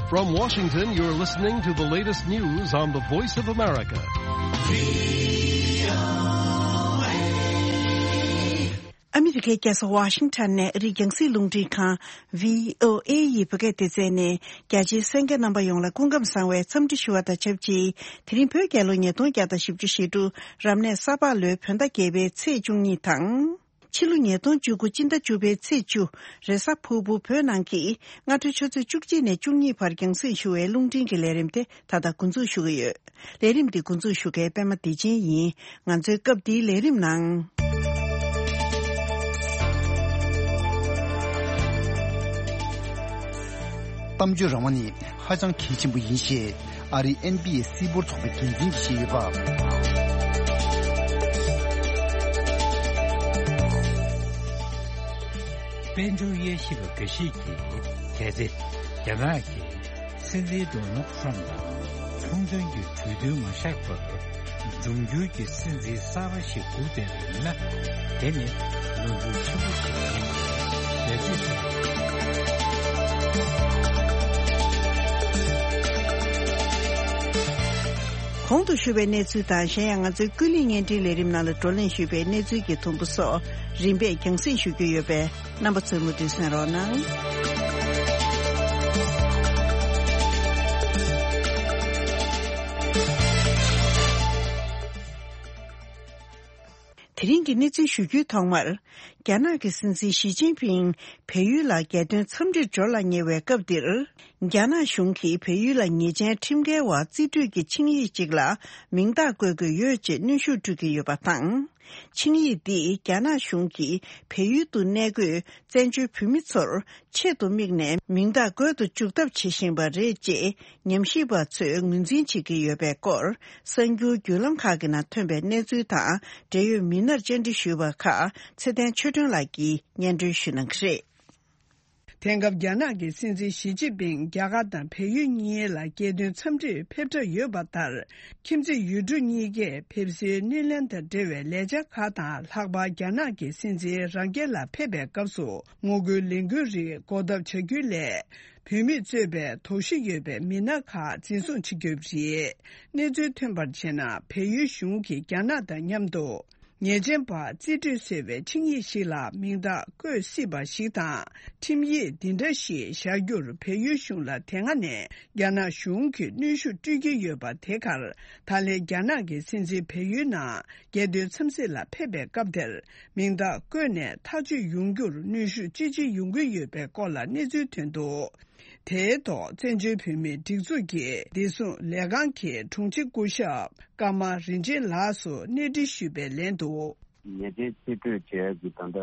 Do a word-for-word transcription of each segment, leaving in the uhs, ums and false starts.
From Washington, you're listening to the latest news on the Voice of America. ཨ་མི་རི་ཀའི་རྒྱལ་ས་ཝ་ཤིང་ཊོན་ནས་ཨ་རིའི་རྒྱང་སྲིང་རླུང་འཕྲིན་ཁང་བྷི་ཨོ་ཨེ་ཡི་བོད་སྐད་སྡེ་ཚན་ནས་རྒྱ་ཆེའི་གསན་མཁན་རྣམ་པ་ཡོངས་ལ་སྐུ་ཁམས་བཟང་བའི་འཚམས་འདྲི་ཞུ་བ་དང་ཆབས་ཅིག་དེ་རིང་བོད་རྒྱལ་ལོ་ཉིས་སྟོང་བརྒྱ་དང་བཞི་བཅུ་ཞེ་དྲུག་རབ་གནས་ས་ཕག་ལོའི་བོད་ཟླ་བརྒྱད་པའི་ཚེས་བཅུ་གཉིས་དང་། ཕྱི་ལོ་ཉིས་སྟོང་བཅུ་དགུ་སྤྱི་ཟླ་བཅུ་པའི་ཚེས་བཅུ། རེས་གཟའ་ཕུར་བུ་བོད་ནང་གི་སྔ་དྲོའི་ཆུ་ཚོད་བཅུ་གཅིག་ནས་བཅུ་གཉིས་བར་རྒྱང་སྲིང་ཞུ་བའི་རླུང་འཕྲིན་གྱི་ལས་རིམ་དེ་ད་ལྟ་འགོ་འཛུགས་ཞུ་གི་ཡོད། ལས་རིམ་འདི་འགོ་འཛུགས་ཞུ་མཁན་པད་མ་བདེ་ཆེན་ཡིན། ང་ཚོའི་སྐབས་འདིའི་ལས་རིམ་ནང་། གཏམ་བརྗོད་རང་དབང་ནི་ཧ་ཅང་གལ་ཆེན་པོ་ཡིན་ཞེས་ཨ་རིའི་ཨེན་བྷི་ཨེ་སྲིད་འབོར་ཚོགས་པའི་འགན་འཛིན་གྱིས་བཤད་ཡོད་པ། དཔལ་འབྱོར་དབྱེ་ཞིབ་པ་འགའ་ཞིག་གིས་གལ་ཏེ་རྒྱ་ནག་གིས་སྲིད་འཛིན་ཌོ་ནལ་ཊམ་དང་ཚོང་དོན་གྱི་གྲོས་མཐུན་མ་བཞག་པར་འབྱུང་འགྱུར་གྱི་སྲིད་འཛིན་གསར་པ་ཞིག་སྒུག་བསྡད་པ་ཡིན་ན། དེ་ནི་ནོར་འཁྲུལ་ཆེན་པོ་ཞིག་ཡིན་པ་རེད་ཅེས་གསུངས། གོང་དུ་ཞུས་པའི་གནས་ཚུལ་དང་། གཞན་ཡང་ང་ཚོའི་ཀུན་གླེང་བརྙན་འཕྲིན་ལས་རིམ་ནང་ལ་བགྲོ་གླེང་ཞུས་པའི་གནས་ཚུལ་གྱི་དུམ་བུ་སོགས་རིམ་པས་རྒྱང་སྲིང་ཞུ་རྒྱུ་ཡོད་པས། རྣམ་པ་ཚོས་མུ་མཐུད་གསན་རོགས་གནང་། དེ་རིང་གི་གནས་ཚུལ་ཞུ་རྒྱུའི་ཐོག་མར། རྒྱ་ནག་གི་སྲིད་འཛིན་ཞི་ཅིན་ཕིང་བལ་ཡུལ་ལ་རྒྱལ་དོན་འཚམས་འདྲིར་འབྱོར་ལ་ཉེ་བའི་སྐབས་འདིར། རྒྱ་ནག་གཞུང་གིས་བལ་ཡུལ་ལ་ཉེས་ཅན་ཁྲིམས་འགལ་བ་རྩིས་སྤྲོད་ཀྱི་ཆིངས་ཡིག་ཅིག་ལ་མིང་རྟགས་བཀོད་དགོས་ཡོད་ཅེས་གནོན་ཤུགས་སྤྲོད་ཀྱི་ཡོད་པ་དང་། ཆིངས་ཡིག་འདིས་རྒྱ་ནག་གཞུང་གིས་བལ་ཡུལ་དུ་གནས་འཁོད་བཙན་བྱོལ་བོད་མི་ཚོར་ཆེད་དུ་དམིགས་ནས་མིང་རྟགས་བཀོད་དུ་འཇུག་ཐབས་བྱེད་བཞིན་པ་རེད་ཅེས་ཉམས་ཞིབ་པ་ཚོས་ངོས་འཛིན་བྱེད་ཀྱི་ཡོད་པའི་སྐོར། གསར་འགྱུར་བརྒྱུད་ལམ་ཁག་གི་ནང་ཐོན་པའི་གནས་ཚུལ་དང་འབྲེལ་ཡོད་མི་སྣར་བཅར་འདྲི་ཞུས་པ་ཁག་ཚེ་བརྟན་ཆོས་སྒྲོན་ལགས་ཀྱིས་སྙན་སྒྲོན་ཞུ་གནང་གི་རེད། དེང་སྐབས་རྒྱ་ནག་གི་སྲིད་འཛིན་ཞི་ཅིན་ཕིང་རྒྱ་གར་དང་བལ་ཡུལ་གཉིས་ལ་རྒྱལ་དོན་འཚམས་འདྲིར་ཕེབས་གྲབས་ཡོད་པ་ལྟར། ཁྱིམ་མཚེས་ཡུལ་གྲུ་གཉིས་ཀས་ཕེབས་བསུའི་སྣེ་ལེན་དང་འབྲེལ་བའི་ལས་འཆར་ཁག་དང་། ལྷག་པར་རྒྱ་ནག་གི་སྲིད་འཛིན་རང་རྒྱལ་ལ་ཕེབས་པའི་སྐབས་སུ་ངོ་རྒོལ་ལས་འགུལ་རིགས་འགོག་ཐབས་བྱ་རྒྱུའི་སླད། བོད་མིས་གཙོས་པའི་དོགས་གཞི་ཡོད་པའི་མི་སྣ་ཁག་འཛིན་བཟུང་བྱེད་རྒྱུ་རེད། གནས་ཚུལ་ཐོན་པར་བྱས་ན། བལ་ཡུལ་གཞུང་གིས་རྒྱ་ནག་དང་མཉམ་དུ་ཉེས་ཅན་པ་རྩིས་སྤྲོད་ཟེར་བའི་ཆིངས་ཡིག་ཞིག་ལ་མིང་རྟགས་བཀོད་སྲིད་པ་ཞིག་དང་། ཁྲིམས་ཡིག་འདི་འདྲ་ཞིག་བཞག་རྒྱུར་བལ་ཡུལ་གཞུང་ལ་དེ་སྔ་ནས་རྒྱ་ནག་གཞུང་གིས་གནོན་ཤུགས་སྤྲོད་ཀྱི་ཡོད་པ། དེ་གར་ད་ལན་རྒྱ་ནག་གི་སྲིད་འཛིན་བལ་ཡུལ་ནང་རྒྱལ་དོན་འཚམས་གཟིགས་ལ་ཕེབས་པའི་སྐབས་དེར། མིང་རྟགས་བཀོད་ནས་ཐག་གཅོད་ཡོང་རྒྱུར་གནོན་ཤུགས་ཅི་ཆེ་ཡོང་གི་ཡོད་པའི་སྐོར་ལ་གནས་ཚུལ་ཐོན་འདུག་དེའི་ཐོག་བཙན་བྱོལ་བོད་མིའི་སྒྲིག་འཛུགས་ཀྱི་བདེ་སྲུང་ལས་ཁང་གི་དྲུང་ཆེ་སྐུ་ཞབས་ཀརྨ་རིན་ཆེན་ལགས་སུ་གནས་འདྲི་ཞུས་པའི་ལན་དུ། ཉེས་ཅན་རྩིས་སྤྲོད་བྱས་ཀྱི་ད་ལྟ་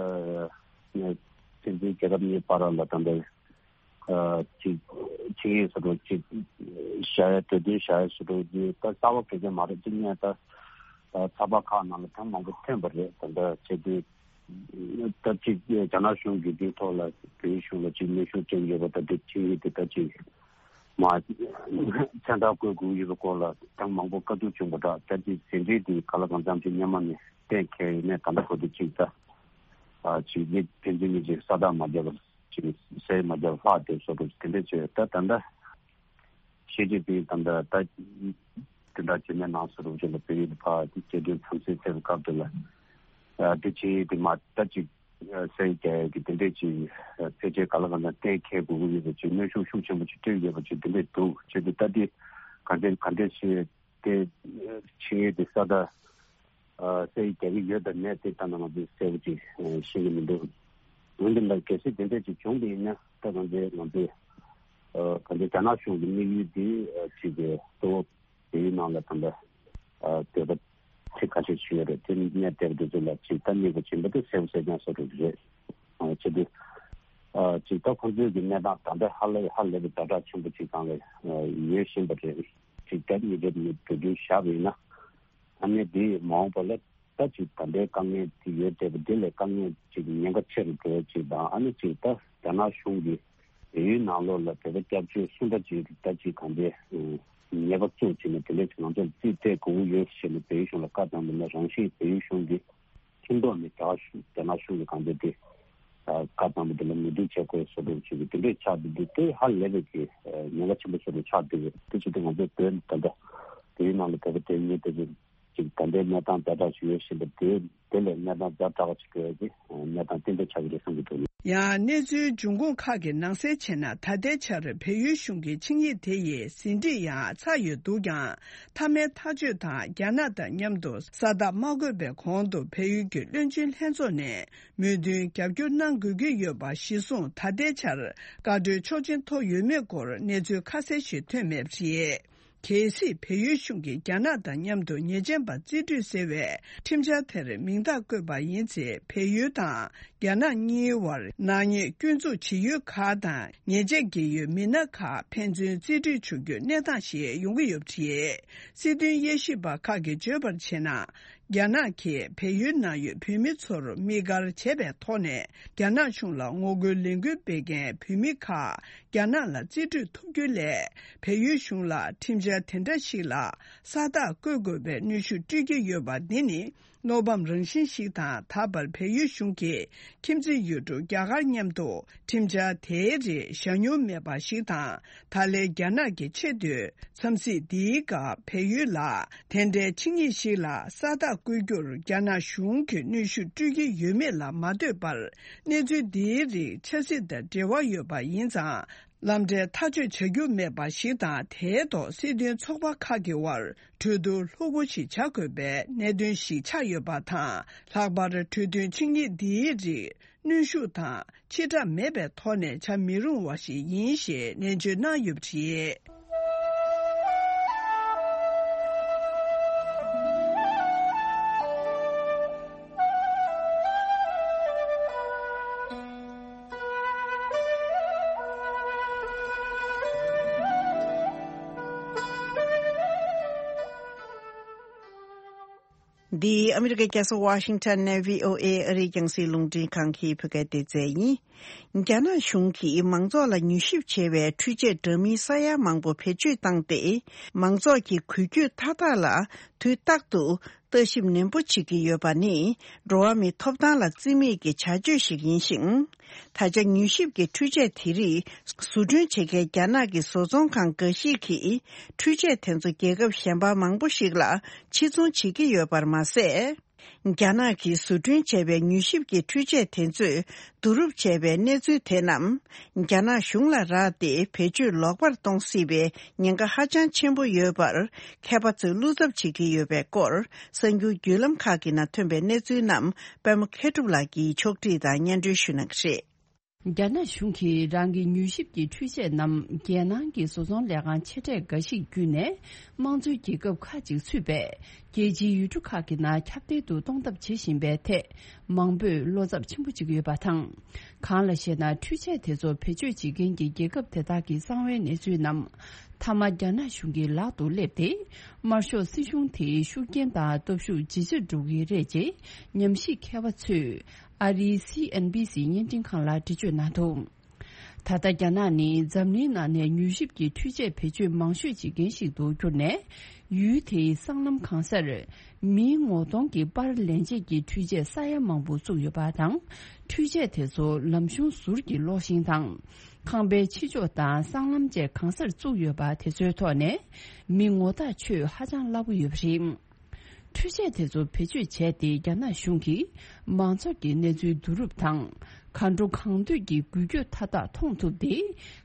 སྲིད་འཛིན་རྒྱལ་ཁབ་གཉིས་བར་ལ་ད་ལྟ་ཅིག་ཆིངས་ཡིག་སོ་སོ་ཅིག་བཞག་ཡ། གྲོས་མཐུན་བཞག་ཡ་སོ་སོ་ཅིག་ད་གསར་པ་གལ་ཆེན་མ་རེད། ཅིག་ངས་ད་ཚགས་པར་ཁག་ནང་ལ་ཐེངས་མང་པོ་ཐོན་པ་རེད། ད་ལྟ་བྱས་དུས། ད་ཅིག་རྒྱ་ནག་གཞུང་གིས་འདིའི་ཐོག་ལ་བོད་གཞུང་ལ་ཅིག་གནོན་ཤུགས་སྤྲད་ཡོད་པ་དང་། འདི་ཆིངས་ཡིག་དེ་ད་ཅིག་མ་མཚན་རྟགས་བཀོད་དགོས་ཡོད་པའི་སྐོར་ལ་ཐེངས་མང་པོ་བཀའ་བསྡུར་བྱུང་བ་འདྲ། ད་ཅིག་ཟིན་བྲིས་དེ་ག་ལ་གང་འཚམ་ཅིག་སྔོན་མ་ནས་གཏན་འཁེལ་ཡོད་ནས། ད་ལྟ་བར་དུ་ཅིག་ད་ཅིག་མི་ཕན་ཚུན་གཉིས་ཅིག་ས་རྟགས་མ་བརྒྱབ་པར་ཅིག་ཟས་མ་བརྒྱབ་པར་ལྷག་བསྡད་བཟོ་འདྲ་དེ་འདྲ་བྱས། ད་ད་ལྟ། ཞི་ཅིན་ཕིང་དང་ད་ལྟ་དེ་འདྲ་བྱེད་མེད་ནང་སོ་རུ་བྱེད་ལ་བོད་ཡིག་ཕར་རྒྱལ་དོན་འཚམས་གཟིགས་ཕེབས་སྐབས་དེ་ལ་དེ་ཆིངས་ཡིག་དེ་མ་ལྟ་ཅིག་གསལ་རྒྱག་ཡ་གི་དེ་འདྲས་ཅིག་ཕལ་ཆེར་ག་ལ་གང་འཚམ་གཏན་འཁེལ་དགོས་ཀྱི་ཡོད་པ་ཅིག་གནོན་ཤུགས་ཤུགས་ཆེན་པོ་ཅིག་སྤྲོད་ཡོད་པ་ཅིག་དེ་འདྲས་འདུག་བྱས་ཏེ་ད་དེ་ག་འདྲས་ག་འདྲས་བྱས་ཏེ་ཆིངས་ཡིག་དེ་ས་ད་གསལ་རྒྱག་གི་ཡོད་དང་མེད་དེ་ད་ནང་ང་ཚོས་གསལ་པོ་ཅིག་ཤེས་ཀྱི་མི་འདུག་འོན་ཏེ་ད་གལ་སྲིད་དེ་འདྲས་ཅིག་བྱུང་བ་ཡིན་ན། ད་གང་འཚམ་ང་ཚོས་ག་འདྲས་རྒྱ་ནག་གཞུང་གི་དམིགས་ཡུལ་དེ་ཅིག་གཙོ་བོ་བལ་ཡུལ་ནང་ལ་ད་ལྟ་ཨ་བོད་པ་ཚིག་ཁ་ཤས་ཞུ་ཡ་རེད། དེ་གནས་བསྡད་པ་དེ་ཚོ་ལ་ཅིག་ད་དམིགས་པ་བྱིན་པ་དེ་གསལ་པོ་གསལ་རྐྱང་བཟོ་འགྲོ་གི་རེད། ཨ་བྱས་ཏེ་ཨ་ཅིག་ད་ཁོང་ཚོའི་གི་གནས་སྟངས་ད་ལྟ་ཧ་ལས་ཧ་ལས་པའི་ཛ་དྲག་ཆེན་པོ་ཅིག་སྒང་ལ་ཨ་ཡོད་བཞིན་པ་རེད། ཅིག་ད་གཉིས་རེད་མི་འགྲོ་རྒྱུ་བཞག་པ་ཡིན་ན། ཨ་ནི་དེ་མ་འོངས་པ་ལ་ད་ཅིག་ད་ལྟའི་དཀའ་ངལ་དེ་ཡོད་བསྡད་པ་དེ་ལས་དཀའ་ངལ་ཅིག་ཉེན་ཁ་ཆེ་རུ་འགྲོ་ཡ་ཅིག་དང་། ཨ་ནི་ཅིག་ད་རྒྱ་ནག་གཞུང་གིས་བལ་ཡུལ་ནང་ལོགས་ལ་བོད་པ་སྐྱབས་བཅོལ་སུ་འདྲ་ཅིག་ད་ཅིག་གང་དེ་ཉེས་པ་བཙུགས་བྱས་ནས་དེ་འདྲས་ང་ཚོར་རྩིས་སྤྲད་དགོས་ཀྱི་ཡོད་ཟེར་ནས་བལ་ཡུལ་གཞུང་ལ་བཀའ་བཏང་བ་ན། རང་བཞིན་བལ་ཡུལ་གཞུང་གིས་མཐུན་ཐོག་ནས་རྒྱ་གཞུང་རྒྱ་ནག་གཞུང་གི་གང་དེ་དེ་ ཨ་བཀའ་བཏང་པ་དེ་ལ་ངོས་འཛིན་བྱེད་དགོས་བཟོ་འདྲ་བྱེད་ཀྱི་དེ་འདྲས་ཆགས་བསྡད་དུས་དེ་ཧ་ལས་པའི་གི་ཉེན་ཁ་ཆེན་པོ་བཟོ་འདྲ་ཆགས་བསྡད་ཀྱི་དེ་བྱེད་དུས་ང་ཚོ་བོད་ད་ལྟ་བོད་ཡིག་ནང་ལ་བོད་པ་དེ་ཉིད་དེ་ཚོ་ཅིག་ད་ལྟའི་གནས་སྟངས་ཛ་དྲག་ཅིག་ཡོད་བཞིན་པ་དེ་དེ་ལས་གནས་སྟངས་ཛ་དྲག་ཅིག་འགྲོ་ཡ་གི་གནས་སྟངས་ཏན་ཏན་ཆགས་ཀྱི་རེད་བསམ་གྱི་འདུག་ཡང་གནས་ཚུལ་འབྱུང་ཁུངས་ཁག་གི་ནང་གསལ་བྱས་ན། ད་ལྟའི་ཆར་བལ་ཡུལ་གཞུང་གི་ཆིངས་ཡིག་དེ་ཡི་ཟིན་བྲིས་ཡང་ཚར་ཡོད་འདུག་ཀྱང་། མཐའ་མའི་ཐག་གཅོད་དང་རྒྱ་ནག་དང་མཉམ་དུ་ས་རྟགས་མ་བཀོད་པའི་གོང་དུ་བལ་ཡུལ་གྱི་བློན་ཆེན་ལྷན་ཚོགས་ནས་མོས་མཐུན་རྒྱབ་སྐྱོར་གནང་དགོས་ཀྱི་ཡོད་པ་གཞིར་བཟུང་། ད་ལྟའི་ཆར་བཀའ་འཁྲོལ་ཆོག་མཆན་ཐོབ་ཡོད་མེད་སྐོར་གནས་ཚུལ་ཁ་གསལ་ཞིག་ཐོན་མེད་པ་རེད། གལ་སྲིད་བལ་ཡུལ་གཞུང་གིས་རྒྱ་ནག་དང་མཉམ་དུ་ཉེས་ཅན་པ་རྩིས་སྤྲོད་ཟེར་བའི་ཁྲིམས་འཆར་དེར་མིང་རྟགས་བཀོད་པ་ཡིན་ཚེ། བལ་ཡུལ་དང་རྒྱ་ནག་གཉིས་བར་ནག་ཉེས་སྐྱོན་འཛུགས་བྱེད་ཡུལ་ཁག་དང་ཉེས་ཆད་འགེལ་ཡུལ་མི་སྣ་ཁག་ཕན་ཚུན་རྩིས་སྤྲོད་བྱ་རྒྱུའི་གནས་སྟངས་ཤིག་ཡོང་གི་ཡོད་པ་རེད། སྲིད་དོན་དབྱེ་ཞིབ་པ་ཁག་གིས་བརྗོད་པར་བྱས་ན། རྒྱ་ནག་གིས་བལ་ཡུལ་ནང་ཡོད་བོད་མི་ཚོར་དམིགས་བཀར་བྱས་པའི་ཐོག་ནས། རྒྱ་ནག་གཞུང་ལ་ངོ་རྒོལ་ལས་འགུལ་སྤེལ་མཁན་བོད་མི་ཁག་རྒྱ་ནག་ལ་རྩིས་སྤྲོད་ཐུབ་རྒྱུ་ལས། བལ་ཡུལ་གཞུང་ལ་ཁྲིམས་འཆར་དེ་འདྲ་ཞིག་ལ་ས་རྟགས་བཀོད་དགོས་པའི་གནོན་ཤུགས་སྤྲོད་ཀྱི་ཡོད་པ་འདི་ནི། བློ་ཕམ་རང་བཞིན་ཞིག་དང་། ད་བར་བལ་ཡུལ་གཞུང་གིས་ཁྱིམ་མཚེས་ཡུལ་གྲུ་རྒྱ་གར་མཉམ་དུ་ཁྲིམས་འཆར་དེའི་རིགས་བཞག་མྱོང་མེད་པ་ཞིག་དང་། ད་ལན་རྒྱ་ནག་གིས་ཆེས་མཐོའི་འཚམས་གཟིགས་འདིའི་སྐབས་བལ་ཡུལ་ལ་དེ་འདྲའི་ཆིངས་ཡིག་ཞིག་ལ་ས་རྟགས་བཀོད་རྒྱུར་རྒྱ་ནག་གཞུང་གིས་གནོན་ཤུགས་སྤྲོད་ཀྱི་ཡོད་མེད་ལ་མ་ལྟོས་པར། གནས་ཚུལ་འདིའི་རིགས་ཆབ་སྲིད་དང་འབྲེལ་བ་ཡོད་པ་ཡིན་ཙང་། ལམ་འབྲས་ཐག་གཅོད་བྱ་རྒྱུ་མེད་པ་ཞིག་དང་། དེའི་ཐོག་སྲིད་དོན་ཚོགས་པ་ཁག་གི་དབར་གྲོས་བསྡུར་ལྷུག་པོ་ཞིག་བྱ་དགོས་པའི་གནད་དོན་ཞིག་ཆགས་ཡོད་པ་དང་། ལྷག་པར་གྲོས་མཐུན་ཆིངས་ཡིག་འདིའི་རིགས་གནོན་ཤུགས་དང་ཕྱིར་བསྒྲགས་མེད་པའི་ཐོག་ནས་བྱ་མི་རུང་བ་ཞིག་ཡིན་ཞེས་ནན་བརྗོད་གནང་ཡོད་པ་རེད། འདི་ཨ་མི་རི་ཀའི་རྒྱལ་ས་ཝ་ཤིང་ཊོན་ནས་བྷི་ཨོ་ཨེ་ཨ་རིའི་རྒྱང་སྲིང་རླུང་འཕྲིན་ཁང་གི་བོད་སྐད་སྡེ་ཚན་ཡིན། རྒྱ་ནག་གཞུང་གིས་མང་ཚོགས་ལ་མྱུལ་ཞིབ་བྱེད་པའི་འཕྲུལ་ཆས་འདྲ་མིན་ས་ཡ་མང་པོ་བེད་སྤྱོད་བཏང་སྟེ། མང་ཚོགས་ཀྱི་འགུལ་སྐྱོད་མཐའ་དག་ལ་དུས་རྟག་ཏུ་ལྟ་ཞིབ་ནན་པོ་བྱེད་ཀྱི་ཡོད་པ་ནི། འགྲོ་བ་མིའི་ཐོབ་ཐང་ལ་བརྩི་མེད་ཀྱི་བྱ་སྤྱོད་ཞིག་ཡིན་ཞིང་། ད་ཆ་མྱུལ་ཞིབ་ཀྱི་འཕྲུལ་ཆས་དེ་རིགས་བཟོ་སྐྲུན་བྱེད་མཁན་རྒྱ་ནག་གི་བཟོ་ཚོང་ཁང་འགའ་ཞིག་གིས། འཕྲུལ་ཆས་དེ་ཚོ་རྒྱལ་ཁབ་གཞན་པ་མང་པོ་ཞིག་ལ་ཕྱིར་ཚོང་བྱེད་ཀྱི་ཡོད་པར་མ་ཟད། རྒྱ་ནག་གིས་བཟོ་སྐྲུན་བྱས་པའི་མྱུལ་ཞིབ་ཀྱི་འཕྲུལ་ཆས་དེ་ཚོས་བསྡུ་རུབ་བྱས་པའི་གནས་ཚུལ་དེ་རྣམས། རྒྱ་ནག་གཞུང་ལ་རག་སྟེ་བེད་སྤྱོད་ལོག་པར་གཏོང་སྲིད་པའི་ཉེན་ཁ་ཧ་ཅང་ཆེན་པོ་ཡོད་པར། མཁས་པ་ཚོས་བློ་འཚབ་བྱེད་ཀྱི་ཡོད་པའི་སྐོར། གསར་འགྱུར་བརྒྱུད་ལམ་ཁག་གི་ནང་ཐོན་པའི་གནས་ཚུལ་རྣམས། པད་མ་མཁས་གྲུབ་ལགས་ཀྱིས་ཕྱོགས་བསྒྲིགས་དང་སྙན་སྒྲོན་ཞུ་གནང་གི་རེད། རྒྱ་ནག་གཞུང་གིས་རང་གི་མྱུལ་ཞིབ་ཀྱི་འཕྲུལ་ཆས་རྣམས། རྒྱལ་ནང་གི་བཟོ་ཚོང་ལས་ཁང་ཆེ་གྲས་འགའ་ཞིག་བརྒྱུད་ནས། དམངས་གཙོའི་རྒྱལ་ཁབ་ཁག་ཅིག་ཚུད་པའི་རྒྱལ་སྤྱིའི་ཡུལ་གྲུ་ཁག་གི་ནང་ཁྱབ་གདལ་དུ་གཏོང་ཐབས་བྱེད་བཞིན་པའི་ཐད། མང་པོས་བློ་འཚབ་ཆེན་པོ་བྱེད་ཀྱི་ཡོད་པ་དང་། གང་ལ་ཞེ་ན། འཕྲུལ་ཆས་དེ་ཚོ་བེད་སྤྱོད་བྱེད་མཁན་གྱི་རྒྱལ་ཁབ་དེ་དག་གི་གསང་བའི་གནས་ཚུལ་རྣམས། མཐའ་མ་རྒྱ་ནག་གཞུང་གི་ལག་ཏུ་སླེབས་ཏེ། དམར་ཤོག་སྲིད་གཞུང་དེའི་ཤུགས་རྐྱེན་དང་སྟོབས་ཤུགས་ཇེ་ཆེར་འགྲོ་གི་རེད་ཅེས་ཉམས་ཞིབ་མཁས་པ་ཚོས། ཨ་རིའི་སི་ཨེན་བྷི་སི་བརྙན་འཕྲིན་ཁང་ལ་འགྲེལ་བརྗོད་གནང་འདུག་ད་ལྟ་རྒྱ་ནག་ནི་འཛམ་གླིང་ནང་ནས་མྱུལ་ཞིབ་ཀྱི་འཕྲུལ་ཆས་བེད་སྤྱོད་མང་ཤོས་བྱེད་མཁན་ཞིག་ཏུ་གྱུར་ནས། ཡུལ་དེའི་སྲང་ལམ་གང་སར་མིའི་ངོ་གདོང་གི་པར་ལེན་བྱེད་ཀྱི་འཕྲུལ་ཆས་ས་ཡ་མང་པོ་བཙུགས་ཡོད་པ་དང་། འཕྲུལ་ཆས་དེ་ཚོ་ལམ་གཞུང་ཟུར་གྱི་གློག་ཤིང་དང་། ཁང་པའི་ཕྱི་ཕྱོགས་དང་སྲང་ལམ་བཅས་གང་སར་བཙུགས་ཡོད་པ་དེ་ཚོའི་ཐོག་ནས། མི་ངོ་རྟགས་ཆོད་ཧ་ཅང་སླ་པོ་ཡོད་པ་རེད། འཕྲུལ་ཆས་དེ་ཚོ་བེད་སྤྱོད་བྱས་ཏེ། རྒྱ་ནག་གཞུང་གིས་མང་ཚོགས་ཀྱི་གནས་ཚུལ་བསྡུ་རུབ་དང་། གང་འགྲོ་གང་འདོད་ཀྱི་འགུལ་སྐྱོད་མཐའ་དག་མཐོང་ཐུབ་སྟེ།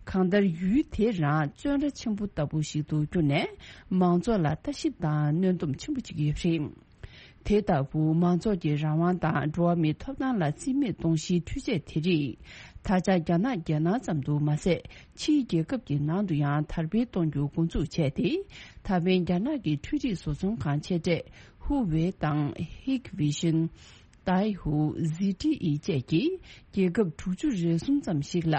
གང་ལྟར་ཡུལ་དེ་རང་བཙོན་ར་ཆེན་པོ་ལྟ་བུ་ཞིག་ཏུ་གྱུར་ནས། མང་ཚོགས་ལ་ལྟ་ཞིབ་དང་གནོན་སྡོམ་ཆེན་པོ་བྱེད་ཀྱི་ཡོད་པ་རེད། དེ་ལྟ་བུ་མང་ཚོགས་ཀྱི་རང་དབང་དང་འགྲོ་བ་མིའི་ཐོབ་ཐང་ལ་བརྩི་མེད་གཏོང་གཞིའི་འཕྲུལ་ཆས་དེ་རིགས། ད་ཆ་རྒྱ་ནག་རྒྱལ་ནང་ཙམ་དུ་མ་ཟད། ཕྱིའི་རྒྱལ་ཁབ་ཀྱི་ནང་དུ་ཡང་དར་སྤེལ་གཏོང་རྒྱུ་འགོ་འཛུགས་བྱས་ཏེ། ད་ཕན་རྒྱ་ནག་གི་འཕྲུལ་རིག་བཟོ་ཚོང་ཁང་ཆེ་གྲས་ཧུ་ཝེ་དང་ཧིག་ཝི་ཤིན། ཏའེ་ཧུ། ཟི་ཏི་ཨི་བཅས་ཀྱིས་རྒྱལ་ཁབ་དྲུག་ཅུ་རེ་གསུམ་ཙམ་ཞིག་ལ་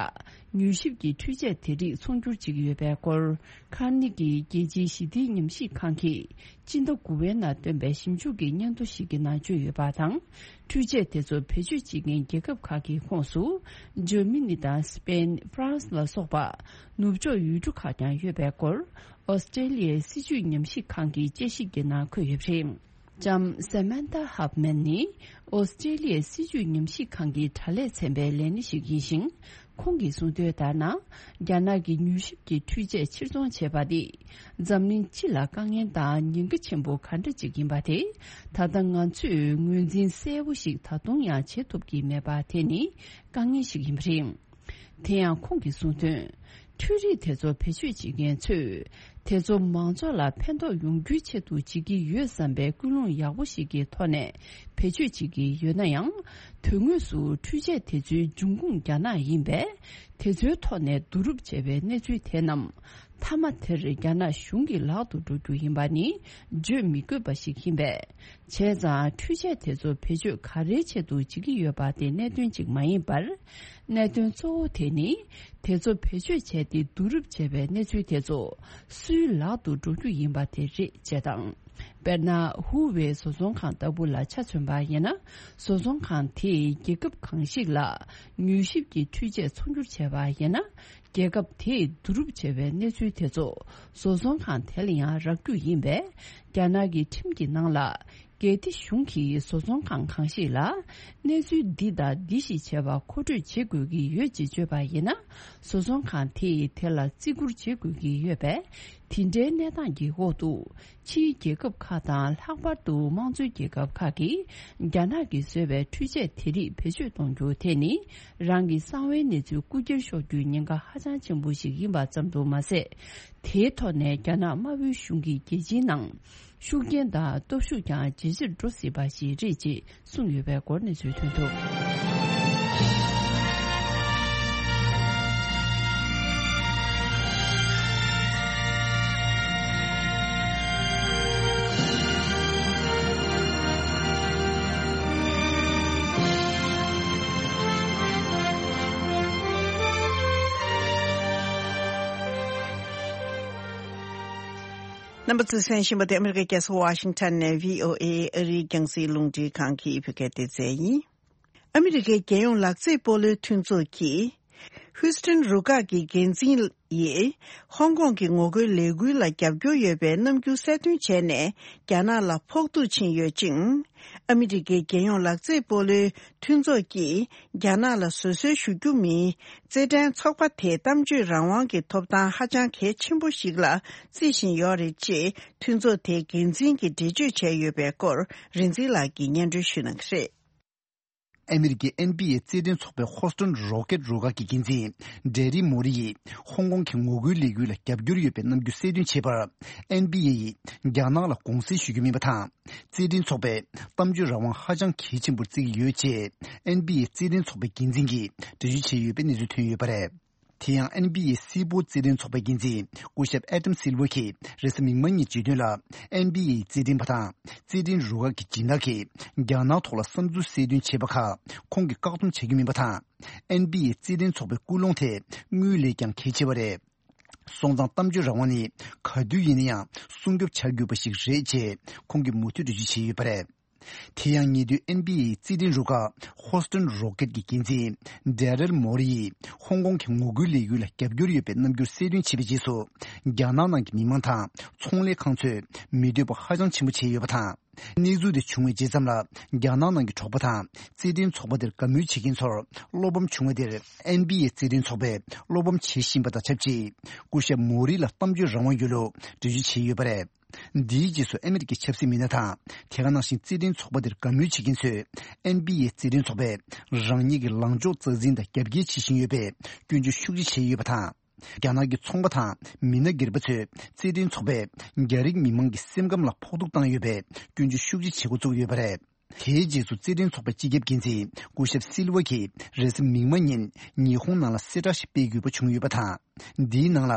མྱུལ་ཞིབ་ཀྱི་འཕྲུལ་ཆས་དེ་རིགས་ཚོང་སྒྱུར་བྱེད་ཀྱི་ཡོད་པའི་སྐོར། ཁ་ནི་གི་རྒྱལ་སྤྱིའི་ཞི་བདེའི་ཉམས་ཞིབ་ཁང་གིས་སྤྱི་ཟླ་དགུ་པའི་ནང་བཏོན་པའི་ཞིབ་འཇུག་གི་སྙན་ཐོ་ཞིག་གི་ནང་བརྗོད་ཡོད་པ་དང་། འཕྲུལ་ཆས་དེ་ཚོ་བེད་སྤྱོད་བྱེད་མཁན་རྒྱལ་ཁབ་ཁག་གི་ཁོངས་སུ། འཇར་མ་ནི་དང་སི་པེན། ཧྥ་རན་སི་ལ་སོགས་པ་ནུབ་ཕྱོགས་ཡུལ་གྲུ་ཁག་ཀྱང་ཡོད་པའི་སྐོར། ཨོ་སི་ཀྲེ་ལི་ཡའི་སྲིད་བྱུས་ཉམས་ཞིབ་ཁང་གི་དཔྱད་ཞིབ་ཀྱི་ནང་འཁོད་ཡོད་པ་རེད། ལྕམ་Samantha Huffman་ནི་ཨོ་སི་ཀྲེ་ལི་ཡའི་སྲིད་བྱུས་ཉམས་ཞིབ་ཁང་གི་དྲ་ལས་ཚན་པའི་ལས་སྣེ་ཞིག་ཡིན་ཞིང་། ཁོང་གིས་གསུངས་དོན་ལྟར་ན། རྒྱ་ནག་གི་མྱུལ་ཞིབ་ཀྱི་འཕྲུལ་ཆས་ཕྱིར་ཚོང་བྱས་པ་དེ། འཛམ་གླིང་སྤྱི་ལ་དཀའ་ངལ་དང་ཉེན་ཁ་ཆེན་པོ་ག་འདྲ་ཅིག་ཡིན་པ་དེ། ད་ལྟ་ང་ཚོས་ངོས་འཛིན་གསལ་པོ་ཞིག་ད་དུང་ཡང་བྱེད་ཐུབ་ཀྱི་མེད་པ་དེ་ནི་དཀའ་ངལ་ཞིག་ཡིན་པ་རེད། དེ་ཡང་ཁོང་གིས་གསུངས་དོན། འཕྲུལ་རིག་དེ་ཚོ་བེད་སྤྱོད་བྱེད་མཁན་ཚོས། དེ་ཚོ་མང་ཚོགས་ལ་ཕན་ཐོགས་ཡོང་རྒྱུའི་ཆེད་དུ་བྱེད་ཀྱི་ཡོད་བསམ་པའི་ཀུན་སློང་ཡག་པོ་ཞིག་གི་ཐོག་ནས་བེད་སྤྱོད་བྱེད་ཀྱི་ཡོད་ན་ཡང་། དོན་དངོས་སུ་འཕྲུལ་ཆས་དེ་ཚོའི་འབྱུང་ཁུངས་རྒྱ་ནག་ཡིན་པས། དེ་ཚོའི་ཐོག་ནས་བསྡུ་རུབ་བྱས་པའི་གནས་ཚུལ་དེ་རྣམས། མཐའ་མ་དེར་རྒྱ་ནག་གཞུང་གི་ལག་ཏུ་འགྲོ་རྒྱུ་ཡིན་པ་ནི་བརྗོད་མི་དགོས་པ་ཞིག་ཡིན་པས། བྱས་ཙང་འཕྲུལ་ཆས་དེ་ཚོ་བེད་སྤྱོད་ག་རེའི་ཆེད་དུ་བྱེད་ཀྱི་ཡོད་པ་དེ་གནད་དོན་གཅིག་མ་ཡིན་པར། གནད་དོན་གཙོ་བོ་དེ་ནི། དེ་ཚོ་བེད་སྤྱོད་བྱས་ཏེ་བསྡུ་རུབ་བྱས་པའི་གནས་ཚུལ་དེ་ཚོ་སུའི་ལག་ཏུ་འགྲོ་རྒྱུ་ཡིན་པ་དེ་རེད་ཅེས་དང་། དཔེར་ན། ཧུའུ་ཝེ་བཟོ་ཚོང་ཁང་ལྟ་བུ་ལ་ཆ་མཚོན་པ་ཡིན་ན། བཟོ་ཚོང་ཁང་དེས་རྒྱལ་ཁབ་གང་ཞིག་ལ་མྱུལ་ཞིབ་ཀྱི་འཕྲུལ་ཆས་ཚོང་སྒྱུར་བྱས་པ་ཡིན་ན། རྒྱལ་ཁབ་དེས་བསྡུ་རུབ་བྱས་པའི་གནས་ཚུལ་དེ་ཚོ་བཟོ་ཚོང་ཁང་དེ་ལ་ཡང་རག་རྒྱུ་ཡིན་པས། རྒྱ་ནག་གི་ཁྲིམས་ཀྱི་ནང་ལ། སྒེར་སྡེ་གཞུང་གིས་བཟོ་ཚོང་ཁང་གང་ཞིག་ལ། གནས་ཚུལ་འདི་དང་འདི་ཞིག་བྱས་པ་མཁོ་སྤྲོད་བྱེད་དགོས་ཀྱི་ཡོད་ཅེས་བརྗོད་པ་ཡིན་ན། བཟོ་ཚོང་ཁང་དེས་དེ་ལ་བརྩི་བཀུར་བྱེད་དགོས་ཀྱི་ཡོད་པས། དེ་འདྲའི་གནས་སྟངས་ཀྱི་འོག་ཏུ། ཕྱིའི་རྒྱལ་ཁབ་ཁག་དང་། ལྷག་པར་དུ་དམངས་གཙོའི་རྒྱལ་ཁབ་ཁག་གིས། རྒྱ་ནག་གིས་བཟོས་པའི་འཕྲུལ་ཆས་དེ་རིགས་བེད་སྤྱོད་གཏོང་རྒྱུ་དེ་ནི། རང་གི་གསང་བའི་གནས་ཚུལ་རྐུ་འཁྱེར་ཤོར་རྒྱུའི་ཉེན་ཁ་ཧ་ཅང་ཆེན་པོ་ཞིག་ཡིན་པ་ཙམ་དུ་མ་ཟད། དེའི་ཐོག་ནས་རྒྱ་ནག་དམར་པོའི་གཞུང་གིས་རྒྱལ་སྤྱིའི་ནང་ཤུགས་རྐྱེན་དང་སྟོབས་ཤུགས་ཀྱང་ཇེ་ཆེར་འགྲོ་སྲིད་པ་ཞིག་རེད་ཅེས་གསུངས་ཡོད་པའི་སྐོར་གནས་ཚུལ་ཐོན་འདུག། རྣམ་པ་ཚོས་གསན་བཞིན་པ་དེ་ཨ་མི་རི་ཀའི་རྒྱལ་ས་ཝ་ཤིང་ཊོན་ནས་བྷི་ཨོ་ཨེ་ཨ་རིའི་རྒྱང་སྲིང་རླུང་འཕྲིན་ཁང་གི་བོད་སྐད་སྡེ་ཚན་ཡིན། ཨ་མི་རི་ཀའི་རྒྱལ་ཡོངས་ལག་རྩེད་སྤོ་ལོའི་མཐུན་ཚོགས་ཀྱིས། ཧུའུ་སི་ཐན་རུ་ཁག་གི་འགན་འཛིན་ཡིས། ཧོང་ཀོང་གི་ངོ་རྒོལ་ལས་འགུལ་ལ་རྒྱབ་སྐྱོར་ཡོད་པའི་རྣམ་འགྱུར་གསལ་སྟོན་བྱས་ནས། རྒྱ་ནག་ལ་ཕོག་ཐུག་ཕྱིན་ཡོད་ཅིང་། ཨ་མི་རི་ཀའི་རྒྱལ་ཡོངས་ལག་རྩེད་སྤོ་ལོའི་མཐུན་ཚོགས་ཀྱིས། རྒྱ་ནག་ལ་བཟོད་གསོལ་ཞུ་རྒྱུ་མིན། རྩེད་འགྲན་ཚོགས་པ་དེའི་གཏམ་བརྗོད་རང་དབང་གི་ཐོབ་ཐང་ཧ་ཅང་གལ་ཆེན་པོ་ཞིག་ལ་བརྩི་བཞིན་ཡོད་རེད་ཅེས། མཐུན་ཚོགས་དེའི་འགན་འཛིན་གྱིས་འགྲེལ་བརྗོད་བྱས་ཡོད་པའི་སྐོར། རིག་འཛིན་ལགས་ཀྱིས་སྙན་སྒྲོན་ཞུ་གནང་གི་རེད། ཨ་མི་རི་ཀའི་ཨེན་བྷི་ཨེ་རྩེད་འགྲན་ཚོགས་པའི་ཧོ་སི་ཊོན་རོ་ཀེད་རུ་ཁག་གི་འགན་འཛིན་ཌེ་རི་མོ་རི་ཡིས་ཧོང་ཀོང་གི་ངོ་རྒོལ་ལས་འགུལ་ལ་རྒྱབ་སྐྱོར་ཡོད་པའི་རྣམ་འགྱུར་གསལ་སྟོན་བྱས་པར། ཨེན་བྷི་ཨེ་ཡིས་རྒྱ་ནག་ལ་དགོངས་སེལ་ཞུ་རྒྱུ་མིན་པ་དང་། རྩེད་འགྲན་ཚོགས་པས་གཏམ་བརྗོད་རང་དབང་ཧ་ཅང་གལ་ཆེན་པོར་བརྩི་གི་ཡོད་ཅེས། ཨེན་བྷི་ཨེ་རྩེད་འགྲན་ཚོགས་པའི་འགན་འཛིན་གྱིས་འགྲེལ་བརྗོད་བྱས་ཡོད་པའི་གནས་ཚུལ་ཐོན་ཡོད་པ་རེད། དེ་ཡང་ཨེན་བྷི་ཨེ་སིལ་སྤོལ་རྩེད་འགྲན་ཚོགས་པའི་འགན་འཛིན་སྐུ་ཞབས་ཨེ་ཏམ་སིལ་ཝར་གྱིས་རེས་གཟའ་མིག་དམར་ཉིན་བརྗོད་དོན་ལ། ཨེན་བྷི་ཨེ་རྩེད་འགྲན་པ་དང་རྩེད་འགྲན་རུ་ཁག་གི་སྦྱིན་བདག་གིས་རྒྱ་ནག་ཐོག་ལ་བསམ་ཚུལ་གསལ་སྟོན་བྱས་པ་ཁག་ཁོང་གིས་བཀག་སྡོམ་བྱ་རྒྱུ་མིན་པ་དང་། ཨེན་བྷི་ཨེ་རྩེད་འགྲན་ཚོགས་པའི་ཀུན་སློང་དེ་དངུལ་ལས་ཀྱང་གལ་ཆེ་བ་རེད། སོང་ཙང་གཏམ་བརྗོད་རང་དབང་ནི་ག་དུས་ཡིན་ན་ཡང་སྲུང་སྐྱོབ་བྱ་དགོས་པ་ཞིག་རེད་ཅེས་ཁོང་གིས་མུ་མཐུད་འགྲེལ་བརྗོད་བྱས་ཡོད་པ་རེད། དེ་ཡང་ཉེ་དུས་ཨེན་བྷི་ཨེ་རྩེད་འགྲན་རུ་ཁག་ཧོ་སི་ཊོན་རོ་ཀེད་ཀྱི་འགན་འཛིན་ཌེ་རལ་མོ་རི་ཡིས་ཧོང་ཀོང་གི་ངོ་རྒོལ་ལས་འགུལ་ལ་རྒྱབ་སྐྱོར་ཡོད་པའི་རྣམ་འགྱུར་གསལ་སྟོན་བྱས་པའི་རྗེས་སུ། རྒྱ་ནག་ནང་གི་མི་མང་དང་ཚོང་ལས་ཁང་ཚོས་མི་འདོད་པ་ཧ་ཅང་ཆེན་པོ་བྱས་ཡོད་པ་དང་། གནས་ཚུལ་དེ་བྱུང་བའི་རྗེས་ཙམ་ལ། རྒྱ་ནག་ནང་གི་གྲོགས་པོ་དང་རྩེད་འགྲན་ཚོགས་པ་དེར་དགའ་མོས་བྱེད་མཁན་ཚོར་བློ་ཕམ་བྱུང་བ་དེར། ཨེན་བྷི་ཨེ་རྩེད་འགྲན་ཚོགས་པས་བློ་ཕམ་བྱེད་བཞིན་པ་དང་ཆབས་ཅིག་སྐུ་ཞབས་མོ་རི་ལ་གཏམ་བརྗོད་རང་དབང་ཡོད་ལུགས་འགྲེལ་བརྗོད་བྱས་ཡོད་པ་རེད། འདིའི་རྗེས་སུ་ཨ་མི་རི་ཀའི་ཆབ་སྲིད་མི་སྣ་དང་། དེ་ག་ནང་བཞིན་རྩེད་འགྲན་ཚོགས་པ་དེར་དགའ་མོས་བྱེད་མཁན་ཚོས། ཨེན་བྷི་ཨེ་རྩེད་འགྲན་ཚོགས་པས་རང་ཉིད་ཀྱི་ལངས་ཕྱོགས་རྩ་འཛིན་དང་རྒྱབ་འགལ་བྱེད་བཞིན་ཡོད་པའི་སྐྱོན་བརྗོད་ཤུགས་ཆེ་བྱས་ཡོད་པ་དང་། རྒྱ་ནག་གི་ཚོང་པ་དང་མི་སྣ་སྒེར་པ་ཚོས་རྩེད་འགྲན་ཚོགས་པས་རྒྱ་རིགས་མི་མང་གི་སེམས་ཁམས་ལ་ཕོག་ཐུག་བཏང་ཡོད་པའི་སྐྱོན་བརྗོད་ཤུགས་ཆེ་བྱེད་འགོ་བཙུགས་ཡོད་པ་རེད། དེའི་རྗེས་སུ་རྩེད་འགྲན་ཚོགས་པའི་སྤྱི་ཁྱབ་འགན་འཛིན་སྐུ་ཞབས་སིལ་ཝར་གྱིས་རེས་གཟའ་མིག་དམར་ཉིན་ཉི་ཧོང་ནང་ལ་གསལ་བསྒྲགས་ཤིག་སྤེལ་དགོས་པ་བྱུང་ཡོད་པ་དང་། འདིའི་ནང་ལ་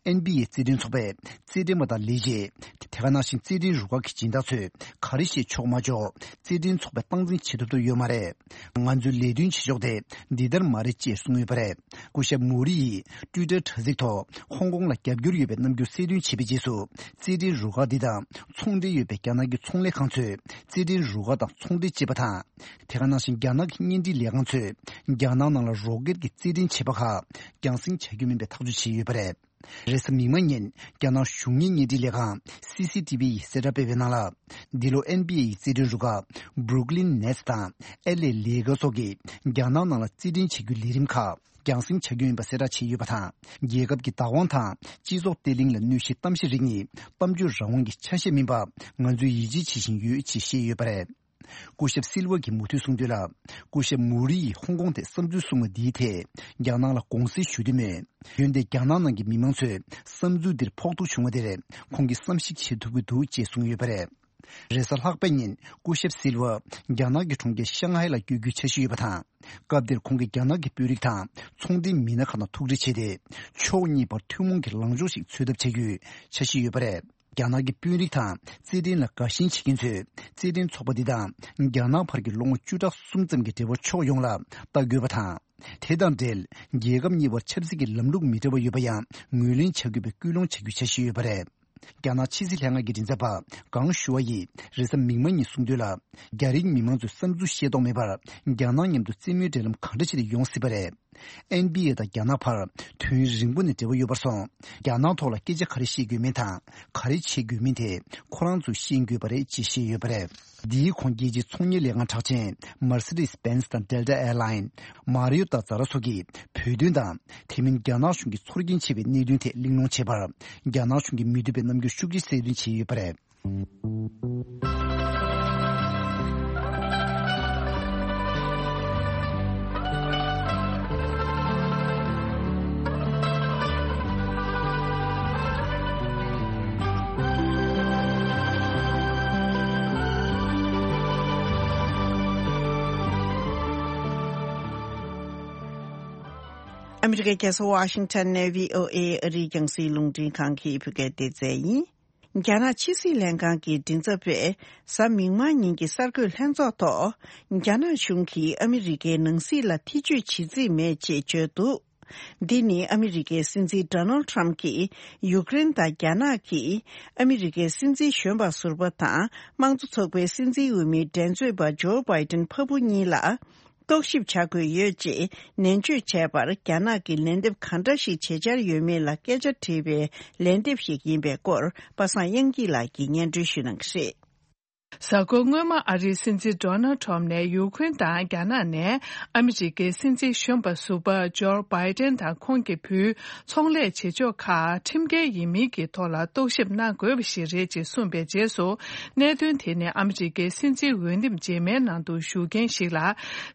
ཨེན་བྷི་ཨེ་རྩེད་འགྲན་ཚོགས་པས་རྩེད་འགྲན་པ་དང་ལས་བྱེད། དེ་ག་ནང་བཞིན་རྩེད་འགྲན་རུ་ཁག་གི་སྦྱིན་བདག་ཚོས་ག་རེ་བཤད་ཆོག་མ་ཆོག་རྩེད་འགྲན་ཚོགས་པས་སྟངས་འཛིན་བྱེད་ཐུབ་ཐུབ་ཡོད་མ་རེད། ང་ཚོའི་ལས་དོན་བྱེད་ཕྱོགས་དེ་འདི་ལྟར་མ་རེད་ཅེས་གསུངས་ཡོད་པ་རེད། སྐུ་ཞབས་མོ་རི་ཡིས་ཊུའི་ཊར་དྲ་ཚིགས་ཐོག་ཧོང་ཀོང་ལ་རྒྱབ་སྐྱོར་ཡོད་པའི་རྣམ་འགྱུར་གསལ་སྟོན་བྱས་པའི་རྗེས་སུ། རྩེད་འགྲན་རུ་ཁག་འདི་དང་ཚོང་འབྲེལ་ཡོད་པའི་རྒྱ་ནག་གི་ཚོང་ལས་ཁང་ཚོས་རྩེད་འགྲན་རུ་ཁག་དང་ཚོང་འབྲེལ་བྱེད་པ་དང་། དེ་ག་ནང་བཞིན་རྒྱ་ནག་གི་བརྙན་འཕྲིན་ལས་ཁང་ཚོས་རྒྱ་ནག་ནང་ལ་རོ་ཀེད་ཀྱི་རྩེད་འགྲན་བྱེད་པ་ཁག་རྒྱང་སྲིང་བྱ་རྒྱུ་མིན་པའི་ཐག་གཅོད་བྱས་ཡོད་པ་རེད། རེས་གཟའ་མིག་དམར་ཉིན་རྒྱ་ནག་གཞུང་གཉེར་བརྙན་འཕྲིན་ལས་ཁང་སི་སི་ཏི་བི་ཡིས་གསལ་བསྒྲགས་སྤེལ་བའི་ནང་ལ། འདི་ལོ་ཨེན་བི་ཨེ་ཡི་རྩེད་འགྲན་རུ་ཁག་Brooklyn Nets་དང་ཨེལ་ཨེ་Lakers་སོགས་ཀྱིས་རྒྱ་ནག་ནང་ལ་རྩེད་འགྲན་བྱེད་རྒྱུའི་ལས་རིམ་ཁག་རྒྱང་སྲིང་བྱ་རྒྱུ་ཡིན་པ་གསལ་བསྒྲགས་བྱས་ཡོད་པ་དང་། རྒྱལ་ཁབ་ཀྱི་བདག་དབང་དང་སྤྱི་ཚོགས་བརྟན་ལྷིང་ལ་གནོད་གཞིའི་གཏམ་བཤད་རིགས་ནི་གཏམ་བརྗོད་རང་དབང་གི་ཆ་ཤས་མིན་པ་ང་ཚོས་ཡིད་ཆེས་བྱེད་བཞིན་ཡོད་ཅེས་བཤད་ཡོད་པ་རེད། སྐུ་ཞབས་སིལ་ཝ་གིས་མུ་མཐུད་གསུངས་དོན་ལ། སྐུ་ཞབས་མུ་རི་ཡིས་ཧོང་ཀོང་ཐད་བསམ་ཚུལ་གསུངས་པ་འདིའི་ཐད་རྒྱ་ནག་ལ་དགོངས་སེལ་ཞུ་འདོད་མེད། འོན་ཏེ་རྒྱ་ནག་ནང་གི་མི་མང་ཚོས་བསམ་ཚུལ་འདིར་ཕོག་ཐུག་བྱུང་བ་དེར་ཁོང་གིས་བསམ་གཞིག་བྱེད་ཐུབ་ཀྱི་འདུག་ཅེས་གསུངས་ཡོད་པ་རེད། རེས་གཟའ་ལྷག་པའི་ཉིན་སྐུ་ཞབས་སིལ་ཝ་རྒྱ་ནག་གི་གྲོང་ཁྱེར་ཤང་ཧའེ་ལ་བསྐྱོད་རྒྱུའི་འཆར་གཞི་ཡོད་པ་དང་། སྐབས་དེར་ཁོང་གིས་རྒྱ་ནག་གི་དཔོན་རིགས་དང་ཚོང་འབྲེལ་མི་སྣ་ཁག་དང་ཐུག་འཕྲད་བྱས་ཏེ། ཕྱོགས་གཉིས་བར་ཐུན་མོང་གི་ལངས་ཕྱོགས་ཤིག་འཚོལ་ཐབས་བྱ་རྒྱུའི་འཆར་གཞི་ཡོད་པ་རེད། རྒྱ་ནག་གི་དཔོན་རིགས་དང་རྩེད་འགྲན་ལ་དགའ་ཞེན་བྱེད་མཁན་ཚོས་རྩེད་འགྲན་ཚོགས་པ་འདི་དང་རྒྱ་ནག་བར་གྱི་ལོ་ངོ་བཅུ་ཕྲག་གསུམ་ཙམ་གྱི་འབྲེལ་བ་ཕྱོགས་ཡོངས་ལ་ལྟ་དགོས་པ་དང་། དེ་དང་འབྲེལ་རྒྱལ་ཁབ་གཉིས་བར་ཆབ་སྲིད་ཀྱི་ལམ་ལུགས་མི་འདྲ་བ་ཡོད་པ་ཡང་ངོས་ལེན་བྱ་དགོས་པའི་སྐུལ་སློང་བྱ་རྒྱུའི་འཆར་གཞི་ཡོད་པ་རེད། རྒྱ་ནག་ཕྱི་སྲིད་ལྷན་ཁང་གི་མགྲིན་ཚབ་པ་ཀང་ཞུ་ཝ་ཡིས་རེས་གཟའ་མིག་དམར་ཉིན་གསུངས་དོན་ལ། རྒྱ་རིགས་མི་མང་ཚོས་བསམ་ཚུལ་ཤེས་རྟོགས་མེད་པར་རྒྱ་ནག་མཉམ་དུ་རྩེད་མོའི་འབྲེལ་ལམ་གང་འདྲ་ཞིག་ལ་ཡོང་སྲིད་པ་རེད། ཨེན་བི་ཨེ་དང་རྒྱ་ནག་བར་དུས་ཡུན་རིང་པོ་ནས་འབྲེལ་བ་ཡོད་པར་སོང་། རྒྱ་ནག་ཐོག་ལ་སྐད་ཆ་ག་རེ་བཤད་དགོས་མིན་དང་ག་རེ་བྱེད་དགོས་མིན་དེ་ཁོ་རང་ཚོས་ཤེས་དགོས་པ་རེད་ཅེས་བཤད་ཡོད་པ་རེད། འདིའི་གོང་རྒྱལ་སྤྱིའི་ཚོང་གཉེར་ལས་ཁང་གྲགས་ཅན་Mercedes-Benz་དང་Delta Airline། Marriott་དང་Zara་སོགས་ཀྱིས་བོད་དོན་དང་དེ་མིན་རྒྱ་ནག་གཞུང་གིས་ཚོར་སྐྱེན་ཆེ་བའི་གནད་དོན་ཐད་གླེང་སློང་བྱས་པར། རྒྱ་ནག་གཞུང་གིས་མི་འདོད་པའི་རྣམ་འགྱུར་ཤུགས་ཆེ་གསལ་སྟོན་བྱས་ཡོད་པ་རེད། ཨ་མི་རི་ཀའི་རྒྱལ་ས་ཝ་ཤིང་ཊོན་ནས་བྷི་ཨོ་ཨེ་ཨ་རིའི་རྒྱང་སྲིང་རླུང་འཕྲིན་ཁང་གི་བོད་སྐད་སྡེ་ཚན་ཡིན། རྒྱ་ནག་ཕྱི་སྲིད་ལྷན་ཁང་གི་མགྲིན་ཚབ་པས་གཟའ་མིག་དམར་ཉིན་གྱི་གསར་འགོད་ལྷན་ཚོགས་ཐོག་རྒྱ་ནག་གཞུང་གིས་ཨ་མི་རི་ཀའི་ནང་སྲིད་ལ་ཐེ་བྱུས་བྱེད་རྩིས་མེད་ཅེས་བརྗོད་འདུག་འདི་ནི་ཨ་མི་རི་ཀའི་སྲིད་འཛིན་Donald Trump་གྱིས་ཡུཀ་རེན་དང་རྒྱ་ནག་གིས་ཨ་མི་རི་ཀའི་སྲིད་འཛིན་གཞོན་པ་ཟུར་པ་དང་དམངས་གཙོ་ཚོགས་པའི་སྲིད་འཛིན་འོས་མི་འགྲན་རྩོད་པ་ཇོ་བྷའི་ཏིན་ཕ་བུ་གཉིས་ལ། རྟོག་ཞིབ་བྱ་དགོས་ཡོད་ཅེས་ནན་བརྗོད་བྱས་པར། རྒྱ་ནག་གིས་ལན་འདེབས་གང་འདྲ་ཞིག་བྱེད་འཆར་ཡོད་མེད་ལ་སྐད་ཆ་དྲིས་པའི་ལན་འདེབས་ཤིག་ཡིན་པའི་སྐོར། པ་སངས་དབྱངས་སྐྱིད་ལགས་ཀྱིས་སྙན་སྒྲོན་ཞུ་གནང་གི་རེད། གཟའ་འཁོར་སྔོན་མ་ཨ་རིའི་སྲིད་འཛིན་Donald Trump་ནས་ཡུཀ་རེན་དང་རྒྱ་ནག་ནས་ཨ་མི་རི་ཀའི་སྲིད་འཛིན་གཞོན་པ་ཟུར་པ་ཇོ་བྷའི་ཏིན་དང་ཁོང་གི་བུའི་ཚོང་ལས་བྱེད་ཕྱོགས་ཁག་ཁྲིམས་འགལ་ཡིན་མིན་གྱི་ཐོག་ལ་རྟོག་ཞིབ་གནང་དགོས་པ་ཞིག་རེད་ཅེས་གསུངས་པའི་རྗེས་སུ། གནད་དོན་དེ་ནི་ཨ་མི་རི་ཀའི་སྲིད་འཛིན་འོས་འདེམས་རྗེས་མའི་ནང་དུ་ཞུགས་མཁན་ཞིག་ལ།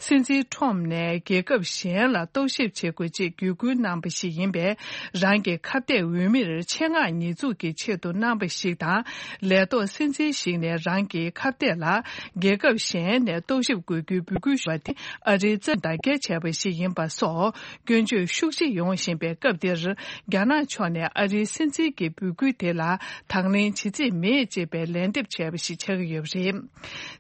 སྲིད་འཛིན་ཁྲོམ་ནས་རྒྱལ་ཁབ་གཞན་ལ་རྟོག་ཞིབ་བྱེད་དགོས་ཅེས་བརྒྱུད་སྐུལ་གནང་པ་ཞིག་ཡིན་པས། རང་གི་ཁ་གཏད་འོས་མིར་ཆེད་མངགས་ཉེས་འཛུགས་ཀྱི་ཆེད་དུ་གནང་པ་ཞིག་དང་། ལས་ཐོག་སྲིད་འཛིན་ཞིག་ནས་རང་གི་ཁ་གཏད་ལ་རྒྱལ་ཁབ་གཞན་ནས་རྟོག་ཞིབ་དགོས་རྒྱུའི་འབོད་སྐུལ་ཞུ་བ་དེ་ཨ་རིའི་རྩ་བརྡ་སྐྱེལ་བྱས་པ་ཞིག་ཡིན་པ་སོགས་སྐྱོན་བརྗོད་ཤུགས་ཆེ་ཡོང་བཞིན་པའི་སྐབས་འདིར། རྒྱ་ནག་ཕྱོགས་ནས་ཨ་རིའི་སྲིད་འཛིན་གྱི་འབོད་སྐུལ་དེ་ལ་དང་ལེན་བྱེད་རྩིས་མེད་ཅེས་པའི་ལན་འདེབས་བྱས་པ་ཞིག་ཆགས་ཀྱི་ཡོད་པ་རེད།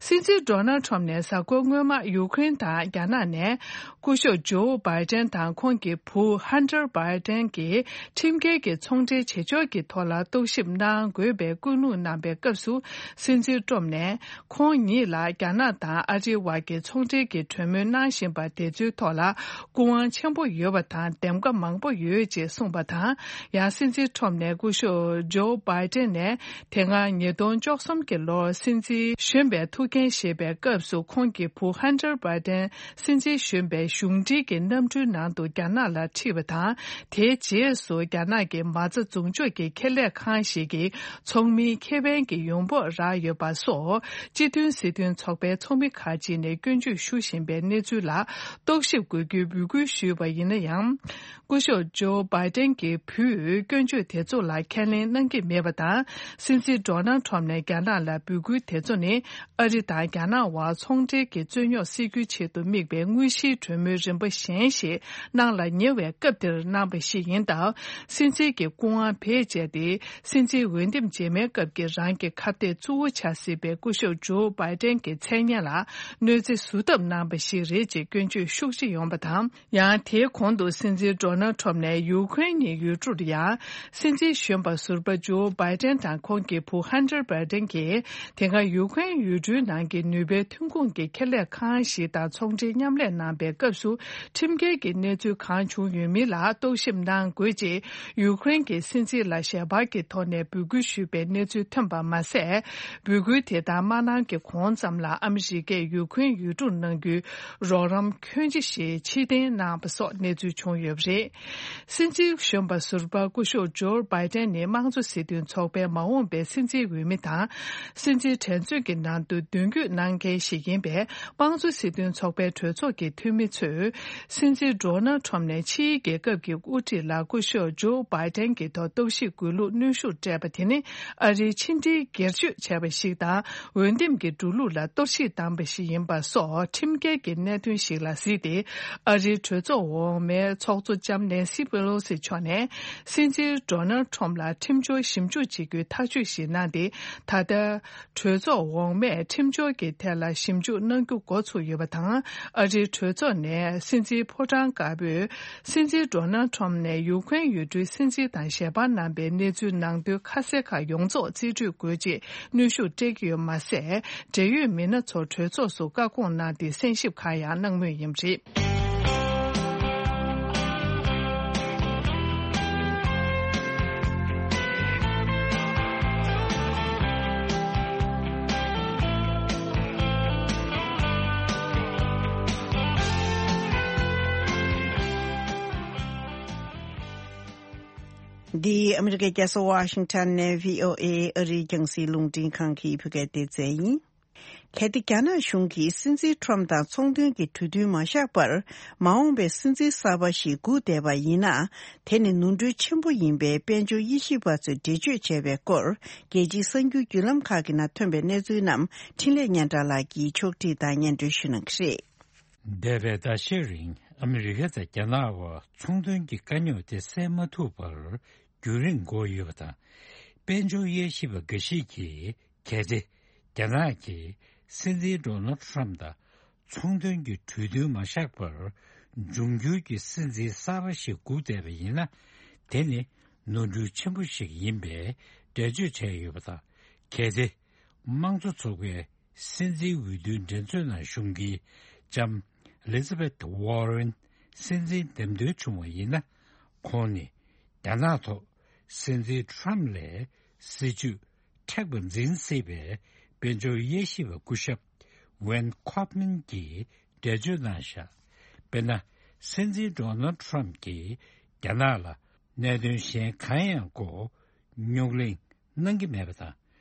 སྲིད་འཛིན་Donald Trump་ནས་གཟའ་འཁོར་སྔོན་མ་ཡུཀ་རེན་དང་རྒྱ་ནག་ནས་སྐུ་ཞབས་ཇོ་བྷའི་ཏན་དང་ཁོང་གི་བུ་Hunter Biden་གྱི་ཁྲིམས་འགལ་གྱི་ཚོང་འབྲེལ་བྱེད་ཕྱོགས་ཀྱི་ཐོག་ལ་རྟོག་ཞིབ་གནང་དགོས་པའི་སྐུལ་སློང་གནང་པའི་སྐབས་སུ། སྲིད་འཛིན་ཏྲོམ་ནས་ཁོང་ཉིད་ལ་རྒྱ་ནག་དང་ཨ་རིའི་དབར་གྱི་ཚོང་འབྲེལ་གྱི་གྲོས་མོལ་གནང་བཞིན་པ་དེ་ཚོའི་ཐོག་ལ་སྐུ་དབང་ཆེན་པོ་ཡོད་པ་དང་འདེམས་ཀ་མང་པོ་ཡོད་ཅེས་གསུངས་པ་དང་། ཡང་སྲིད་འཛིན་ཏྲོམ་ནས་སྐུ་ཞབས་ཇོ་བྷའི་ཏན་ནས། དེ་སྔ་ཉིས་སྟོང་བཅུ་གསུམ་གྱི་ལོར་སྲིད་འཛིན་གཞོན་པའི་ཐུགས་འགན་བཞེས་པའི་སྐབས་སུ། ཁོང་གི་བུ་Hunter Biden་སྲིད་འཛིན་གཞོན་པའི་གཞུང་འབྲེལ་གྱི་གནམ་གྲུའི་ནང་དུ་རྒྱ་ནག་ལ་ཁྲིད་པ་དང་། དེའི་རྗེས་སུ་རྒྱ་ནག་གི་མ་རྩ་འཛུགས་འཇོག་གི་ཁེ་ལས་ཁང་ཞིག་གི་ཚོགས་མིའི་ཁེ་ཕན་གྱི་ཡོང་འབབ་རག་ཡོད་པ་སོགས། སྤྱི་མཐུན་སྲིད་དོན་ཚོགས་པའི་ཚོགས་མི་ཁག་ཅིག་ནས་སྐྱོན་བརྗོད་ཞུ་བཞིན་པའི་གནས་ཚུལ་ལ་རྟོག་ཞིབ་དགོས་རྒྱུའི་འབོད་སྐུལ་ཞུས་པ་ཡིན་ན་ཡང་། སྐུ་ཞབས་ཇོ་བྷའི་ཏན་གྱི་བུས་སྐྱོན་བརྗོད་དེ་ཚོ་ལ་ཁས་ལེན་གནང་གི་མེད་པ་དང་། སྲིད་འཛིན་ཌོ་ནལ་ཌི་ཊརམ་ཕ་ནས་རྒྱ་ནག་ལ་འབོད་སྐུལ་དེ་ཚོ་ནི། ཨ་རི་དང་རྒྱ་ནག་དབར་ཚོང་འབྲེལ་གྱི་རྩོད་རྙོག་སེལ་རྒྱུའི་ཆེད་དུ་དམིགས་པའི་དངོས་གཞིའི་གྲོས་མོལ་རིམ་པ་གཞན་ཞིག་གནང་ལ་ཉེ་བའི་སྐབས་དེར་གནང་པ་ཞིག་ཡིན་སྟབས། སྲིད་འཛིན་གྱི་སྐུ་དབང་བེད་སྤྱད་དེ། སྲིད་འཛིན་འོས་འདེམས་རྗེས་མའི་སྐབས་ཀྱི་རང་གི་ཁ་གཏད་གཙོ་བོ་ཆགས་སྲིད་པའི། སྐུ་ཞབས་ཇོ་བྷའི་ཏན་གྱི་མཚན་སྙན་ལ་གནོད་འཚེ་བཟོ་ཐབས་གནང་པ་ཞིག་རེད་ཅེས་སྐྱོན་བརྗོད་ཤུགས་ཆེ་ཡོང་བ་དང་། ཡང་དེའི་གོང་དུ་སྲིད་འཛིན་ཌོ་ནལ་ཁྲོམ་ནས་ཡུ་ཁུ་རེན་གྱི་ཡུལ་གྲུར་ཡང་སྲིད་འཛིན་གཞོན་པ་ཟུར་པ་ཇོ་བྷའི་ཏན་དང་ཁོང་གི་བུ་ཧན་ཏར་བྷའི་ཏན་གྱིས་དེ་སྔ་ཡུ་ཁུ་རེན་ཡུལ་གྲུའི་ནང་གི་ནུས་པའི་ཐོན་ཁུངས་ཀྱི་ཁེ་ལས་ཁང་ཞིག་དང་ཚོང་འབྲེལ་མཉམ་ལས་གནང་པའི་སྐབས་སུ་ཁྲིམས་འགལ་གྱི་གནས་ཚུལ་གང་བྱུང་ཡོད་མིན་ལ་རྟོག་ཞིབ་གནང་དགོས་ཅེས་ཡུ་ཁུ་རེན་གྱི་སྲིད་འཛིན་ལ་ཞལ་པར་གྱི་ཐོག་ནས་འབོད་སྐུལ་ཞུས་པའི་གནས་ཚུལ་ཐོན་པ་མ་ཟད། འབོད་སྐུལ་དེ་དག་མ་གནང་གི་གོང་ཙམ་ལ་ཨ་མི་རི་ཀས་ཡུ་ཁུ་རེན་ཡུལ་གྲུར་གནང་རྒྱུའི་རོགས་རམ་ཁྱོན་ཆེ་ཞིག་ཕྱིར་འཐེན་གནང་པ་སོགས་གནས་ཚུལ་བྱུང་ཡོད་པ་རེད། སྲིད་འཛིན་གཞོན་པ་ཟུར་པ་སྐུ་ཞབས་ཇོ་བྷའི་ཏན་ནི་དམངས་གཙོ་སྲིད་དོན་ཚོགས་པའི་མ་འོངས་པའི་སྲིད་འཛིན་འོས་མི་དང་། སྲིད་འཛིན་འགྲན་རྩོད་ཀྱི་ནང་དུ་མདུན་སྐྱོད་གནང་མཁན་ཞིག་ཡིན་པས། དམངས་གཙོ་སྲིད་དོན་ཚོགས་པའི་གྲོས་ཚོགས་ཀྱི་འཐུས་མི་ཚོས་སྲིད་འཛིན་ཌོ་ནལ་ཁྲོམ་ནས་ཕྱིའི་རྒྱལ་ཁབ་ཀྱི་དབུ་ཁྲིད་ལ་སྐུ་ཞབས་ཇོ་བྷའི་ཏན་གྱི་ཐོག་རྟོག་ཞིབ་དགོས་ལུགས་གནོན་ཤུགས་སྤྲད་པ་དེ་ནི། ཨ་རིའི་ཕྱི་འབྲེལ་སྒེར་གཅོད་བྱས་པ་ཞིག་དང་། འོས་འདེམས་ཀྱི་འགྲོ་ལུགས་ལ་གཏོར་བཤིག་བཏང་པ་ཞིག་ཡིན་པ་སོགས་ཁྲིམས་འགལ་གྱི་གནད་དོན་ཞིག་ལ་གཟིགས་ཏེ། ཨ་རིའི་གྲོས་ཚོགས་འོག་མའི་ཚོགས་གཙོ་ལྕམ་ནེན་སི་པེ་ལོ་སི་མཆོག་ནས་སྲིད་འཛིན་ཌོ་ནལ་ཁྲོམ་ལ་ཁྲིམས་སྦྱོར་ཞིབ་འཇུག་བྱེད་རྒྱུའི་ཐག་གཅོད་ཞིག་གནང་སྟེ། ད་ལྟ་གྲོས་ཚོགས་འོག་མས་ཁྲིམས་སྦྱོར་གྱི་ཐད་ལ་ཞིབ་འཇུག་གནང་རྒྱུ་འགོ་ཚུགས་ཡོད་པ་དང་། ཨ་རིའི་གྲོས་ཚོགས་ནས་སྲིད་འཛིན་ཕོ་བྲང་དཀར་པོས། སྲིད་འཛིན་ཌོ་ནལ་ཁྲོམ་ནས་ཡུ་ཁུ་རེན་ཡུལ་གྲུའི་སྲིད་འཛིན་དང་ཞལ་པར་གནང་པའི་གནས་ཚུལ་ནང་དོན་ཁ་གསལ་ཁག་ཡོངས་རྫོགས་རྩིས་སྤྲོད་དགོས་ཅེས་གནོན་ཤུགས་སྤྲད་ཀྱི་ཡོད་མ་ཟད། འབྲེལ་ཡོད་མི་སྣ་ཚོ་གྲོས་ཚོགས་སུ་བཀའ་དགོངས་གནང་སྟེ་གསན་ཞིབ་ཁག་ཡང་གནང་མུས་ཡིན་པ་རེད། འདི་ཨ་མི་རི་ཀའི་རྒྱལ་ས་ཝ་ཤིང་ཊོན་ནས་བྷི་ཨོ་ཨེ་ཨ་རིའི་རྒྱང་སྲིང་རླུང་འཕྲིན་ཁང་གི་བོད་སྐད་སྡེ་ཚན་ཡིན། གལ་ཏེ་རྒྱ་ནག་གཞུང་གིས་སྲིད་འཛིན་ཁྲོམ་དང་ཚོང་དོན་གྱི་གྲོས་མཐུན་མ་བཞག་པར་མ་འོངས་པའི་སྲིད་འཛིན་གསར་པ་ཞིག་སྒུག་བསྡད་པ་ཡིན་ན། དེ་ནི་ནོར་འཁྲུལ་ཆེན་པོ་ཡིན་པའི་དཔལ་འབྱོར་དབྱེ་ཞིབ་པ་ཚོས་འགྲེལ་བརྗོད་བྱས་པའི་སྐོར། རྒྱལ་སྤྱིའི་གསར་འགྱུར་བརྒྱུད་ལམ་ཁག་གི་ནང་ཐོན་པའི་གནས་ཚུལ་རྣམས་འཕྲིན་ལས་སྙན་གྲགས་ལགས་ཀྱིས་ཕྱོགས་སྒྲིག་དང་སྙན་སྒྲོན་ཞུ་གནང་གི་རེད། འདས་པའི་ཟླ་ཤས་རིང་ཨ་མི་རི་ཀ་དང་རྒྱ་ནག་བར་ཚོང་དོན་གྱི་དཀའ་རྙོག་དེ་སེལ་མ་ཐུབ་པར་རྒྱུན་རིང་འགོར་ཡོད་པ་དང་། དཔལ་འབྱོར་དབྱེ་ཞིབ་པ་འགའ་ཞིག་གིས། གལ་ཏེ་རྒྱ་ནག་གིས་སྲིད་འཛིན་ཌོ་ནལ་ཁྲམ་དང་ཚོང་དོན་གྱི་གྲོས་མཐུན་མ་བཞག་པར། འབྱུང་འགྱུར་གྱི་སྲིད་འཛིན་གསར་པ་ཞིག་སྒུག་བསྡད་པ་ཡིན་ན། དེ་ནི་ནོར་འཁྲུལ་ཆེན་པོ་ཞིག་ཡིན་པའི་འགྲེལ་བརྗོད་བྱས་ཡོད་པ་དང་། གལ་ཏེ་དམངས་གཙོ་ཚོགས་པའི་སྲིད་འཛིན་འོས་བསྡུའི་འགྲན་རྩོད་ནང་ཞུགས་མཁན་ལྕམ་ཨེ་ལི་ཛ་བེད་ཝོ་རེན་སྲིད་འཛིན་འདེམས་ཐོན་བྱུང་བ་ཡིན་ན། ཁོང་ནི་རྒྱ་ནག་ཐོག་སྲིད་འཛིན་ཁྲམ་ལས་སྲིད་ཇུས་མཁྲེགས་པ་འཛིན་སྲིད་པའི་དཔལ་འབྱོར་དབྱེ་ཞིབ་པ་སྐུ་ཞབས་ཝེན་ཁོབ་མན་གྱིས་འགྲེལ་བརྗོད་གནང་བཞག་དཔེར་ན། སྲིད་འཛིན་ཌོ་ནལ་ཁྲམ་གྱིས་རྒྱ་ནག་ལ་གནད་དོན་གཞན་གང་ཡང་སྐོར་རྙོག་གླེང་གནང་གི་མེད་པ་དང་།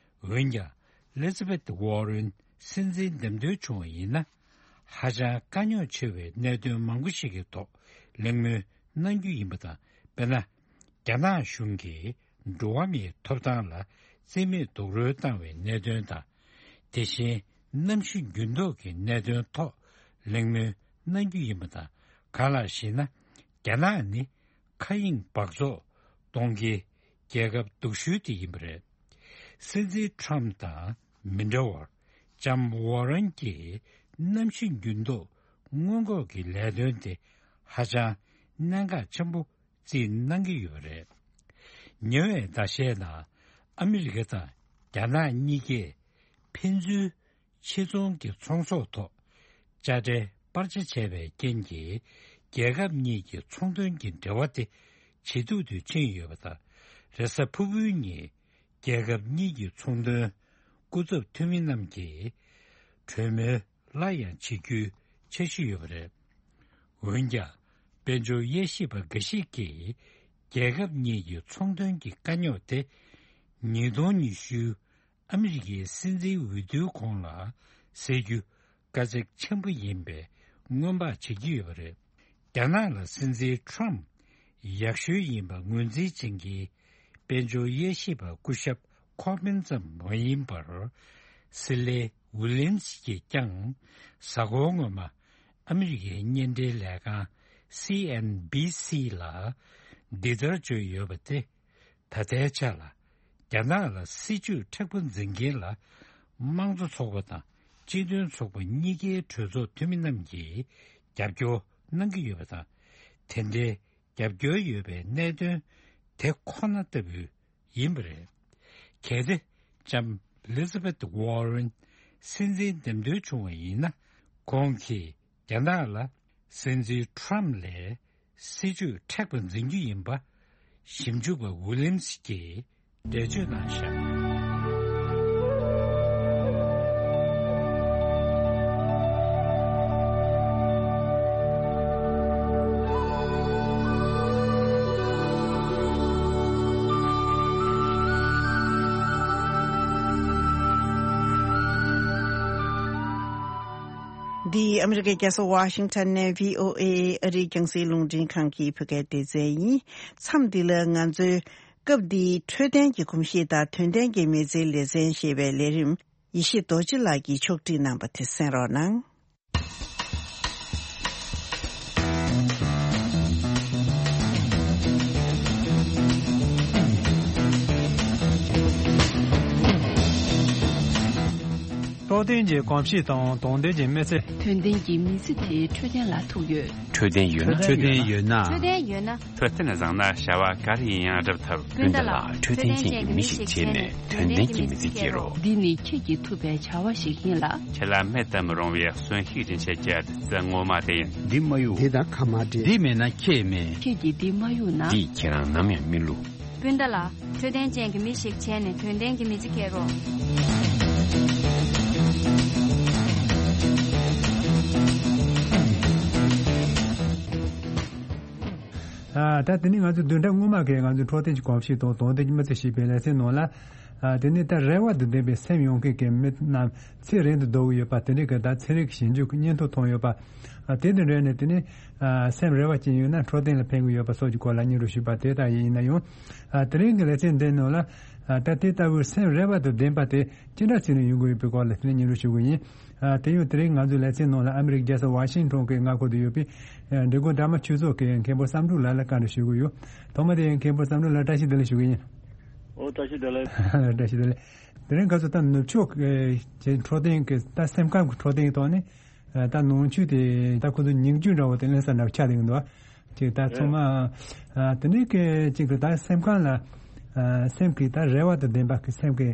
འོན་ཀྱང་ཨེ་ལི་ཛ་བེད་ཝོ་རེན་སྲིད་འཛིན་འདེམས་ཐོན་བྱུང་བ་ཡིན་ན། ཧ་ཅང་དཀའ་རྙོག་ཆེ་བའི་གནད་དོན་མང་པོ་ཞིག་གི་ཐོག་གླེང་མོལ་གནང་རྒྱུ་ཡིན་པ་དང་། དཔེར་ན། རྒྱ་ནག་གཞུང་གིས་འགྲོ་བ་མིའི་ཐོབ་ཐང་ལ་བརྩི་མེད་རྡོག་རོལ་བཏང་བའི་གནད་དོན་དང་། དེ་བཞིན་གནམ་གཤིས་འགྱུར་ལྡོག་གི་གནད་དོན་ཐོག་གླེང་མོལ་གནང་རྒྱུ་ཡིན་པ་དང་། གང་ལགས་ཤེ་ན། རྒྱ་ནག་ནི་མཁའ་དབྱིངས་འབག་བཙོག་གཏོང་མཁན་རྒྱལ་ཁབ་སྡུག་ཤོས་དེ་ཡིན་པ་རེད། སྲིད་འཛིན་ཁྲམ་དང་མི་འདྲ་བར། ལྕམ་ཝོ་རན་གྱིས་གནམ་གཤིས་འགྱུར་ལྡོག་སྔོན་འགོག་གི་ལས་དོན་དེ་ཧ་ཅང་གནད་འགག་ཆེན་པོ་རྩིས་གནང་གི་ཡོད་པ་རེད། ཉེ་བའི་ཟླ་ཤས་ནང་ཨ་མི་རི་ཀ་དང་རྒྱ་ནག་གཉིས་ཀས་ཕན་ཚུན་ཕྱི་ཚོང་གི་ཚོང་ཟོག་ཐོག་དཔྱ་ཁྲལ་སྤར་ཆ་བྱས་པའི་རྐྱེན་གྱིས། རྒྱལ་ཁབ་གཉིས་ཀྱི་ཚོང་དོན་གྱི་འབྲེལ་བ་དེ་ཇེ་སྡུག་ཏུ་ཕྱིན་ཡོད་པ་དང་། རེས་གཟའ་ཕུར་བུའི་ཉིན་རྒྱལ་ཁབ་གཉིས་ཀྱི་ཚོང་དོན་སྐུ་ཚབ་འཐུས་མི་རྣམས་ཀྱིས་གྲོས་མོལ་སླར་ཡང་བྱེད་རྒྱུའི་འཆར་གཞི་ཡོད་པ་རེད། འོན་ཀྱང་། དཔལ་འབྱོར་དབྱེ་ཞིབ་པ་འགའ་ཞིག་གིས། རྒྱལ་ཁབ་གཉིས་ཀྱི་ཚོང་དོན་གྱི་དཀའ་རྙོག་དེ། ཉིས་སྟོང་ཉི་ཤུའི་ཨ་མི་རི་ཀའི་སྲིད་འཛིན་འོས་བསྡུའི་གོང་ལ་སེལ་རྒྱུ་དཀའ་ཚེགས་ཆེན་པོ་ཡིན་པའི་སྔོན་དཔག་བྱེད་ཀྱི་ཡོད་པ་རེད། རྒྱ་ནག་ལ་སྲིད་འཛིན་ཁྲོམ་ཡག་ཤོས་ཡིན་པ་ངོས་འཛིན་བྱེད་མཁན་དཔལ་འབྱོར་དབྱེ་ཞིབ་པ་སྐུ་ཞབས་ཁོ་པིན་ཙམ་མ་ཡིན་པར། སི་ལེ་ཝི་ལན་སི་གྱིས་ཀྱང་གཟའ་འཁོར་སྔོན་མ་ཨ་མི་རི་ཀའི་བརྙན་འཕྲིན་ལས་ཁང་སི་ཨེན་བྷི་སི་ལ་འདི་ལྟར་བརྗོད་ཡོད་པ་སྟེ། ད་ལྟའི་ཆ་ལ་རྒྱ་ནག་ལ་སྲིད་ཇུས་མཁྲེགས་པོ་འཛིན་མཁན་ལ་ དམངས་གཙོ་ཚོགས་པ་དང་སྤྱི་མཐུན་ཚོགས་པ་གཉིས་ཀའི་གྲོས་ཚོགས་འཐུས་མི་རྣམས་ཀྱིས་རྒྱབ་སྐྱོར་གནང་གི་ཡོད་པ་དང་། དེ་འདྲའི་རྒྱབ་སྐྱོར་ཡོད་པའི་གནད་དོན་དེ་ཁོ་ན་ལྟ་བུ་ཡིན་པ་རེད། གལ་ཏེ་ལྕམ་ཨེ་ལི་ཛ་བེད་ཝོ་རེན་སྲིད་འཛིན་འདེམས་ཐོན་བྱུང་བ་ཡིན་ན། ཁོང་གིས་རྒྱ་ནག་ལ་སྲིད་འཛིན་ཁྲམ་ལས་སྲིད་ཇུས་མཁྲེགས་པ་འཛིན་རྒྱུ་ཡིན་པ་ཞིབ་འཇུག་པ་ཝི་ལིམ་སི་གིས་འགྲེལ་བརྗོད་གནང་བཞག་འདི་ཨ་མི་རི་ཀའི་རྒྱལ་ས་ཝ་ཤིང་ཊོན་ནས་བྷི་ཨོ་ཨེ་ཨ་རིའི་རྒྱང་སྲིང་རླུང་འཕྲིན་ཁང་གི་བོད་སྐད་སྡེ་ཚན་ཡིན། མཚམས་འདི་ལ་ང་ཚོའི་སྐབས་འདིའི་འཕྲོད་བསྟེན་གྱི་གོམས་གཤིས་དང་དོན་ལྡན་གྱི་མི་ཚེའི་ལེ་ཚན་ཞེས་པའི་ལས་རིམ་ཡེ་ཤེས་རྡོ་རྗེ་ལགས་ཀྱིས་ཕྱོགས་སྒྲིག་གནང་པ་དེ་གསན་རོགས་གནང་། རྟོགས་ལྡན་གྱི་གོམས་གཤིས་དང་དོན་ལྡན་གྱི་མི་ཚེ། དོན་ལྡན་གྱི་མི་ཚེ་དེ་འཕྲོད་བསྟེན་ལ་ཐུག་ཡོད། འཕྲོད་བསྟེན་ཡོད་ན། འཕྲོད་བསྟེན་ཡོད་ན། འཕྲོད་བསྟེན་ཡོད་ན། འཕྲོད་བསྟེན་བཟང་ན་བྱ་བ་ག་རེ་ཡིན་ཡང་འགྲུབ་ཐུབ། སྤུན་ཟླ་ལགས། འཕྲོད་བསྟེན་ཅན་གྱི་མི་ཞིག་བྱས་ནས་དོན་ལྡན་གྱི་མི་ཚེ་སྐྱེལ་རོགས། འདི་ནི་ཁྱེད་ཀྱིས་ཐུབ་པའི་བྱ་བ་ཞིག་ཡིན་ལ། ཁྱེད་ལ་མེད་དུ་མི་རུང་བའི་གསོན་ཤུགས་སྦྱིན་བྱེད་ཀྱི་བདུད་རྩི་ངོ་མ་དེ་ཡིན། འདི་མ་གཡུག་འདི་དང་ཁ་མ་འབྲལ། འདི་མེད་ན་ཁྱེད་མེད། ཁྱེད་ཀྱིས་འདི་མ་གཡུག་ན། འདིས་ཁྱེད་རང་ནམ་ཡང་མི་བསླུ། སྤུན་ཟླ་ལགས། འཕྲོད་བསྟེན་ཅན་གྱི་མི་ཞིག་བྱས་ནས་དོན་ལྡན་གྱི་མི་ཚེ་སྐྱེལ་རོགས། ཨ། ད་དེ་ནི་ང་ཚོ་བདུན་ཕྲག་སྔོན་མ་གི་ང་ཚོ་འཕྲོད་བསྟེན་གྱི་གོམས་གཤིས་དང་དོན་ལྡན་གྱི་མི་ཚེ་ཞེས་པའི་ལེ་ཚན་ནང་ལ། ཨ། དེ་ནི་ད་རེ་བ་དང་ལྡན་པའི་སེམས་ཡོད་མཁན་གྱི་མི་རྣམས་ཚེ་རིང་དུ་སྡོད་ཀྱི་ཡོད་པ། དེ་འདྲའི་གི་ད་ཚན་རིག་གི་ཞིབ་འཇུག་གི་སྙན་ཐོ་ཐོན་ཡོད་པ། ཨ། དེ་དང་འབྲེལ་ནས་དེ་ནི། ཨ། སེམས་རེ་བ་ཅན་ཡོད་ན་འཕྲོད་བསྟེན་ལ་ཕན་གྱི་ཡོད་པ་སོགས་ཀྱི་སྐོར་ལ་སྙན་སྒྲོན་ཞུས་པ་དེ་ལྟ་ཡིན་ན་ཡང་། ཨ། དེ་རིང་གི་ལེ་ཚན་འདིའི་ནང་ལ། ཨ། ད་དེ་ལྟ་བུའི་སེམས་རེ་བ་དང་ལྡན་པ་དེ་ཅི་འདྲ་བྱས་ནས་ཡོང་གི་ཡོད་པའི་སྐོར་ལ་དེ་ནས་སྙན་སྒྲོན་ཞུ་གི་ཡིན། ཨ། དེ་ཡང་དེ་རིང་ང་ཚོའི་ལེ་ཚན་ནང་ལ་ཨ་མི་རི་ཀའི་རྒྱལ་ས་ཝ་ཤིང་ཊོན་གྱི་མངའ་ཁུལ་དུ་ཡོད་པའི། ཨ། འབྲི་གུང་དགྲ་མ་ཆོས་ཚོགས་ཀྱི་མཁན་པོ་བསམ་འགྲུབ་ལགས་ལ་བཀའ་འདྲི་ཞུ་གི་ཡོད། ཐོག་མ་དེ་མཁན་པོ་བསམ་འགྲུབ་ལགས་བཀྲ་ཤིས་བདེ་ལེགས་ཞུ་གི་ཡིན། ཨོ། བཀྲ་ཤིས་བདེ་ལེགས། བཀྲ་ཤིས་བདེ་ལེགས། དེ་རིང་ཁ་སང་ད་ནུབ་ཕྱོགས་ཀྱི་འཕྲོད་བསྟེན་གྱི་ད་སེམས་ཁམས་ཀྱི་འཕྲོད་བསྟེན་གྱི་ཐོག་ནས། ཨ། ད་ནང་ཆོས་དེ་ད་ཁོ་ཚོ་ཉིང་བཅུད་འདྲ་བོ་དེ་ལེན་ས་འདྲ་བོ་ཆགས་བསྡད་ཀྱི་འདུག་ཅིག་ད་ཚང་མ། ཨ། དེ་འདྲའི་གི་ཅིག་གི་ད་སེམས་ཁམས་ལ། ཨ། སེམས་ཀྱི་ད་རེ་བ་དང་ལྡན་པ་གི་སེམས་ཀྱི་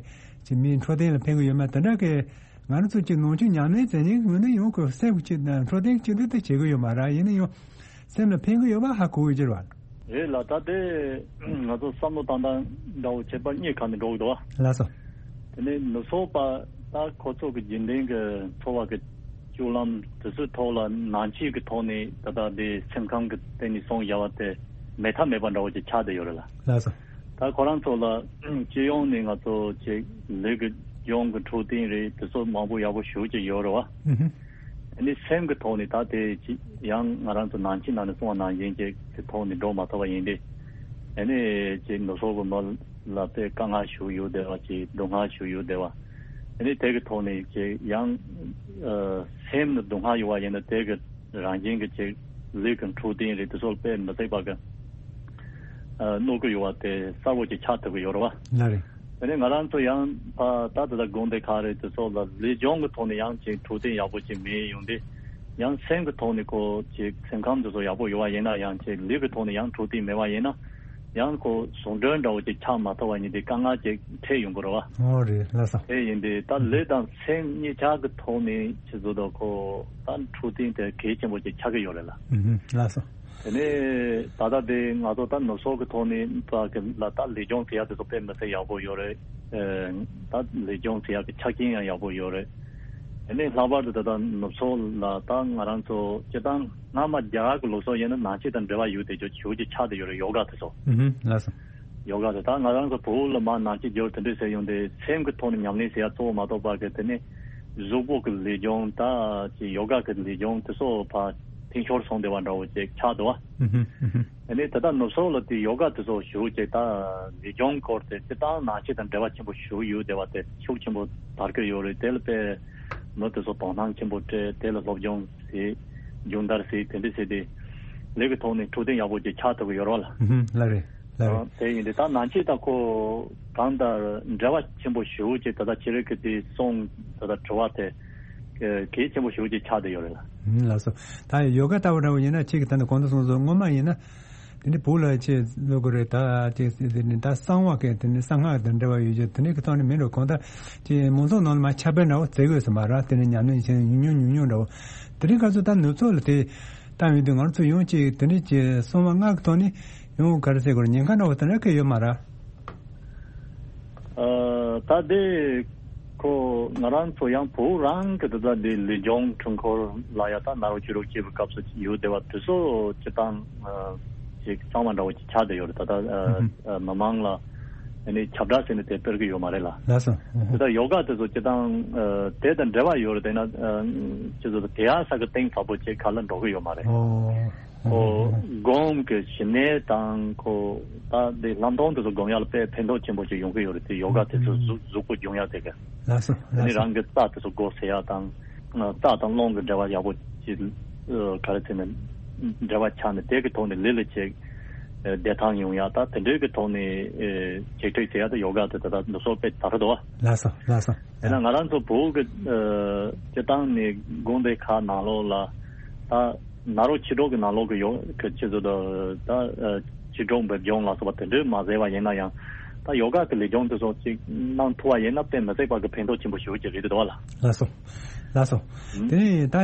ཅིག་མིའི་འཕྲོད་བསྟེན་ལ་ཕན་གྱི་ཡོད་མེད་དེ་འདྲ་གི། ང་རང་ཚོ་ཅིག་ནང་ཆོས་ཉམས་ལེན་མཛད་མཁན་གྱི་མི་སྣ་ཡོངས་ཀྱི་སེམས་ཀྱི་ཅིག་འཕྲོད་བསྟེན་ཅིག་འདི་ད་བྱེད་ཀྱི་ཡོད་མ་རེད། ཡིན་ན་ཡང་སེམས་ལ་ཕན་གྱི་ཡོད་པ་ཧ་གོ་གི་ཡོད་རེད་བ། རེད་ལ། ད་དེ་ང་ཚོ་བསམ་བློ་བཏང་སྟངས་འདྲ་བོ་བྱེད་པ་གཉིས་ཁ་ནས་འགྲོ་གི་འདུག་བ། ལགས་སོ། དེ་ནས་ནུབ་ཕྱོགས་པ་ད་ཁོ་ཚོ་གི་རྒྱུན་ལྡན་གྱི་འཚོ་བ་གི་སྤྱོད་ལམ་དེ་ཚོའི་ཐོག་ལ་ནང་ཆོས་ཀྱི་ཐོག་ནས་ད་ལྟ་དེ་སེམས་ཁམས་ཀྱི་སྟེང་ནས་གསུངས་བཞག་པ་དེ་མེད་ཐབས་མེད་པ་འདྲ་བོ་ཅིག་ཆགས་བསྡད་ཡོད་རེད་ལ། ལགས་སོ། ད་ཁོ་རང་ཚོ་ལ་སྤྱི་ཡོངས་ནས་ང་ཚོ་ཅིག་ལུས་ཀྱི་སྦྱོང་གི་འཕྲོད་བསྟེན་རེད། དེ་ཚོ་མང་པོ་ཡག་པོ་ཞེ་པོ་ཅིག་ཡོད་རེད་བ། ཨུ་ཧུ། དེ་ནས་སེམས་ཀྱི་ཐོག་ནས་ད་དེ་ཅི་ཡང་ང་རང་ཚོ་ནང་ཆོས་ནང་ནས་གསུངས་པ་ནང་བཞིན་ཅིག་གི་ཐོག་ནས་འགྲོ་མ་ཐུབ་པ་ཡིན་ཏེ། དེ་ནས་ཅིག་ནུབ་ཕྱོགས་ཀྱི་མི་ལ་དཔེ་དཀའ་ངལ་ཞེ་པོ་ཡོད་བསྡད་པ། ཅིག་སྡུག་བསྔལ་ཞེ་པོ་ཡོད་བསྡད་པ། དེ་ནས་དེ་གི་ཐོག་ནས་ཅིག་ཡང་ཨ་སེམས་ནི་སྡུག་བསྔལ་ཡོད་པ་ཡིན་ན་དེ་གི་རང་བཞིན་གྱི་ཅིག་ལུས་ཀྱི་འཕྲོད་བསྟེན་རེད། དེ་ཚོ་དཔེ་མི་སྲིད་པ་གི་ཨ་གནོད་ཀྱི་ཡོད་པ་དེ་གསལ་པོ་ཅིག་ཆགས་ཐུབ་ཀྱི་ཡོད་རེད་བ། ལགས་རེད། དེ་ནས་ང་རང་ཚོ་ཡང་ཕ་ད་ལྟ་དགོན་སྡེ་ཁག་རེད། དེ་ཚོ་ལ་ལུས་སྦྱོང་གི་ཐོག་ནས་ཡང་ཅིག་འཕྲོད་བསྟེན་ཡག་པོ་ཅིག་མེད་ཡོང་དུས། ཡང་སེམས་ཀྱི་ཐོག་ནས་ཁོ་ཅིག་སེམས་ཁམས་དེ་ཚོ་ཡག་པོ་ཡོད་པ་ཡིན་ན། ཡང་ཅིག་ལུས་ཀྱི་ཐོག་ནས་ཡང་འཕྲོད་བསྟེན་མེད་པ་ཡིན་ན། ཡང་ཁོ་ཟུང་འབྲེལ་འདྲ་བོ་ཅིག་ཆགས་མ་ཐུབ་པ་ཡིན་དུས་དཀའ་ངལ་ཅིག་འཕྲད་ཡོང་གི་རེད་བ། ཨོ་རེད། ལགས་སོ། དེ་ཡིན་དུས་ད་ལུས་དང་སེམས་གཉིས་ཆ་གི་ཐོག་ནས་ཆེད་དུ་ད་ཁོ་ད་འཕྲོད་བསྟེན་དེ་གལ་ཆེན་པོ་ཅིག་ཆགས་ཀྱི་ཡོད་རེད་ལ། ཨུ་ཧུ། ལགས་སོ། དེ་ནས་ད་ལྟ་དེ་ང་ཚོ་ད་ནུབ་ཕྱོགས་ཀྱི་ཐོག་ནས་ད་གི་ལ་ད་ལུས་སྦྱོང་བྱེད་ཡག་དེ་ཚོ་དཔེ་མི་སྲིད་ཡག་པོ་ཡོད་རེད། ཨེ། ད་ལུས་སྦྱོང་བྱེད་ཡག་གི་ཆ་རྐྱེན་ཡང་ཡག་པོ་ཡོད་རེད། དེ་ནས་ལྷག་པར་དུ་ད་ལྟ་ནུབ་ཕྱོགས་ལ་ད་ང་རང་ཚོ་སྤྱིར་བཏང་སྔ་མ་རྒྱ་གར་གྱི་ལུགས་སྲོལ་ཡིན་ན་ནང་ཆོས་དང་འབྲེལ་བ་ཡོད་དེ་ཅིག་ཞེ་པོ་ཅིག་ཆགས་བསྡད་ཡོད་རེད། ཡོ་ག་དེ་ཚོ། ཨུ་ཧུ། ལགས་སོ། ཡོ་ག་དེ་ད་ང་རང་ཚོ་བོད་ལ་མར་ནང་ཆོས་བསྒྱུར་དེ་འདྲས་ཟེར་ཡོང་དུས་སེམས་ཀྱི་ཐོག་ནས་ཉམས་ལེན་བྱེད་ཡག་གཙོ་བོ་མ་གཏོགས་པ་གི་དེ་ནས་གཟུགས་པོ་གི་ལུས་སྦྱོང་ད་ཅིག་ཡོ་ག་གི་ལུས་སྦྱོང་དེ་ཚོ་ཕར་འཐེན་ཤོར་སོང་བསྡད་པ་འདྲ་བོ་ཅིག་ཆགས་འདུག་བ། ཨུ་ཧུ། ཨུ་ཧུ། ཨ་ནི་ད་ལྟ་ནུབ་ཕྱོགས་ལ་དེ་ཡོ་ག་དེ་ཚོ་ཞེ་པོ་ཅིག་ད་ལུས་སྦྱོང་སྐོར་དེ་སྤྱིར་བཏང་ནང་ཆོས་དང་འབྲེལ་བ་ཆེན་པོ་ཞེ་པོ་ཡོད་བསྡད་པ་དེ་ཤུགས་ཆེན་པོ་དར་གྱི་ཡོད་རེད། དེ་ལ་དཔེ་མི་དེ་ཚོ་དོ་སྣང་ཆེན་པོ་སྤྲད། དེ་ལ་སློབ་སྦྱོང་བྱེད། སྦྱོང་བརྡར་བྱེད། དེ་འདྲ་བྱས་ཏེ་ལུས་ཀྱི་ཐོག་ནས་འཕྲོད་བསྟེན་ཡག་པོ་ཅིག་ཆགས་ཐུབ་ཀྱི་ཡོད་རེད་བ་ལ། ཨུ་ཧུ། ལགས་རེད། ལགས་རེད། དེ་ཡིན་དུས་ད་ནང་ཆོས་དང་ཁོ་གང་ལྟར་འབྲེལ་བ་ཆེན་པོ་ཞེ་པོ་ཅིག་ད་ལྟ་ཁྱེད་རང་གི་དེ་གསུང་ད་ལྟ་དྲི་བ་དེ་གལ་ཆེན་པོ་ཞེ་པོ་ཅིག་ཆགས་བསྡད་ཡོད་རེད་ལ། ཨུམ། ལགས་སོ། ད་ཡོ་ག་ལྟ་བུ་འདྲ་བོ་ཡིན་ན་ཁྱེད་ཀྱིས་ད་ནི་གོང་དུ་གསུངས་སོང་། སྔོན་མ་ཡིན་ན་དེ་ནི་བོད་ལ་ཆེད་བློ་དགོས་རེད། ད་ཅིག་དེ་ནི་ད་གསང་བ་གི་དེ་ནི་གསང་སྔགས་དང་འབྲེལ་བ་ཡོད་ཀྱི་དེ་ནི་གི་ཐོག་ནས་མིན་འགྲོ། གང་ལྟར་ཅིག་མང་ཚོགས་ནང་ལ་མ་ཁྱབ་སྤེལ་འདྲ་བོ་བྱེད་དགོས་སོ་མ་རེད། དེ་ནི་ཉམས་ལེན་བྱེད་ཉུང་ཉུང་ཉུང་ཉུང་འདྲ་བོ། དེ་རིང་ཁ་སང་ད་ནུབ་ཕྱོགས་ལ་དེ་བཏང་ཡོང་དུས་ང་ཚོ་ཡང་ཅིག་དེ་འདྲའི་ཅིག་གསང་བ་སྔགས་ཀྱི་ཐོག་ནས་ཡང་ག་རེ་ཟེར་དགོས་རེད། ཉེན་ཁ་འདྲ་བོ་དེ་འདྲ་གང་ཡང་ཡོད་མ་རེད། ཨ། ད་དེ་ཁོ་ང་རང་ཚོ་ཡང་བོད་རང་གི་དེ་ད་དེ་ལུས་སྦྱོང་འཕྲུལ་འཁོར་ལ་ཡ་ད་ནཱ་རོ་ཅི་རོ་སྐྱེས་པའི་སྐབས་སུ་ཡོད་བསྡད་པ་དེ་ཚོ་སྤྱིར་བཏང་ཨ་ཅིག་གཙང་མ་འདྲ་བོ་ཅིག་ཆགས་བསྡད་ཡོད་རེད། ད་ལྟ་ཨ་ཨ་མི་མང་ལ་ཨ་ནི་ཁྱབ་བསྒྲགས་ཟེར་ནས་དེ་སྤེལ་གི་ཡོད་མ་རེད་ལ། ལགས་སོ། ཨ་དེ་ད་ཡོ་ག་དེ་ཚོ་སྤྱིར་བཏང་ཨ་དེ་དང་འབྲེལ་བ་ཡོད་རེད། དེ་ན་ཨ་ཅི་ཚོ་དེ་ཡ་ས་གི་གཏིང་ཟབ་པོ་ཅིག་ག་ལ་འགྲོ་གི་ཡོད་མ་རེད། ཨོ། ཁོ་སྒོམ་གྱི་ཞི་གནས་དང་ཁོ་ད་འདི་ལམ་སྟོན་དེ་ཚོ་སྒོམ་ཡག་ལ་དཔེ་ཕན་ཐོགས་ཆེན་པོ་ཅིག་ཡོང་གི་ཡོད་རེད་དེ། ཡོ་ག་དེ་ཚོ་གཟུགས་གཟུགས་པོ་སྦྱོང་ཡག་དེ་ག་ལགས་སོ། དེ་ནི་ལགས་སོ། རང་གི་རྩ་དེ་ཚོ་སྒོ་ཟེར་ཡག་དང་། རྩ་དང་རླུང་གི་འབྲེལ་བ་ཡག་པོ་ཅིག་ག་རེ་ཟེར་ན་འབྲེལ་བ་ཆགས་ནས་དེ་གི་ཐོག་ནས་ལུས་ལ་ཅིག་བདེ་ཐང་ཡོང་ཡག་ད་དེ་འདྲའི་གི་ཐོག་ནས་ཅིག་ཁྲིད་ཟེར་ཡག་དེ་ཡོ་ག་དེ་ད་ད་འདི་ཚོ་དཔེ་དར་འདུག་བ། ལགས་སོ། ལགས་སོ། དེས་ན་ང་རང་ཚོ་བོད་ཀྱི་ཨ་སྤྱིར་བཏང་ནས་དགོན་སྡེ་ཁག་ནང་ལོགས་ལ་ད་ནཱ་རོ་ཆོས་གྲོགས་ཀྱི་ནང་ལོགས་ཀྱི་ཡོ་གི་ཆེད་དུ་ད་ད་ཨ་ཆོས་གྲོགས་འབེབས་སྦྱོང་ལ་སོགས་པ་དེ་འདྲའི་མ་ཟད་པ་ཡིན་ན་ཡང་ད་ཡོ་ག་གི་ལས་སྦྱོང་དེ་ཚོ་ཅིག་གནང་ཐུབ་པ་ཡིན་ན་དཔེ་མི་སྲིད་པ་གི་ཕན་ཐོགས་ཆེན་པོ་ཞེ་པོ་ཅིག་རེད་འདུག་བ་ལ། ལགས་སོ། ལགས་སོ། ཨུ། དེ་ནས་ད་ཨ་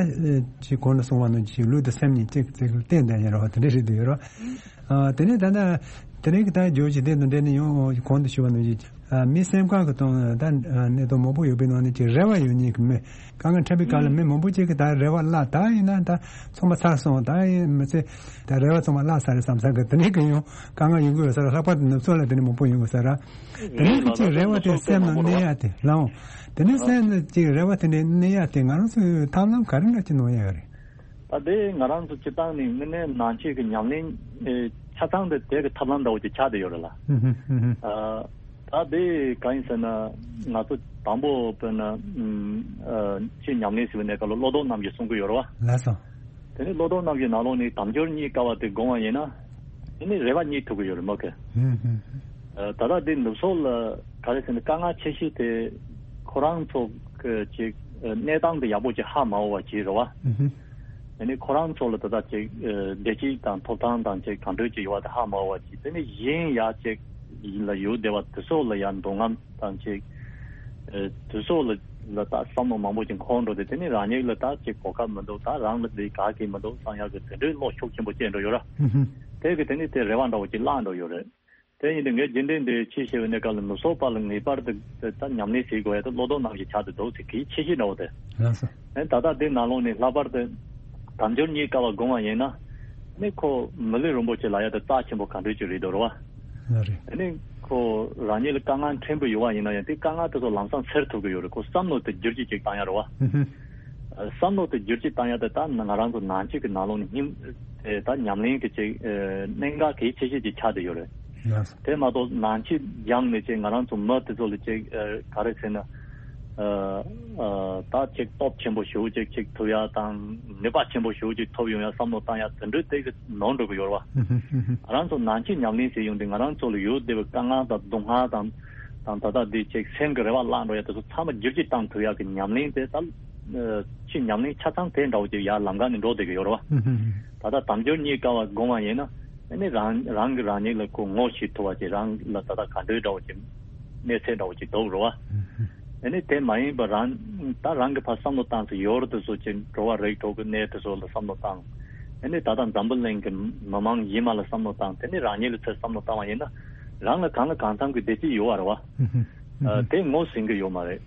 ཅིག་གོང་དུ་གསུངས་པ་ནང་བཞིན་ལུས་དང་སེམས་གཉིས་གཅིག་གཅིག་ལ་བརྟེན་བསྡད་ཡོད་རེད་བ། དེ་འདྲ་རེད་འདུག་ཡོད་རེད་བ། ཨ། དེ་ནས་ད་ལྟ་དེ་རིང་གི་ད་བརྗོད་གཞི་དེ་དང་འབྲེལ་ནས་ཡང་གོང་དུ་ཞུས་པ་ནང་བཞིན། ཨ། མི་སེམས་ཁམས་ཀྱི་སྟེང་ད་གནད་དོན་མང་པོ་ཡོད་པའི་ནང་ནས་ཀྱི་རེ་བ་ཡོད་མཁན་གྱི་མི། དཀའ་ངལ་འཕྲད་པའི་སྐབས་ལ་མི་མང་པོ་ཅིག་གིས་ད་རེ་བ་བརླག་ད་ཡིན་ན་ད་ཚང་མ་ཚར་སོང་། ད་ཡིན་མི་ཚེ་ད་རེ་བ་ཚང་མ་བརླག་ཚར་རེད་བསམ་ས་གི་དེ་འདྲའི་གི་ཡང་དཀའ་ངལ་ཡོང་གི་ཡོད་ས་རེད། ལྷག་པར་དུ་ནུབ་ཕྱོགས་ལ་དེ་འདྲ་མང་པོ་ཡོང་གི་ཡོད་ས་རེད། དེ་འདྲའི་གི་ཅིག་རེ་བ་དེ་སེམས་ནང་གནས་ཡ་དེ་ལའང་། དེ་ནས་སེམས་ནང་ཅིག་རེ་བ་དེ་འདྲའི་གནས་ཡ་དེ་ང་རང་ཚོས་ཐབས་ལམ་ག་རེ་འདྲ་ཅིག་གནང་ཡ་ཡོད་རེད། ད་དེ་ང་རང་ཚོ་སྤྱིར་བཏང་ནས་དངོས་གནས་ནང་ཆོས་ཀྱི་ཉམས་ལེན་ཨེ་ཆ་ཚང་དེ་དེ་གི་ཐབས་ལམ་འདྲ་བོ་ཅིག་ཆགས་བསྡད་ཡོད་རེད་ལ། ཨ། ད་དེ་གང་ཡིན་ཟེར་ན་ང་ཚོ་དང་པོ་དཔེར་ན་ཨ་ཆོས་ཉམས་ལེན་ཟེར་བའི་གནས་སྐབས་ལ་བློ་ལྡོག་རྣམ་བཞི་གསུང་གི་ཡོད་རེད་བ། ལགས་སོ། དེ་ནས་བློ་ལྡོག་རྣམ་བཞིའི་ནང་ལོགས་ནས་དལ་འབྱོར་རྙེད་དཀའ་བ་དེ་སྒོམ་པ་ཡིན་ན། དེ་ནས་རེ་བ་རྙེད་ཐུབ་ཀྱི་ཡོད་རེད་མོད་ཀི། ཨ། ད་ལྟ་འདི་ནུབ་ཕྱོགས་ལ་ག་རེ་ཟེར་ན་དཀའ་ངལ་ཆེ་ཤོས་དེ་ཁོ་རང་ཚོ་གི་ཅིག་གནས་སྟངས་དེ་ཡག་པོ་ཅིག་ཧ་མ་གོ་བ་ཅིག་རེད་བ། དེ་ནས་ཁོ་རང་ཚོ་ལ་ད་ལྟ་ཅིག་བདེ་སྐྱིད་དང་ཐོབ་ཐང་དང་ཅིག་གང་འདྲ་ཅིག་ཡོད་པ་དེ་ཧ་མ་གོ་བ་ཅིག་དེ་ནས་གཞན་ཡ་ཅིག་ཡིན་ལ་ཡོད་བསྡད་པ་དེ་ཚོ་ལ་ཡ་འདོད་རྔམ་དང་ཅིག་ཨེ། དུས་ཚོད་ལ་ལ་ད་བསམ་བློ་མང་པོ་ཅིག་འཁོར་འགྲོ་དེ་དེ་ནི་རང་ཉིད་ལ་ད་ཅིག་གོ་སྐབས་མི་འདུག་ད་རང་ལ་འདི་ག་གི་མི་འདུག་བསམ་ཡག་གི་དེ་འདྲའི་བློ་ཤུགས་ཆེན་པོ་སྐྱེས་འགྲོ་ཡོད་ར། ཧུམ་ཧུམ། དེ་གི་དེ་ནི་དེ་རེ་བ་འདྲ་བོ་ཅིག་བརླག་འགྲོ་ཡོད་རེད། དེ་ཡིན་དུས་ངས་རྒྱུན་ལྡན་འདི་ཆེས་ཆེ་བའི་གནས་སྐབས་ལ་མི་ཚོགས་པ་ལ་ངེས་པར་དུ་དེ་ད་ཉམས་ལེན་བྱེད་དགོས་ཡ་དེ་བློ་ལྡོག་རྣམ་བཞི་ཆགས་ཏེ་འདུག་ཟེར་གི་ཆེ་ཤོས་འདྲ་བོ་དེ། ལགས་སོ། ཨེ་ད་ལྟ་འདི་ནང་ལོགས་ནས་ལྷག་པར་དུ་དལ་འབྱོར་རྙེད་དཀའ་བ་སྒོམ་པ་ཡིན་ན། ནི་ཁོ་མི་ལུས་རིན་པོ་ཆེ་ལ་ཡ་དེ་རྩ་ཆེན་པོ་ག་འདྲ་ཅིག་རེད་འདུག་རེད་བ། ལགས་རེད། ཨ་ནི་ཁོ་རང་ཉིད་ལ་དཀའ་ངལ་ཕྲན་བུ་ཡོད་པ་ཡིན་ན་ཡང་དེ་དཀའ་ངལ་དེ་ཚོ་ལམ་སང་སེལ་ཐུབ་ཀྱི་ཡོད་རེད། ཁོ་བསམ་བློ་དེ་བསྒྱུར་བཅོས་ཅིག་བཏང་ཡ་རེད་བ། ཧུམ་ཧུམ། ཨ། བསམ་བློ་དེ་བསྒྱུར་བཅོས་བཏང་ཡ་དེ་ད་ང་རང་ཚོ་ནང་ཆོས་ཀྱི་ནང་ལོགས་ནས་སྙིང་ཨེ་ད་ཉམས་ལེན་གྱི་ཅིག་ཨེ་གནད་འགག་གལ་ཆེ་ཤོས་ཅིག་ཆགས་བསྡད་ཡོད་རེད། ལགས་སོ། དེ་མ་གཏོགས་ནང་ཆོས་སྦྱངས་ནས་ཅིག་ང་རང་ཚོ་མི་དེ་ཚོ་ལ་ཅིག་ཨེ་ག་རེ་ཟེར་ན། ཨ་ཨ་ད་ཅིག་སྟོབས་ཆེན་པོ་ཞེ་པོ་ཅིག་ཅིག་ཐོབ་ཡ་དང་ནུས་པ་ཆེན་པོ་ཞེ་པོ་ཅིག་ཐོབ་ཡོང་ཡ་བསམ་བློ་བཏང་ཡ་དེ་འདྲའི་དེ་གི་ནོར་འགྲོ་གི་ཡོད་རེད་བ། ཧུམ་ཧུམ་ཧུམ་ཧུམ། ང་རང་ཚོ་ནང་ཆོས་ཉམས་ལེན་བྱེད་ཡོང་དུས་ང་རང་ཚོ་ལ་ཡོད་བསྡད་པའི་དཀའ་ངལ་དང་སྡུག་བསྔལ་དང་དང་ད་ལྟ་འདི་ཅིག་སེམས་ཀྱི་རེ་བ་བརླག་འགྲོ་ཡ་དེ་ཚོ་ཚང་མ་བསྒྱུར་བཅོས་བཏང་ཐུབ་ཡ་གི་ཉམས་ལེན་དེ་ད་ཨ་ཆོས་ཉམས་ལེན་ཆ་ཚང་དེ་འདྲ་བོ་ཅིག་ཡར་ལམ་ཁ་ནས་འགྲོ་བསྡད་གི་ཡོད་རེད་བ། ཧུམ་ཧུམ་ཧུམ། ད་ལྟ་དལ་འབྱོར་རྙེད་དཀའ་བ་སྒོམ་པ་ཡིན་ན། ཨ་ནི་རང་རང་གིས་རང་ཉིད་ལ་ཁོ་ངོ་ཤེས་ཐུབ་པ་ཅིག་རང་ལ་ད་ལྟ་ག་འདྲའི་འདྲ་བོ་ཅིག་གནས་ཚད་འདྲ་བོ་ཅིག་འདུག་རེད་བ། ཨ་ནི་དེ་མ་ཡིན་པར་རང་ད་རང་གི་ཕར་བསམ་བློ་བཏང་ཚེ་ཡོར་དེ་ཚོ་ཅིག་འགྲོ་བ་རིགས་དྲུག་གི་གནས་དེ་ཚོ་ལ་བསམ་བློ་བཏང་། ཨ་ནི་ད་ལྟ་འཛམ་བུ་གླིང་གི་མི་མང་ཡིན་མ་ལ་བསམ་བློ་བཏང་། དེ་ནི་རང་ཉིད་ལ་ཚུར་བསམ་བློ་བཏང་བ་ཡིན་ན་རང་ལ་གང་ལ་གང་འཚམ་གྱི་བདེ་སྐྱིད་ཡོད་བ་རེད་བ། ཨ་དེ་ངོས་ཟིན་གི་ཡོད་མ་རེད།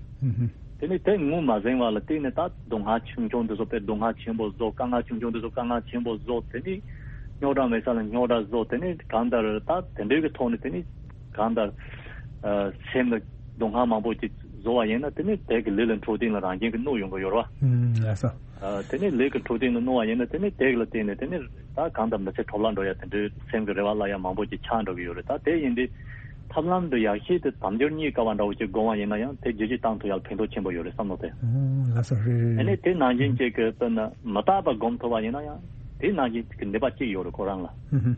དེ་ནི་དེ་ངོས་མ་ཟིན་པ་ལ་བརྟེན་ནས་ད་སྡུག་བསྔལ་ཆུང་ཆུང་དེ་ཚོ་དཔེ་སྡུག་བསྔལ་ཆེན་པོ་བཟོ། དཀའ་ངལ་ཆུང་ཆུང་དེ་ཚོ་དཀའ་ངལ་ཆེན་པོ་བཟོ། དེ་ནི་རྙོག་དྲ་མེད་ས་ལ་རྙོག་དྲ་བཟོ། དེ་ནི་གང་ལྟར་ད་དེ་འདྲའི་གི་ཐོག་ནས་དེ་ནི་གང་ལྟར་ཨ་སེམས་ལ་སྡུག་བསྔལ་མང་པོ་ཅིག་བཟོ་བ་ཡིན་ན་དེ་ནི་དེ་གི་ལུས་ལ་འཕྲོད་བསྟེན་ལ་རང་བཞིན་གི་གནོད་ཡོང་གི་ཡོད་རེད་བ། ཨུམ། ལགས་སོ། ཨ་དེ་ནི་ལུས་ཀྱི་འཕྲོད་བསྟེན་ལ་གནོད་པ་ཡིན་ན་དེ་ནི་དེ་གི་ལ་བརྟེན་ནས་དེ་ནི་ད་གང་ལྟར་མི་ཚེ་འཕྲོ་བརླག་འགྲོ་ཡ་དེ་འདྲའི་སེམས་ཀྱི་རེ་བ་བརླག་ཡ་མང་པོ་ཅིག་ཆགས་འགྲོ་གི་ཡོད་རེད། ད་དེ་ཡིན་དུས་ཐབས་ལམ་འདི་ཡག་ཤོས་དེ་དལ་འབྱོར་རྙེད་དཀའ་བ་འདྲ་བོ་ཅིག་སྒོམ་པ་ཡིན་ན་ཡང་དེ་བསྒྱུར་བཅོས་བཏང་ཐུབ་ཡ་ལ་ཕན་ཐོགས་ཆེན་པོ་ཡོད་རེད་བསམ་བློ་དེ། ཨོ། ལགས་སོ། རེད་རེད་རེད། ཨ་ནི་དེ་ནང་བཞིན་ཅིག་གི་དཔེར་ན་མི་རྟག་པ་སྒོམ་ཐུབ་པ་ཡིན་ན་ཡང་དེ་ནང་བཞིན་གྱི་ནུས་པ་ཅིག་ཡོད་རེད་ཁོ་རང་ལ། ཧུམ་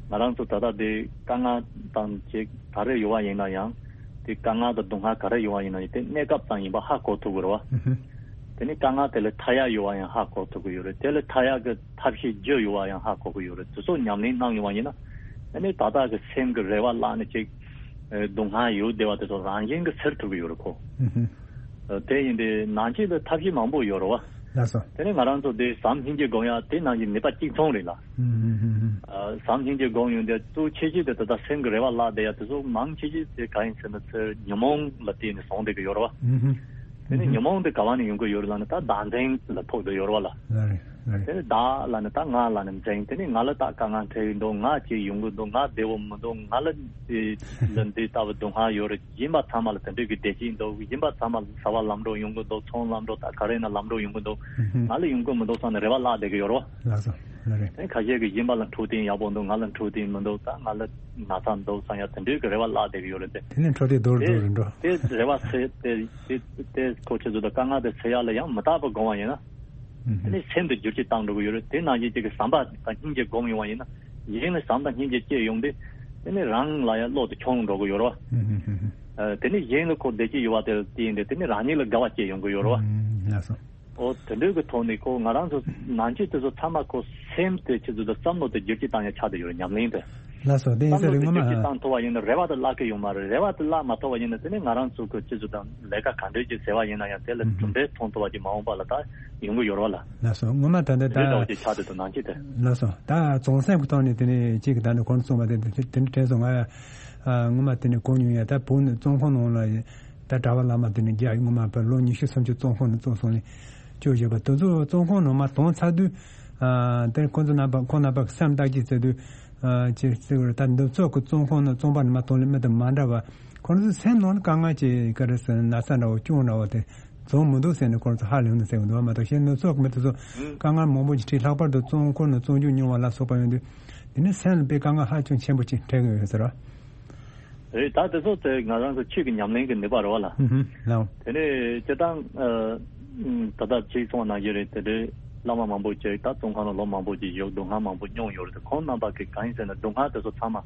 ཧུམ། ང་རང་ཚོ་ད་ལྟ་དེ་དཀའ་ངལ་དང་ཅིག་ག་རེ་ཡོད་པ་ཡིན་ན་ཡང་། དེ་དཀའ་ངལ་དང་སྡུག་བསྔལ་ག་རེ་ཡོད་པ་ཡིན་ན་ཡང་། དེ་གནས་སྐབས་ཙམ་ཡིན་པ་ཧ་གོ་ཐུབ་ཀྱི་རེད་བ། ཨུ་ཧུ། དེ་ནས་དཀའ་ངལ་དེ་ལས་ཐར་ཡག་ཡོད་པ་ཡང་ཧ་གོ་ཐུབ་ཀྱི་ཡོད་རེད། དེ་ལས་ཐར་ཡག་གི་ཐབས་ཤེས་བརྒྱུད་ཡོད་པ་ཡང་ཧ་གོ་གི་ཡོད་རེད། དེ་ཚོ་ཉམས་ལེན་གནང་ཡོང་བ་ཡིན་ན། ཨ་ནི་ད་ལྟ་གི་སེམས་ཀྱི་རེ་བ་བརླག་ནས་ཅིག་ཨ་སྡུག་བསྔལ་ཡོད་བསྡད་པ་དེ་ཚོ་རང་བཞིན་གྱིས་སེལ་ཐུབ་ཀྱི་ཡོད་རེད་ཁོ། ཨུ་ཧུ། ཨ་དེ་ཡིན་དུས་ནང་ཆོས་ལ་ཐབས་ཤེས་མང་པོ་ཡོད་རེད་བ། ལགས་སོ། དེ་ནས་ང་རང་ཚོ་དེ་ཟམ་སྙིང་རྗེ་སྒོམ་ཡག་དེ་ནང་བཞིན་ནུས་པ་གཅིག་མཚུངས་རེད་ལ། ཨུ་ཧུ་ཧུ་ཧུ། ཨ་ཟམ་སྙིང་རྗེ་སྒོམ་ཡོང་དུས་གཙོ་ཆེ་ཤོས་དེ་ད་ལྟ་སེམས་ཀྱི་རེ་བ་བརླག་བསྡད་ཡག་དེ་ཚོ་མང་ཆེ་ཤོས་དེ་ག་ཡིན་ཟེར་ན། ཚེ་ཉོན་མོངས་ལ་བརྟེན་ནས་བྱུང་བསྡད་ཀྱི་ཡོད་རེད་བ། ཨུ་ཧུ། དེ་ནས་ཉོན་མོངས་དེ་ག་བ་ནས་ཡོང་གི་ཡོད་རེད་ལབ་ན། ད་བདག་འཛིན་ལ་ཕོག་བསྡད་ཡོད་རེད་བ་ལ། ལགས་རེད། ལགས་རེད། དེ་ནས་བདག་ལབ་ན་ད་ང་ལབ་ན་འཛིན། དེ་ནས་ང་ལ་ད་དཀའ་ངལ་འཕྲད་ཀྱི་འདུག་ང་ཅིག་ཡོང་གི་འདུག་ང་བདེ་པོ་མི་འདུག་ང་ལ་དེ་ལ་འདི་ལྟ་བུ་སྡུག་བསྔལ་ཡོད་རེད། གཞན་པ་ཚང་མ་ལ་དེ་འདྲའི་གི་བདེ་སྐྱིད་འདུག་གཞན་པ་ཚང་མ་ལ་བྱ་བ་ལམ་འགྲོ་ཡོང་གི་འདུག་ཚོང་ལམ་འགྲོ་ད་ག་རེ་ཡིན་ན་ལམ་འགྲོ་ཡོང་གི་འདུག་ཨུ་ཧུ། ང་ལ་ཡོང་གི་མི་འདུག་བསམ་ནས་རེ་བ་བརླག་བསྡད་ཀྱི་ཡོད་རེད་བ། ལགས་སོ། ལགས་རེད། དེ་ཁ་ཤས་ཀྱིས་གཞན་པ་ལ་འཕྲོད་བསྟེན་ཡག་པོ་འདུག་ང་ལ་འཕྲོད་བསྟེན་མི་འདུག་ད་ང་ལ་ན་ཚ་འདུག་བསམ་ཡག་དེ་འདྲའི་གི་རེ་བ་བརླག་བསྡད་ཀྱི་ཡོད་རེད་དེ། དེ་ནས་འཕྲོད་བསྟེན་རྡོ་རུ་རྡོ་རུ་འགྲོ། དེ་རེ་བ་ཚེ་དེ་དེ་དེ་ཁོ་ཆེད་དུ་དང་དཀའ་ངལ་དེ་སེལ་ཡག་ལ་ཡང་མི་རྟག་པ་སྒོམ་པ་ཡིན་ན། ཨུ་ཧུ། དེ་ནས་སེམས་དེ་བསྒྱུར་བཅོས་བཏང་འགྲོ་གི་ཡོད་རེད། དེ་ནང་བཞིན་གཅིག་གི་བསམ་པ་དང་སྙིང་རྗེ་སྒོམ་ཡོང་བ་ཡིན་ན། གཞན་ལ་བསམ་དང་སྙིང་རྗེ་སྐྱེས་ཡོང་དུས། དེ་ནས་རང་ལ་ཡང་བློ་དེ་ཆུང་འགྲོ་གི་ཡོད་རེད་བ། ཨུ་ཧུ་ཧུ་ཧུ། ཨ་དེ་ནས་གཞན་ལ་ཁོ་བདེ་སྐྱིད་ཡོད་པ་དེ་བལྟས་ཡིན་དུས། དེ་ནས་རང་ཉིད་ལ་དགའ་བ་སྐྱེས་ཡོང་གི་ཡོད་རེད་བ། ཨུམ། ལགས་སོ། ཨོ་དེ་འདྲའི་གི་ཐོག་ནས་ཁོ་ང་རང་ཚོ་ནང་ཆོས་དེ་ཚོ་ཚང་མ་ཁོ་སེམས་དེ་ཆེད་དུ་དང་བསམ་བློ་དེ་བསྒྱུར་བཅོས་བཏང་ཡག་ཆགས་བསྡད་ཡོད་རེད། ཉམས་ལེན་དེ། ལགས་སོ། དེ་ཡིན་བསམ་ས་བློ་རིང་དེ་ངོ་མ། བསྒྱུར་བཅོས་བཏང་ཐུབ་པ་ཡིན་ན་རེ་བ་དེ་བརླག་གི་ཡོད་མ་རེད། རེ་བ་དེ་བརླག་མ་ཐུབ་པ་ཡིན་ན། དེ་ནས་ང་རང་ཚོ་གི་སྤྱི་ཚོགས་དང་ལས་ཀ་ག་འདྲས་ཅིག་ཟེར་བ་ཡིན་ན་ཡང་། དེ་ལ་གྲུབ་འབྲས་མཐོང་ཐུབ་པ་ཅིག་མ་འོངས་པ་ལ་ད་ཡོང་གི་ཡོད་རེད་བ་ལ། ལགས་སོ། ངོ་མ་ད་ལྟ་ད། དེ་འདྲ་ཅིག་ཆགས་བསྡད་འདུག་ནང་ཆོས་དེ། ལགས་སོ། ད་བྱང་སེམས་ཀྱི་ཐོག་ནས་དེ་ནས་གཅིག་གི་ད་ནི་གོང་དུ་གསུངས་པ་དེ་དེ་དེ་འདྲ་དྲན་སོང་། ང་ཡ་ཨ་ངོ་མ་དེ་ནས་གོ་མྱོང་ཡ། ད་བོད་ནས་བཙོན་ཁང་ནང་ལ་ད་གྲྭ་པ་བླ་མ་དེ་ནས་རྒྱ་ངོ་མ་བོད་ལོ་ཉི་ཤུ་སུམ་ཅུ་བཙོན་ཁང་ནང་བཙོན་སོང་ནས་བཅོས་བཞག་པ་དེ་ཚོ་བཙོན་ཁང་ནང་མར་ཐོན་ཚར་དུས། ཨ་དེ་ཁོང་ཚོ་རྣམ་པ་ཁོང་རྣམ་པ་གི་སེམས་བརྟག་དཔྱད་བྱེད་དུས། ཨ་ཅེས་ཟེར་བར། ད་འདི་ཚོ་གི་བཙོན་ཁང་ནང་བཙོན་པ་ནས་མར་ཐོན་ལེ་མི་དང་མ་འདྲ་བ། ཁོང་ཚོའི་སེམས་ནང་ལ་དཀའ་ངལ་ཅིག་ག་རེ་ཟེར་ན། ན་ཚ་འདྲ་བོ་སྐྱོན་འདྲ་བོ་དེ་བྱུང་མི་འདུག་ཟེར་ནས་ཁོང་ཚོ་ཧ་ལས་ནས་ཟེར་གི་འདུག་བ་མ་གཏོགས། གཞན་ནུབ་ཕྱོགས་ཀྱི་མི་དེ་ཚོ་དཀའ་ངལ་མང་པོ་ཞིག་འཕྲད། ལྷག་པར་དུ་བཙོན་ཁང་ནང་བཙོན་འཇུག་མྱོང་བ་ལ་སོགས་པ་ཡོང་དུས། དེ་ནི་སེམས་ལ་དཔེ་དཀའ་ངལ་ཧ་ཅང་ཆེན་པོ་ཅིག་འཕྲད་ཀྱི་ཡོད་ཟེར་བ། རེད། ད་དེ་ཚོ་དེ་ང་རང་ཚོ་ཆོས་ཀྱི་ཉམས་ལེན་གྱི་ནུས་པ་རེད་བ་ལ། ཧུམ་ཧུམ་ལགས། དེ་ནས་སྤྱིར་བཏང་ཨ་ད་ལྟ་ཅིག་གསུངས་པ་ནང་བཞིན་རེད། དེ་འདྲའི་བླ་མ་མང་པོ་ཅིག་ད་བཙོན་ཁང་ལ་ལོ་མང་པོ་ཅིག་བཞུགས། སྡུག་བསྔལ་མང་པོ་མྱོང་ཡོད་རེད་དེ། ཁོང་རྣམ་པ་གིས་གང་ཡིན་ཟེར་ན། སྡུག་བསྔལ་དེ་ཚོ་ཚང་མ་ཨ་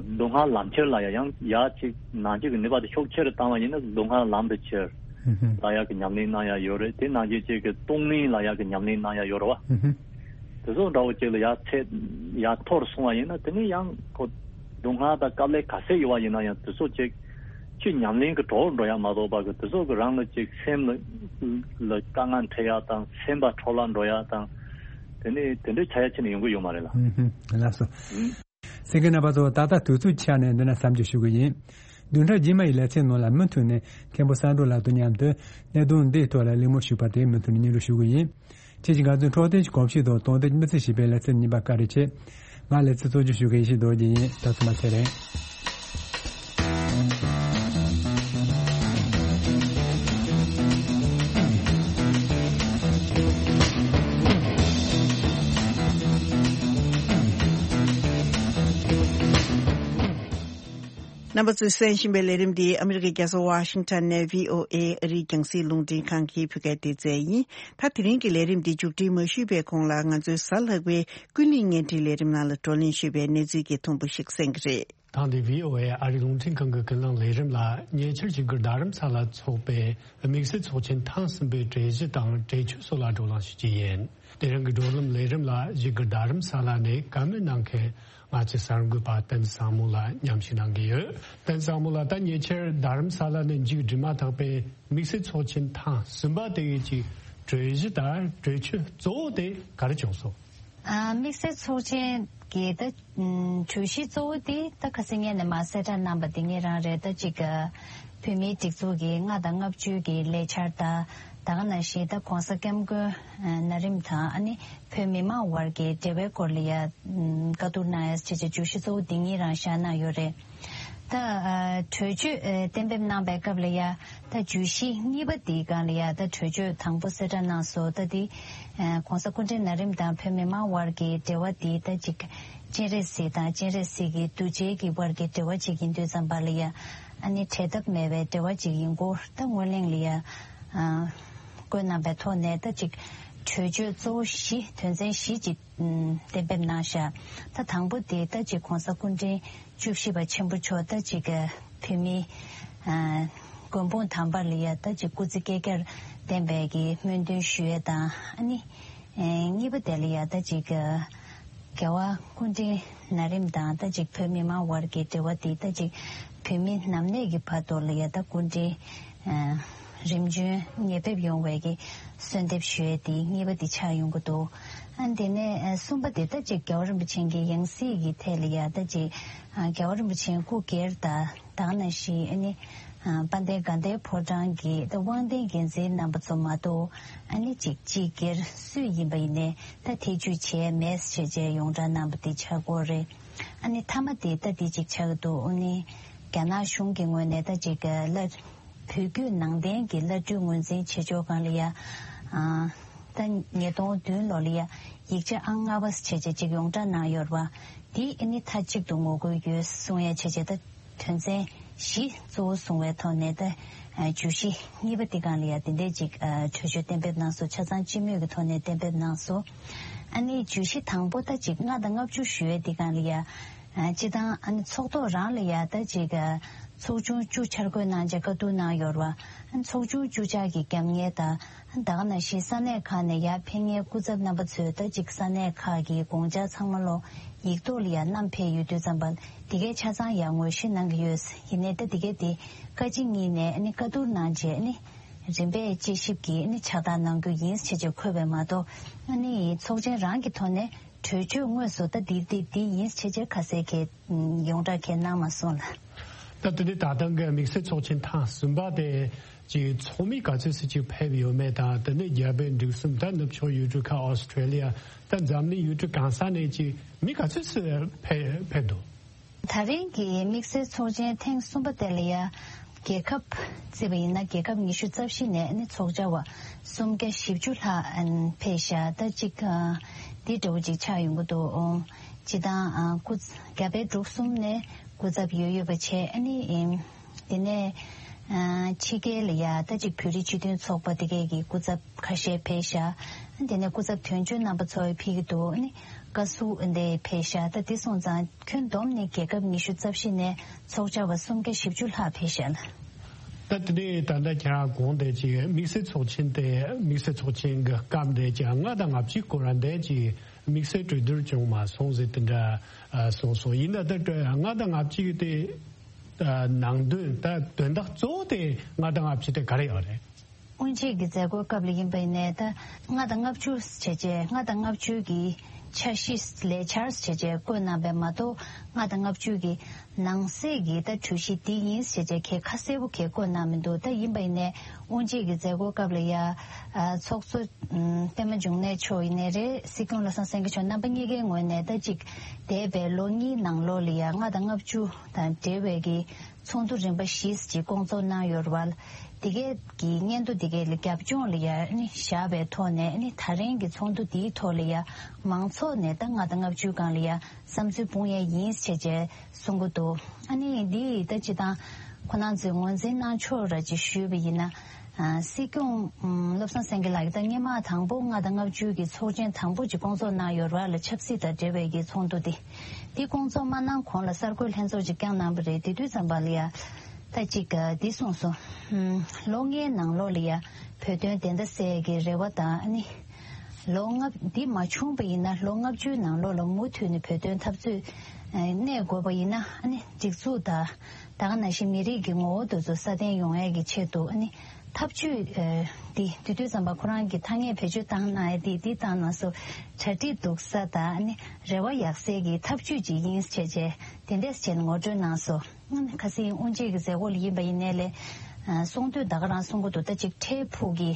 སྡུག་བསྔལ་ལམ་ཁྱེར་ལ་ཡ་ཡང་ཡ་ཅིག་ནང་ཆོས་ཀྱི་ནུས་པ་དེ་ཤུགས་ཆེ་རུ་བཏང་བ་ཡིན་ན། སྡུག་བསྔལ་ལམ་དུ་ཁྱེར་ཧུམ་ཧུམ་ལ་ཡག་གི་ཉམས་ལེན་གནང་ཡག་ཡོད་རེད། དེ་ནང་བཞིན་ཅིག་གི་སྟོང་ཉིད་ལ་ཡག་གི་ཉམས་ལེན་གནང་ཡག་ཡོད་རེད་བ། ཧུམ་ཧུམ། དེ་ཚོ་འདྲ་བོ་ཅིག་ལ་ཡར་ཚད་ཡར་མཐོ་རུ་སོང་བ་ཡིན་ན། དེ་ནས་ཡང་ཁོ་སྡུག་བསྔལ་དང་དཀའ་ལས་ག་ཚད་ཡོད་པ་ཡིན་ན་ཡང་། དེ་ཚོ་ཅིག་ཆོས་ཉམས་ལེན་གྱི་གྲོགས་འགྲོ་ཡག་མ་གཏོགས་པ་གི། དེ་ཚོ་གི་རང་ལ་ཅིག་སེམས་ལ་ལ་དཀའ་ངལ་འཕྲད་ཡག་དང་། སེམས་པ་འཕྲོ་བརླག་འགྲོ་ཡག་དང་། དེ་ནས་དེ་འདྲའི་ཆགས་ཡག་ཅིག་ནི་ཡོང་གི་ཡོད་མ་རེད་ལ། ཧུམ་ཧུམ། ལགས་སོ། ཨུམ། གསན་མཁན་རྣམ་པ་ཚོ། ད་ལྟ་དུས་ཚོད་ཆག་ནས་འདི་ན་མཚམས་འཇོག་ཞུ་གི་ཡིན། བདུན་ཕྲག་རྗེས་མ་ཡི་ལེ་ཚན་ནང་ལ་མུ་མཐུད་ནས་མཁན་པོ་བསམ་གྲུབ་ལགས་དང་མཉམ་དུ་གནད་དོན་འདིའི་ཐོག་ལ་གླེང་མོལ་ཞུས་པ་དེ་མུ་མཐུད་ནས་སྙན་སྒྲོན་ཞུ་གི་ཡིན། ཁྱེད་ཀྱིས་ང་ཚོའི་འཕྲོད་བསྟེན་གྱི་གོམས་གཤིས་དང་དོན་ལྡན་གྱི་མི་ཚེ་ཞེས་པའི་ལེ་ཚན་རྙིང་པ་བཀའ་དྲིན་ཆེ། ང་ལེ་ཚན་གཙོ་སྐྱོང་ཞུ་མཁན་ཡེ་ཤེས་རྡོ་རྗེ་ཡིན། ད་ཚོད་མ་ཚད་རེད། རྣམ་པ་ཚོས་གསན་བཞིན་པའི་ལས་རིམ་འདི་ཨ་མི་རི་ཀའི་རྒྱལ་ས་ཝ་ཤིང་ཊོན་ནས་བྷི་ཨོ་ཨེ་ཨ་རིའི་རྒྱང་སྲིང་རླུང་འཕྲིན་ཁང་གི་བོད་སྐད་སྡེ་ཚན་ཡིན། ད་དེ་རིང་གི་ལས་རིམ་འདི་མཇུག་སྒྲིལ་མ་ཞུས་པའི་གོང་ལ། ང་ཚོའི་གཟའ་ལྷག་པའི་ཀུན་གླེང་བརྙན་འཕྲིན་ལས་རིམ་ནང་ལ་བགྲོ་གླེང་ཞུས་པའི་གནས་ཚུལ་གྱི་ཐོ་འགོད་ཞིག་གསན་གྱི་རེད། ཐེངས་འདིའི་བྷི་ཨོ་ཨེ་ཨ་རིའི་རླུང་འཕྲིན་ཁང་གི་ཀུན་གླེང་ལས་རིམ་ལ་ཉེ་ཆར་བཞུགས་སྒར་རྡ་རམ་ས་ལར་འཚོགས་པའི་དམིགས་བསལ་ཚོགས་ཆེན་ཐེངས་གསུམ་པའི་གྲོས་གཞི་དང་གྲོས་ཆོད་སོགས་ལ་བགྲོ་གླེང་ཞུ་རྒྱུ་ཡིན། དེ་རིང་གི་བགྲོ་གླེང་ལས་རིམ་ལ་བཞུགས་སྒར་རྡ་རམ་ས་ལ་ནས་བཀའ་མོལ་གནང་མཁན་ང་ཚོའི་གསར་འགོད་པ་བསྟན་བཟང་མོ་ལགས་མཉམ་ཞུགས་གནང་གི་ཡོད། བསྟན་བཟང་མོ་ལགས། ད་ཉེ་ཆར་རྡ་རམ་ས་ལ་ནས་མཇུག་སྒྲིལ་མ་ཐག་པའི་དམིགས་བསལ་ཚོགས་ཆེན་ཐེངས་གསུམ་པ་དེ་གའི་གྲོས་གཞི་དང་གྲོས་ཆོད་གཙོ་བོ་དེ་ག་རེ་བྱུང་སོང་། ཨ། དམིགས་བསལ་ཚོགས་ཆེན་གྱི་ད་གྲོས་གཞི་གཙོ་བོ་དེ་ད་ཁ་སང་ཉིན་ནས་མར་གསལ་བསྒྲགས་གནང་པ་དེ་ངེད་རང་རེད། ད་ཅིག་བོད་མིའི་སྒྲིག་འཛུགས་ཀྱི་ལྔ་དང་ལྔ་བཅུ་གི་ལས་འཆར་དང་། ད་ག་ནང་བཞིན་ད་༸གོང་ས་༸སྐྱབས་མགོན་ནཱ་རིམ་དང་ཨ་ནི་བོད་མི་མང་དབར་གྱི་འབྲེལ་བའི་སྐོར་ལ་ཡ་བཀའ་བསྡུར་གནང་ཡ་བྱས་བྱས་གྲོས་གཞི་གཙོ་བོ་འདི་གཉིས་རང་བཞག་གནང་ཡོད་རེད། ད་ཨ་གྲོས་ཆོད་ཨ་གཏན་འབེབས་གནང་པའི་སྐབས་ལ་ཡ་ད་བརྗོད་གཞི་གཉིས་པ་འདིའི་སྒང་ལ་ཡ་ད་གྲོས་ཆོད་དང་པོ་གསལ་བསྒྲགས་གནང་སོང་། ད་འདི་ཨ་༸གོང་ས་སྐུ་ཕྲེང་ནཱ་རིམ་དང་བོད་མི་མང་དབར་གྱི་འབྲེལ་བ་འདི་ད་ཅིག་སྤྱན་རས་གཟིགས་དང་སྤྱན་རས་གཟིགས་ཀྱི་གདུལ་བྱའི་གི་དབར་གྱི་འབྲེལ་བ་ཅིག་ཡིན་དུས་ཙམ་པ་ལ་ཡ་ཨ་ནི་བྲལ་ཐབས་མེད་པའི་འབྲེལ་བ་ཅིག་ཡིན་སྐོར་ད་སྔོན་གླེང་ལ་ཡ་ཨ་བཀོད་གནང་པའི་ཐོག་ནས་ད་ཅིག་ གྲོས་ཆོད་གཙོ་བོ་བཞི་དོན་ཚན་བཞི་ཅིག་གཏན་འབེབས་གནང་བཞག་ད་དང་པོ་དེ་ད་ཅིག་གོང་ས་སྐུ་ཕྲེང་བཅུ་བཞི་པ་ཆེན་པོ་མཆོག་ད་ཅིག་བོད་མི་མགོན་དཔུང་དམ་པ་ལ་ཡ་ད་ཅིག་སྐུ་ཚེ་བསྐལ་བརྒྱར་བརྟན་པའི་གི་སྨོན་འདུན་ཞུ་ཡས་དང་ཨ་ནི་གཉིས་པ་དེ་ལ་ཡ་ད་ཅིག་རྒྱལ་བ་སྐུ་ཕྲེང་ན་རིམ་དང་ད་ཅིག་བོད་མི་མང་བར་གྱི་འབྲེལ་བ་དེ་ད་ཅིག་བོད་མི་ནམ་གནས་ཀྱི་བར་དུ་ལ་ཡ་ད་སྐུ་ཕྲེང་རིམ་བྱོན་ཉེ་ཕེབས་ཡོང་བའི་གི་གསོལ་འདེབས་ཞུ་ཡས་དེ་གཉིས་པ་དེ་ཆགས་ཡོང་གི་འདུག་ཨ་དེ་ནས་གསུམ་པ་དེ་ད་ཅིག་རྒྱལ་བ་རིན་པོ་ཆེ་གི་ཡང་སྲིད་ཀྱི་ཐད་ལ་ཡ་ད་ཅིག་རྒྱལ་བ་རིན་པོ་ཆེ་སྐུ་སྒེར་དང་ད་ག་ནང་བཞིན་ཨ་ནི་དཔལ་ལྡན་དགའ་ལྡན་ཕོ་བྲང་གི་ད་དབང་ལྡན་འགན་འཛིན་རྣམ་པ་ཚོ་མ་གཏོགས་ཨ་ནི་ཅིག་སྤྱི་སྒེར་སུ་ཡིན་པ་ཡིན་ནའི་ད་ཐེ་བྱུས་བྱས་མེད་ཟེར་བྱས་ཡོངས་གྲགས་གནང་པ་དེ་ཆགས་ཀྱི་ཡོད་རེད། ཨ་ནི་མཐའ་མ་དེ་ད་དེ་ཅིག་ཆགས་ཀྱི་འདུག་ཨ་ནི་རྒྱ་ནག་གཞུང་གི་ངོས་ནས་ད་ཅིག་ལ་བོད་བརྒྱུད་ནང་བསྟན་གྱི་བླ་སྤྲུལ་ངོས་འཛིན་བྱེད་ཕྱོགས་སྒང་ལ་ཡ། ཨ་ད་ཉིས་སྟོང་བདུན་ལོ་ལ་ཡ་ཡིག་ཆ་ཨང་ལྔ་པ་བྱས་བྱས་ཅིག་ཡོངས་གྲགས་གནང་ཡོད་རེད་པ། དེ་ཨ་ནི་མཐའ་གཅིག་ཏུ་ངོ་རྒོལ་ཡོད་གསུང་ཡ་བྱས་བྱས་ད་དོན་ཚན་བཞི་གཙོ་བོ་བཟུང་བའི་ཐོག་ནས་ད་བརྗོད་གཞི་གཉིས་པ་དེ་སྒང་ལ་ཡ་དེ་འདྲས་ཅིག་གྲོས་ཆོད་གཏན་འབེབས་གནང་སོང་། ཆ་ཚང་སྤྱི་མོས་ཀྱི་ཐོག་ནས་གཏན་འབེབས་གནང་སོང་། ཨ་ནི་བརྗོད་གཞི་དང་པོ་ད་ཅིག་ལྔ་དང་ལྔ་བཅུ་ཞུ་ཡ་དེ་སྒང་ལ་ཡ། སྤྱི་བཏང་ཨ་ནི་ཚོགས་ཐོག་རང་ལ་ཡ་ད་ཅིག་ཚོགས་ཆུང་བཅུ་འཆར་འགོད་གནང་བྱས་བཀའ་བསྡུར་གནང་ཡོད་རེད་པ། ཚོགས་ཆུང་བཅུ་ཆ་གི་རྒྱབ་གཉེར་དང་ད་ག་ནང་བཞིན་ས་གནས་ཁག་ནས་ཡར་ཕེབས་མཁན་སྐུ་ཚབ་རྣམ་པ་ཚོས་ད་ཅིག་ས་གནས་ཁག་གི་དགོངས་འཆར་ཚང་མ་ལོ་ཡིག་ཐོག་ལ་ཡར་བསྣམས་ཕེབས་ཡོད་དུས་ཙམ་པ་དེ་གའི་ཆ་ཚང་ཡར་ངོ་སྤྲོད་གནང་གི་ཡོད། ཡིན་ནའི་ད་དེ་གའི་དེ་བཀའ་སྤྱི་གཉིས་ནས་ཨ་ནི་བཀའ་བསྡུར་གནང་བྱས་ཨ་ནི་རིམ་པས་དཔྱད་ཞིབ་ཀྱིས་ཨ་ནི་ཕྱག་རྟགས་གནང་རྒྱུ་ཡིན་ཞེས་བྱས་འཁོད་པ་མ་གཏོགས་ཨ་ནི་ཚོགས་ཆེན་རང་གི་ཐོག་ནས་གྲོས་ཆོད་དངོས་སུ་ད་འདི་འདི་འདི་ཡིན་ཞེས་བྱས་ཁ་གསལ་གྱི་ཡོངས་གྲགས་གང་གནང་མ་སོང་ལ། ད་དེ་ནས་ད་ཐེངས་ཀྱི་དམིགས་བསལ་ཚོགས་ཆེན་ཐེངས་གསུམ་པ་དེ་ཀྱི་ཚོགས་མི་ག་ཚོད་ཙམ་ཅིག་ཕེབས་ཡོད་མེད་དང་དེ་ནས་རྒྱ་བལ་འབྲུག་གསུམ་ད་ནུབ་ཕྱོགས་ཡུལ་གྲུ་ཁག་ཨོ་སི་ཀྲེ་ལི་ཡ་ད་འཛམ་གླིང་ཡུལ་གྲུ་གང་ས་ནས་ཀྱི་མི་ག་ཚོད་ཙམ་ཕེབས་ཕེབས་འདུག་ད་རིང་གི་དམིགས་བསལ་ཚོགས་ཆེན་ཐེངས་གསུམ་པ་དེ་ལ་ཡ་རྒྱལ་ཁབ་བརྩིས་པ་ཡིན་ན་རྒྱལ་ཁབ་ཉི་ཤུ་རྩ་བཞི་ནས་ནི་ཚོགས་བཅར་བ་སུམ་བརྒྱ་བཞི་བཅུ་ལྷག་ཕེབས་ཤག་ད་ཅིག་འདི་འདྲ་བོ་ཅིག་ཆགས་ཡོང་གི་འདུག་སྤྱི་བཏང་སྐུ་རྒྱ་བལ་འབྲུག་གསུམ་ནས་སྐུ་ཚབ་ཡོད་ཡོད་པ་བྱས་ཨ་ནི་དེ་ནས་ཕྱི་རྒྱལ་ལ་ཡ་ད་ཅིག་བོད་རིགས་སྤྱི་མཐུན་ཚོགས་པ་དེ་གས་ཀྱི་སྐུ་ཚབ་ཁ་ཤས་ཕེབས་ཤག་དེ་ནས་སྐུ་ཚབ་དོན་གཅོད་རྣམ་པ་ཚོ་ཕེབས་ཀྱི་འདུག་ཨ་ནི་བཀའ་ཟུར་འདི་ཕེབས་ཤག་ད་དེ་སོང་ཙང་ཁྱོན་བསྡོམས་ནས་རྒྱལ་ཁབ་ཉི་ཤུ་རྩ་བཞི་ནས་ཚོགས་བཅར་བ་སུམ་བརྒྱ་བཞི་བཅུ་ལྷག་ཕེབས་ཤག་ལ། ད་དེ་ནས་ད་ལྟ་ཁྱེད་རང་གོང་དེ་ཅིག་དམིགས་བསལ་ཚོགས་ཆེན་དེ་དམིགས་བསལ་ཚོགས་ཆེན་གྱི་སྐབས་དེ་ཅིག་ལྔ་དང་ལྔ་བཅུའི་སྐོར་ར་དེ་ཅིག་དམིགས་བསལ་གྲོས་བསྡུར་བྱུང་མ་སོང་ཟེར་དེ་འདྲ་གསུངས་སོང་། ཡིན་ན་ད་ལྔ་དང་ལྔ་བཅུ་དེ་ནང་དོན་ད་དོན་དག་གཙོ་བོ་དེ་ལྔ་དང་ལྔ་བཅུ་དེ་ག་རེ་ཡོད་རེད། དབུ་འབྱེད་ཀྱི་མཛད་སྒོའི་སྐབས་ལ་ཡིན་པ་ཡིན་ནའི་ད་ལྔ་དང་ལྔ་བཅུ་བྱས་རྗེས་ལྔ་དང་ལྔ་བཅུ་གི་འཆར་གཞི་ལས་འཆར་བྱས་རྗེས་བཀོད་གནང་པས་མ་གཏོགས་ལྔ་དང་ལྔ་བཅུ་གི་ནང་གསེས་ཀྱི་ད་གྲོས་གཞི་འདི་ཡིན་ཞེས་བྱས་གལ་ཁ་གསལ་པོ་གལ་བཀོད་གནང་མི་འདུག་ད་ཡིན་པ་ཡིན་ནའི་དབུ་འབྱེད་ཀྱི་མཛད་སྒོའི་སྐབས་ལ་ཡ་ཚོགས་གཙོ་པད་མ་འབྱུང་གནས་མཆོག་ཡིན་ནའི་རེད། སྲིད་སྐྱོང་བློ་བཟང་སེང་གེ་མཆོག་རྣམ་པ་གཉིས་ཀའི་ངོས་ནས་ད་ཅིག་འདས་པའི་ལོ་གཉིས་ནང་ལོགས་ལ་ཡ་ལྔ་དང་ལྔ་བཅུ་དང་འབྲེལ་བའི་གི་ཚོགས་འདུ་རིམ་པ་བཞི་ཅིག་སྐོང་ཚོགས་གནང་ཡོད་རེད་བ། དེ་གའི་གི་སྙན་ཐོ་དེ་གའི་ལ་རྒྱབ་ལྗོངས་ལ་ཡ་ནི་བཞག་པའི་ཐོག་ནས་ནི་ད་རིང་གི་ཚོགས་འདུ་དེའི་ཐོག་ལ་ཡ་མང་ཚོགས་ནས་ད་ལྔ་དང་ལྔ་བཅུའི་སྒང་ལ་ཡ་བསམ་ཚུལ་སྤུངས་ཡས་ཡིན་ཞེས་བྱས་གསུང་གི་འདུག་ཨ་ནི་འདི་ད་སྤྱི་བཏང་ཁོ་རང་ཚོས་ངོས་འཛིན་གནང་ཕྱོགས་ར་ཅིག་ཞུས་པ་ཡིན་ན། སྲིད་སྐྱོང་བློ་བཟང་སེང་གེ་ལགས་ཀྱིས་ད་སྔོན་མ་དང་པོ་ལྔ་དང་ལྔ་བཅུ་གི་ཚོགས་ཆེན་དང་པོ་ཅིག་སྐོང་ཚོགས་གནང་ཡོད་རེད་བ་ལ། ཆབ་སྲིད་དང་འབྲེལ་བའི་གི་ཚོགས་འདུ་དེ་དེ་སྐོང་ཚོགས་མ་གནང་གོང་ལ་གསར་འགོད་ལྷན་ཚོགས་ཅིག་བསྐྱངས་གནང་པ་རེད། དེ་དུས་ཙམ་པ་ལ་ཡ་ད་ཅིག་འདི་གསུངས་སོང་། ལོ་ལྔའི་ནང་ལོགས་ལ་ཡ་བོད་དོན་བདེན་མཐའ་གསལ་གྱི་རེ་བ་དང་ཨ་ནི་ལོ་ལྔ་འདི་མ་བྱུང་པ་ཡིན་ན་ལོ་ལྔ་བཅུའི་ནང་ལོགས་ལ་མུ་མཐུད་ནས་བོད་དོན་འཐབ་རྩོད་གནས་དགོས་པ་ཡིན་ན་ཨ་ནི་སྒྲིག་འཛུགས་དང་ད་ག་ནང་བཞིན་མི་རིགས་ཀྱི་ངོ་བོ་དེ་ཚོ་སྲ་བརྟན་ཡོང་ཡས་ཀྱི་ཆེད་དུ་ཨ་ནི་ཐབས་ཇུས་འདི་དེ་དུས་ཙམ་པ་ཁོ་རང་གིས་ཐ་སྙད་བེད་སྤྱོད་བཏང་གནང་ཡས་འདི་འདི་བཏང་གནང་སོ། གྲ་སྒྲིག་སྡུག་ས་དང་ཨ་ནི་རེ་བ་ཡག་སའི་གི་ཐབས་ཇུས་ཅིག་ཡིན་ཞེས་བྱས་དེ་འདྲས་བྱས་ནས་ངོ་སྤྲོད་གནང་སོ། ཁ་སང་དབུ་འབྱེད་ཀྱི་མཛད་སྒོ་ལ་ཡིན་པ་ཡིན་ནའི་ལས་གསུང་དུས་ད་ག་རང་གསུང་གི་འདུག་ད་ཅིག་འཕྲལ་ཕུགས་ཀྱི་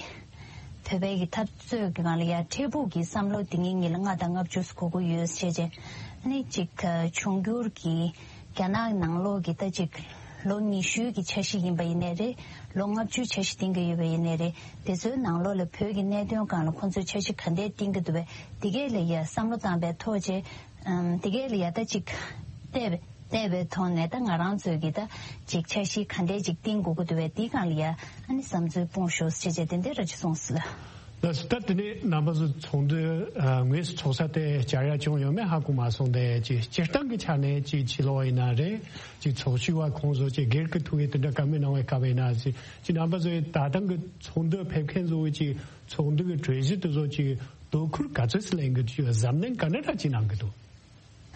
བོད་པའི་གི་འཐབ་རྩོད་ཀྱི་སྒང་ལ་ཡ་འཕྲལ་ཕུགས་ཀྱི་བསམ་བློ་དེ་ངེད་གཉིས་ལ་ལྔ་དང་ལྔ་བཅུ་དགོས་ཀྱི་ཡོད་ཞེས་བྱས། ཨ་ནི་ཅིག་འབྱུང་འགྱུར་གྱི་རྒྱ་ནག་ནང་ལོགས་ཀྱི་ད་ཅིག་ལོ་ཉི་ཤུའི་གི་འཆར་གཞི་ཡིན་པ་ཡིན་ནའི་རེད། ལོ་ལྔ་བཅུའི་འཆར་གཞི་བཏིང་གི་ཡོད་པ་ཡིན་ནའི་རེད། དེ་ཚོའི་ནང་ལོགས་ལ་བོད་ཀྱི་གནད་དོན་སྒང་ལ་ཁོང་ཚོས་འཆར་གཞི་ག་འདྲས་བཏིང་གི་འདུག་པས་དེ་གས་ལ་ཡ་བསམ་བློ་བཏང་པའི་ཐོག་བྱས། དེ་གས་ལ་ཡ་ད་ཅིག་བལྟས་པས། བལྟས་པའི་ཐོག་ནས་ད་ང་རང་ཚོས་ཀྱི་ད་ཅིག་འཆར་གཞི་ག་འདྲས་ཅིག་བཏིང་དགོས་ཀྱི་འདུག་པས་དེའི་སྒང་ལ་ཡ་ཨ་ནི་བསམ་ཚུལ་སྤུངས་ཤོག་ཅེས་བྱས་དེ་འདྲས་ར་ཅིག་གསུངས་སོང་། ལགས་སོ། ད་དེ་ནས་རྣམ་པ་ཚོ་ཚོགས་འདུ་ཨ་དངོས་སུ་ཚོགས་ས་དེ་བཅར་ཡ་བྱུང་ཡོད་མེད་ཧ་གོ་མ་སོང་། དེ་ཅིག་སྤྱིར་བཏང་གི་ཆ་ནས་ཅིག་ཕྱི་ལོགས་ཡིན་ན་རེད། ཅིག་ཚོགས་ཞུགས་པ་ཁོང་ཚོ་ཅིག་སྒེར་གྱི་ཐུགས་ཡིད་དེ་འདྲ་བཀའ་མོལ་གནང་བའི་སྐབས་ཡིན་ན་ཅིག་ཅིག་རྣམ་པ་ཚོས་ད་ཐེངས་ཀྱི་ཚོགས་འདུ་ཕེབས་མཁན་ཚོ་ཅིག་ཚོགས་འདུ་གི་གྲོས་གཞི་དེ་ཚོ་ཅིག་དོ་ཁུར་ག་ཚོད་ཙམ་ལེན་གི་འདུག་གཟབ་ནན་ག་འདྲ་འདྲ་ཅིག་གནང་གི་འདུག་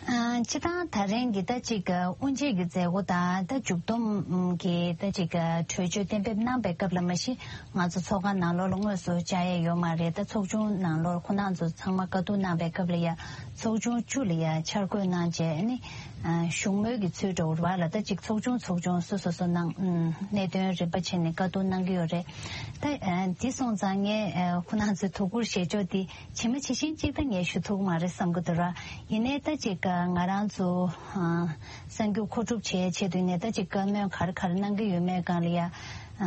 ཨ། སྤྱིར་བཏང་ད་རིང་གི་ད་ཅིག་དབུ་འབྱེད་ཀྱི་མཛད་སྒོ་དང་ད་མཇུག་བསྡོམས་ཀྱི་ད་ཅིག་གྲོས་ཆོད་གཏན་འབེབས་གནང་པའི་སྐབས་ལ་མ་གཞི་ང་ཚོ་ཚོགས་ཁང་ནང་ལོགས་ལ་དངོས་སུ་བཅར་ཡས་ཡོད་མ་རེད། ད་ཚོགས་ཆུང་ནང་ལོགས་ཁོང་རྣམ་ཚོ་ཚང་མ་བཀའ་བསྡུར་གནང་པའི་སྐབས་ལ་ཡ་ཚོགས་ཆུང་བཅུ་ལ་ཡ་འཆར་འགོད་གནང་རྗེས་ནི་ཨ་བཞུགས་མོལ་གྱི་ཚུལ་འདྲ་བོ་རེད་པ་ལ། ད་ཅིག་ཚོགས་ཆུང་ཚོགས་ཆུང་སོ་སོ་སོ་ནང་ཨ་གནད་དོན་རིམ་པ་བྱས་ནས་བཀའ་བསྡུར་གནང་གི་ཡོད་རེད། ད་ཨ་འདི་སོང་ཙང་ངས་ཨ་ཁོང་རྣམ་ཚོའི་དོ་ཁུར་བཞེས་ཕྱོགས་འདི་ཇི་མ་ཇི་བཞིན་གཅིག་ད་ངས་ཞུ་ཐུབ་ཀྱི་མ་རེད་བསམ་གྱི་འདུག་ར། ཡིན་ནའི་ད་ཅིག་ང་རང་ཚོ་ཨ་གསར་འགྱུར་མཁོ་སྒྲུབ་བྱེད་ཆེད་དུ་ནས་ད་ཅིག་བཀའ་མོལ་ག་རེ་ག་རེ་གནང་གི་ཡོད་མེད་སྒང་ལ་ཡ་ཨ་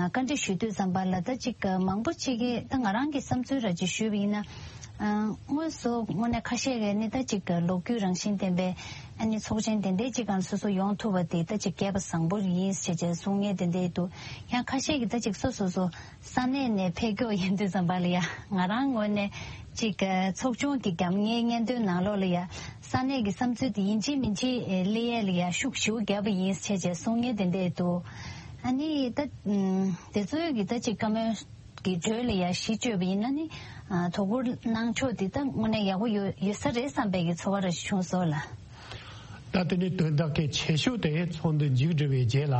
བཀའ་འདྲི་ཞུ་དུས་ཙམ་པ་ལ་ད་ཅིག་མང་པོ་ཅིག་གིས་ད་ང་རང་གི་བསམ་ཚུལ་ར་ཅིག་ཞུས་པ་ཡིན་ན། ཨ་དངོས་སུ་དངོས་གནས་ཁ་ཤས་ཀྱིས་ནི་ད་ཅིག་ལོ་རྒྱུས་རང་བཞིན་ལྡན་པའི་ཨ་ནི་ཚོགས་ཆེན་དེ་འདྲའི་ཅིག་སྒང་སོ་སོ་ཡོང་ཐུབ་པ་དེ་ད་ཅིག་སྐལ་པ་བཟང་པོ་ཡིན་ཞེས་བྱས་གསུང་མཁན་དེ་འདྲའི་འདུག་ཡང་ཁ་ཤས་ཀྱིས་ད་ཅིག་སོ་སོ་སོ་ས་གནས་ནས་ཕེབས་མཁན་ཡིན་དུས་ཙམ་པ་ལ་ཡ་ང་རང་ངོས་ནས་ཅིག་ཚོགས་ཆུང་གི་རྒྱབ་ངའི་སྙན་ཐོའི་ནང་ལོགས་ལ་ཡ་ས་གནས་ཀྱི་བསམ་ཚུལ་དེ་ཡིན་གཅིག་མིན་གཅིག་ཨེ་སླེབས་ཡས་ལ་ཡ་ཤུགས་ཞེ་པོ་བརྒྱབ་པ་ཡིན་ཞེས་བྱས་གསུང་མཁན་དེ་འདྲས་འདུག་ཨ་ནི་ད་ཨམ་དེ་ཚོའི་གི་ད་ཅིག་བཀའ་མོལ་གི་འགྲོས་ལ་ཡ་གཞི་བཅོལ་བ་ཡིན་ན་ནི་ཨ་དོ་ཁུར་གནང་ཕྱོགས་དེ་ད་དངོས་གནས་ཡག་པོ་ཡོད་ཡོད་ས་རེད་བསམ་པའི་གི་ཚོར་བ་རེ་བྱུང་སོང་ལགས། ད་དེ་ནི་དོན་དག་གལ་ཆེ་ཤོས་དེ་ཚོགས་འདུ་མཇུག་སྒྲིལ་བའི་རྗེས་ལ།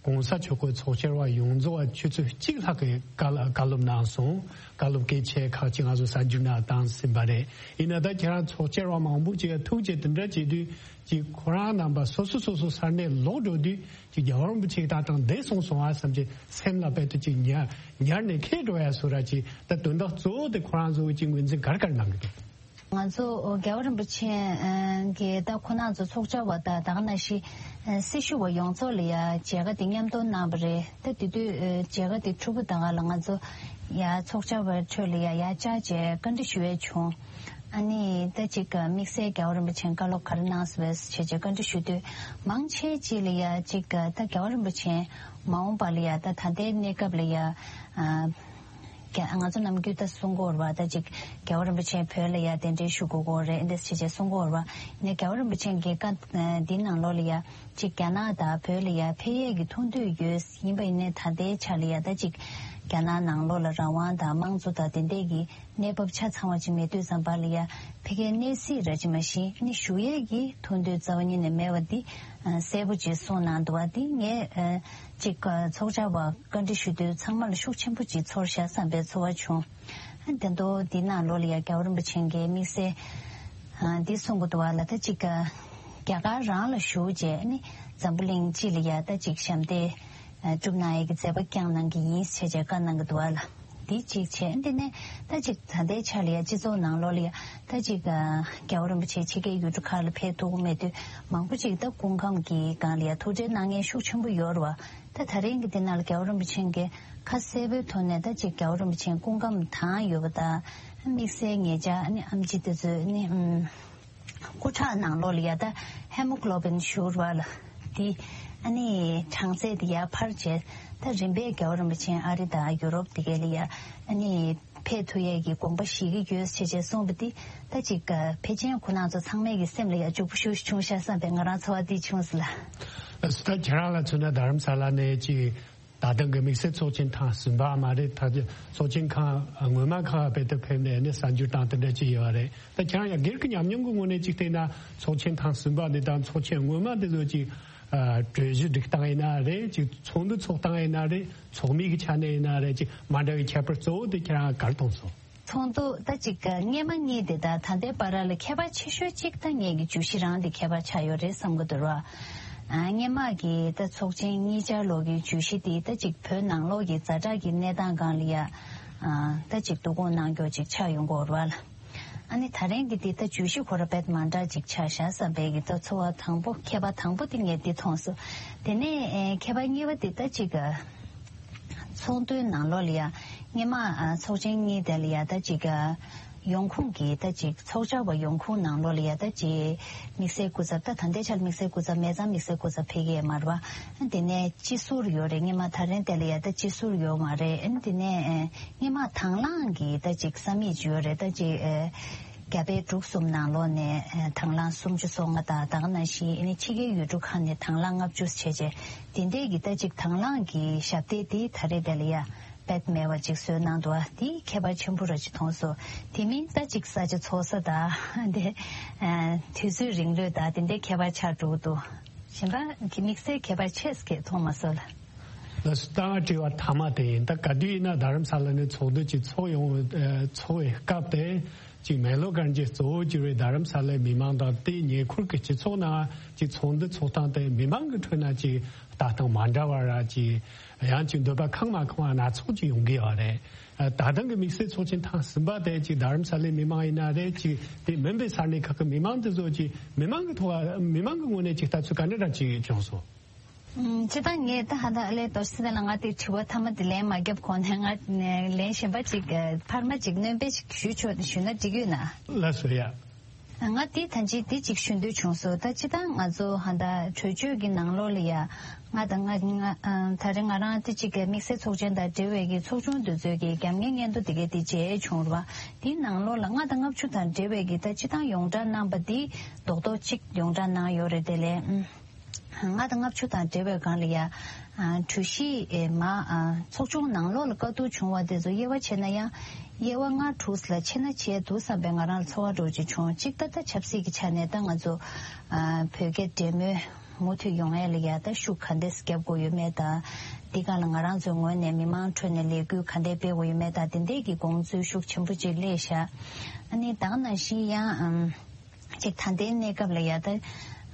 ༸གོང་ས་མཆོག་གི་ཚོགས་བཅར་བ་ཡོངས་རྫོགས་ཆུ་ཚོད་གཅིག་ལྷག་གི་བཀའ་སློབ་གནང་སོང་། བཀའ་སློབ་གལ་ཆེ་ཁག་ཅིག་ང་ཚོ་གསར་འགྱུར་ནང་བཏང་ཟིན་པ་རེད། ཡིན་ན་ད་ཁྱེད་རང་ཚོགས་བཅར་བ་མང་པོ་ཅིག་ཐུགས་རྗེ་དེ་འདྲ་བྱེད་དུས་ཅིག་ཁོ་རང་རྣམ་པ་སོ་སོ་སོ་སོ་ས་གནས་ལོག་འགྲོ་དུས་ཅིག་རྒྱལ་བ་རིན་པོ་ཆེ་ད་དང་འདས་སོང་སོང་ཨ་བསམ་གྱི་སེམས་ལ་དཔེ་དུ་ཅིག་ཉར་ཉར་ནས་ཁེལ་འགྲོ་ཡ་སོ་ར་ཅིག་ད་དོན་དག་གཙོ་བོ་དེ་ཁོ་རང་ཚོ་གི་ཅིག་ངོས་འཛིན་ག་རེ་ག་རེ་གནང་གི་འདུག་ང་ཚོ་རྒྱལ་བ་རིན་པོ་ཆེ་གིས་ད་ཁོང་རྣམ་ཚོ་ཚོགས་བཅར་བ་དང་ད་ག་ནང་བཞིན་སྲི་ཞུ་བ་ཡོངས་རྫོགས་ལ་ཡ་མཇལ་ཁ་དེ་མཉམ་སྟོན་གནང་བ་རེད། ད་དེ་དུས་མཇལ་ཁ་དེ་གྲུབ་པ་ད་ག་ལ་ང་ཚོ་ཡ་ཚོགས་བཅར་བའི་ཁྲོད་ལ་ཡ་ཡ་བཅར་བྱས་བཀའ་འདྲི་ཞུ་ཡས་བྱུང་། ཨ་ནི་ད་ཅིག་དམིགས་བསལ་རྒྱལ་བ་རིན་པོ་ཆེས་བཀའ་སློབ་ག་རེ་གནང་སོང་བས་ཞེས་བྱས་བཀའ་འདྲི་ཞུ་དུས་མང་ཆེ་ཅིག་ལ་ཡ་ཅིག་ད་རྒྱལ་བ་རིན་པོ་ཆེ་མ་འོངས་པ་ལ་ཡ་ད་ད་ལྟའི་གནས་སྐབས་ལ་ཡ་ཨ། རྒྱ་ང་ཚོ་ནམ་རྒྱུན་ད་གསུང་གི་ཡོད་རེད་པ། ད་ཅིག་རྒྱལ་བ་རིན་པོ་ཆེ་བོད་ལ་ཡ་གདན་འདྲེན་ཞུ་དགོས་ཀྱི་ཡོད་རེད་འདི་ཞེས་བྱས་གསུང་གི་ཡོད་རེད་པ། ཡིན་ནའི་རྒྱལ་བ་རིན་པོ་ཆེ་གིས་བཀའ་འདི་ནང་ལོགས་ལ་ཡ་ཅིག་རྒྱ་ནག་དང་བོད་ལ་ཡ་ཕེབས་ཡས་ཀྱི་ཐུགས་འདུན་ཡོད། ཡིན་པ་ཡིན་ནའི་ད་ལྟའི་ཆ་ལ་ཡ་ད་ཅིག་རྒྱ་ནག་ནང་ལོགས་ལ་རང་དབང་དང་དམངས་གཙོ་དང་དེ་འདྲས་ཀྱི་གནས་བབ་ཆ་ཚང་བ་ཅིག་མེད་དུས་ཙམ་པ་ལ་ཡ་ཕ་གིའི་གནས་སྲིད་ར་ཅིག་མ་གཞི་ནི་ཞུ་ཡས་ཀྱི་ཐུགས་འདུན་རྩ་བ་ཉིད་ནས་མེད་པ་འདི་གསལ་པོ་ཅིག་གསུངས་གནང་འདུག་པ། འདི་ངས་ཅིག་ཚོགས་བཅར་བ་བཀའ་འདྲི་ཞུ་དུས་ཚང་མ་ལ་ཤུགས་ཆེན་པོ་ཅིག་ཚོར་ཤག་བསམ་པའི་ཚོར་བ་བྱུང་། དེ་འདྲ་འདི་ནང་ལོགས་ལ་ཡ་རྒྱལ་བ་རིན་པོ་ཆེ་གིས་དམིགས་བསལ་འདི་གསུང་གི་འདུག་པ་ལ། ད་ཅིག་རྒྱ་གར་རང་ལ་བཞུགས་རྗེས་ནི་འཛམ་བུ་གླིང་སྤྱི་ལ་ཡ་ད་ཅིག་ཞབས་འདེགས་སྒྲུབ་གནང་ཡས་ཀྱི་མཛད་པ་བསྐྱངས་གནང་གི་ཡིན་ཞེས་བྱས་བཀའ་གནང་གི་འདུག་པ་ལ། འདི་གཅིག་བྱས། འདི་ནས་ད་ཅིག་ད་ལྟའི་ཆ་ལ་ཡ་སྤྱི་ཚོགས་ནང་ལོགས་ལ་ཡ་ད་ཅིག་རྒྱལ་བ་རིན་པོ་ཆེ་ཕྱི་རྒྱལ་ཡུལ་གྲུ་ཁག་ལ་ཕེབས་ཐུབ་ཀྱི་མེད་དུས་མང་པོ་ཅིག་ད་སྐུ་ཁམས་ཀྱི་སྒང་ལ་ཡ་ཐུགས་ཁྲལ་གནང་མཁན་ཤུགས་ཆེན་པོ་ཡོད་རེད་པ། ད་ད་རིང་གི་འདི་ནང་ལ་རྒྱལ་བ་རིན་པོ་ཆེ་གིས་ཁ་གསལ་པོའི་ཐོག་ནས་ད་ཅིག་རྒྱལ་བ་རིན་པོ་ཆེ་སྐུ་ཁམས་དྭངས་ཡོད་པ་དང་དམིགས་བསལ་ངེད་ཅག་ནི་ཨེམ་ཆི་དེ་ཚོས་ནི་ཨམ་སྐུ་ཁྲག་ནང་ལོགས་ལ་ཡ་ད་ཧེ་མོ་གྷི་ལོ་བིན་ཞུ་བ་ལ་འདི་ཨ་ནི་གྲངས་ཚད་འདི་ཡར་འཕར་བྱས། ད་རིམ་པས་རྒྱལ་བ་རིན་པོ་ཆེ་ཨ་རི་དང་ཡུ་རོབ་དེ་གའི་ལ་ཡ་ཨ་ནི་ཕེབས་ཐུབ་ཡས་ཀྱི་དགོངས་པ་བཞེས་ཀྱི་ཡོད་ཞེས་བྱས་གསུངས་པ་འདི་ད་ཅིག་ཕལ་ཆེར་ཁོང་རྣམ་ཚོ་ཚང་མའི་གི་སེམས་ལ་ཡ་འཇུག་པོ་ཞེ་པོ་བྱུང་ཤག་བསམ་པའི་ང་རང་ཚོར་བ་འདི་བྱུང་སོང་ལགས། ད་ཁྱེད་རང་ལ་མཚོན་ན་རྡ་རམ་ས་ལ་ནས་ཅིག་ད་ཐེངས་ཀྱི་དམིགས་བསལ་ཚོགས་ཆེན་ཐེངས་གསུམ་པ་མ་རེད། ད་ཚོགས་ཆེན་ཁག་སྔོན་མ་ཁག་རྦད་དེ་ཕེབས་ནས་ནི་གསར་འགྱུར་བཏང་དེ་འདྲ་ཅིག་ཡོད་རེད། ད་ཁྱེད་རང་ཡང་སྒེར་གྱི་ཉམས་མྱོང་གི་ངོས་ནས་ཅིག་བལྟས་ན་ཚོགས་ཆེན་ཐེངས་གསུམ་པ་འདི་དང་ཚོགས་ཆེན་སྔོན་མ་འདི་ཚོ་ཅིག་གྲོས་གཞི་སྒྲིག་སྟངས་ཡིན་ན་རེད། ཅིག་ཚོགས་འདུ་ཚོགས་སྟངས་ཡིན་ན་རེད། ཚོགས་མི་གི་ཆ་ནས་ཡིན་ན་རེད། ཅིག་མ་འདྲ་བའི་ཁྱད་པར་གཙོ་བོ་དེ་ཁྱེད་རང་ག་རེ་མཐོང་སོང་། ཚོགས་འདུ་ད་ཅིག་སྔས་མ་གཉིས་དེ་དང་ད་ལྟའི་བར་ལ་ཁྱད་པར་ཆེ་ཤོས་གཅིག་ད་ངེད་ཀྱི་བརྗོད་གཞི་རང་དེ་ཁྱད་པར་ཆགས་ཡོད་རེད་བསམ་གྱི་འདུག་ར། ཨ། སྔས་མ་གི་ད་ཚོགས་ཆེན་གཉིས་ཆར་ལོག་གི་བརྗོད་གཞི་དེ་ད་ཅིག་བོད་ནང་ལོགས་ཀྱི་ཛ་དྲག་གི་གནས་སྟངས་སྒང་ལ་ཡ། ཨ། ད་ཅིག་བསྡུ་སྐོང་གནང་རྒྱུ་ཅིག་ཆགས་ཡོང་གི་ཡོད་རེད་བ་ལ། ཨ་ནི་ད་རིང་གི་དེ་ད་བརྗོད་གཞི་ཁོ་ར་དཔེ་མ་འདྲ་ཅིག་ཆགས་ཤག་བསམ་པའི་གི་ད་ཚོར་བ་དང་པོ་ཁྱད་པར་དང་པོ་དེ་ངས་འདི་མཐོང་སོང་། དེ་ནས་ཨེ་ཁྱད་པར་གཉིས་པ་དེ་ད་ཅིག་ཚོགས་འདུའི་ནང་ལོགས་ལ་ཡ་སྔས་མ་ཨ་ཚོགས་ཆེན་གཉིས་དེ་ལ་ཡ་ད་ཅིག་ཡོང་ཁུངས་ཀྱི་ད་ཅིག་ཚོགས་བཅར་བ་ཡོང་ཁུངས་ནང་ལོགས་ལ་ཡ་ད་ཅིག་དམིགས་བསལ་སྐུ་ཚབ། ད་ད་ལྟའི་ཆར་དམིགས་བསལ་སྐུ་ཚབ་མེད་ཙང་དམིགས་བསལ་སྐུ་ཚབ་ཕེབས་ཀྱི་ཡོད་མ་རེད་པ། དེ་ནས་སྤྱི་ཟུར་ཡོད་རེད། སྔོན་མ་ད་རེས་དེ་ལ་ཡ་ད་སྤྱི་ཟུར་ཡོད་མ་རེད། དེ་ནས་སྔོན་མ་དང་བླངས་ཀྱི་ད་ཅིག་ས་མིག་ཅིག་ཡོད་རེད། ད་ཅིག་རྒྱ་བལ་འབྲུག་གསུམ་ནང་ལོགས་ནས་དང་བླངས་སུམ་ཅུ་སོ་ལྔ་དང་། ད་ག་ནང་བཞིན་ཨ་ནི་ཕྱི་རྒྱལ་ཡུལ་གྲུ་ཁག་ནས་དང་བླངས་ལྔ་བཅུ་བྱས་བྱས། དེ་འདྲས་ཀྱི་ད་ཅིག་དང་བླངས་ཀྱི་ཞབས་སྟེགས་དེ་ད་རེས་དེ་ལ་ཡ་དཔེ་མེད་པ་ཅིག་བཟོས་གནང་འདུག་པ། དེ་ཁྱད་པར་ཆེན་པོ་ར་ཅིག་མཐོང་སོང་། དེ་མིན་ད་ཅིག་ས་ཆ་ཚོགས་ས་དང་དེ་དུས་ཚོད་རིང་ལོས་དང་དེ་འདྲའི་ཁྱད་པར་ཆགས་འགྲོ་གི་འདུག་གཞན་པ་གི་དམིགས་བསལ་ཁྱད་པར་ཆེ་ཟེར་མཐོང་མ་སོང་ལ། ལགས་སོ། ད་ང་དྲི་བ་མཐའ་མ་དེ་ཡིན། ད་ག་དུས་ཡིན་ན་རྡ་རམ་ས་ལ་ནས་ཚོགས་འདུ་ཅིག་ཚོགས་ཡོང་། ཚོགས་པའི་སྐབས་དེ་ཅིག་མེག་ལོར་གྷན་ཇི་གཙོ་བོ་གྱུར་བའི་རྡ་རམ་ས་ལའི་མི་མང་དང་དེའི་ཉེ་འཁོར་གྱི་སྤྱི་ཚོགས་ནང་ཅིག་ཚོགས་འདུ་ཚོགས་སྟངས་དེ་མི་མང་གི་ཁྲོད་ན་ཅིག་ལྟ་སྟངས་མ་འདྲ་བ་ར་ཅིག་ཡང་ཅིག་འདོད་པ་ཁེངས་མ་ཁེངས་པ་སྣ་ཚོགས་ཅིག་ཡོང་གི་ཡོད་རེད། ད་ཐེངས་ཀྱི་དམིགས་བསལ་ཚོགས་ཆེན་ཐེངས་གསུམ་པ་དེ་ཅིག་རྡ་རམ་ས་ལའི་མི་མང་ཡིན་ན་རེད། ཅིག་དེ་མིན་པའི་ས་གནས་ཁག་གི་མི་མང་དེ་ཚོ་ཅིག་མི་མང་གི་ཐོག་མི་མང་གི་ངོས་ནས་ཅིག་ལྟ་ཚུལ་ག་འདྲ་འདྲ་ཅིག་བྱུང་སོང་། ཨུམ། སྤྱིར་བཏང་ངས་ད་ཧ་ད་ཨ་ལས་དོར་སི་ལ་ང་དེ་དྲི་བ་མཐའ་མ་དེ་ལན་མ་བརྒྱབ་གོང་ནས་ང་ལན་གཞན་པ་ཅིག་ཕར་མ་ཅིག་སྣོན་པ་ཞིག་ཞུ་ཆོག་ཞུ་ན་འགྲིག་ཡོད་ན། ལགས་སོ་ཡ། ང་དེ་ད་ཅི་དེ་ཅིག་ཞུ་འདོད་བྱུང་སོང་། ད་སྤྱིར་བཏང་ང་ཚོ་ཧ་ད་གྲོས་ཆོད་ཀྱི་ནང་ལོགས་ལ་ཡ་ང་དང་ང་ང་ཨ་ད་རེས་ང་རང་དེ་ཅིག་དམིགས་བསལ་ཚོགས་ཆེན་དང་འབྲེལ་བའི་གི་ཚོགས་ཆུང་དེ་ཚོའི་གི་རྒྱབ་གཉེར་སྙན་ཐོ་དེ་གའི་དེ་མཇལ་བྱུང་ར་བ། དེའི་ནང་ལོགས་ལ་ལྔ་དང་ལྔ་བཅུ་དང་འབྲེལ་བའི་གི་ད་སྤྱིར་བཏང་ཡོངས་བསྒྲགས་གནང་པ་དེ་རྡོག་རྡོག་ཅིག་ཡོངས་བསྒྲགས་གནང་ཡོད་རེད། དེ་ལས་ཨུམ། ལྔ་དང་ལྔ་བཅུ་དང་འབྲེལ་བའི་སྒང་ལ་ཡ། ཨ་གྲོས་གཞི་ཨེ་མ་ཨ་ཚོགས་ཆུང་ནང་ལོགས་ལ་བཀའ་བསྡུར་བྱུང་བ་དེ་ཚོ་དབྱེ་བ་ཕྱེ་ན་ཡང་། དབྱེ་བ་ལྔ་དྲུག་ལ་ཕྱེ་ན་བྱས་འདུག་བསམ་པའི་ང་རང་ལ་ཚོར་བ་འདྲ་ཅིག་བྱུང་། གཅིག་ད་ལྟ་ཆབ་སྲིད་ཀྱི་ཆ་ནས་ད་ང་ཚོ་ཨ་བོད་རྒྱ་འབྲེལ་མོལ་མུ་མཐུད་ཡོང་ཡ་ལ་ཡ་ད་ཤུགས་ག་འདྲས་རྒྱབ་དགོས་ཡོད་མེད་དང་། འདི་ག་ལ་ང་རང་ཚོའི་ངོས་ནས་མི་མང་ཁྲོད་ནས་ལས་འགུལ་ག་འདྲས་སྤེལ་དགོས་ཡོད་མེད་དང་། དེ་འདྲས་ཀྱི་དགོངས་ཚུལ་ཤུགས་ཆེན་པོ་ཅིག་སླེབས་ཤག་ཨ་ནི་ད་ག་ནང་བཞིན་ཡང་ཨམ། ཅིག་ད་ལྟའི་གནས་སྐབས་ལ་ཡ་ད།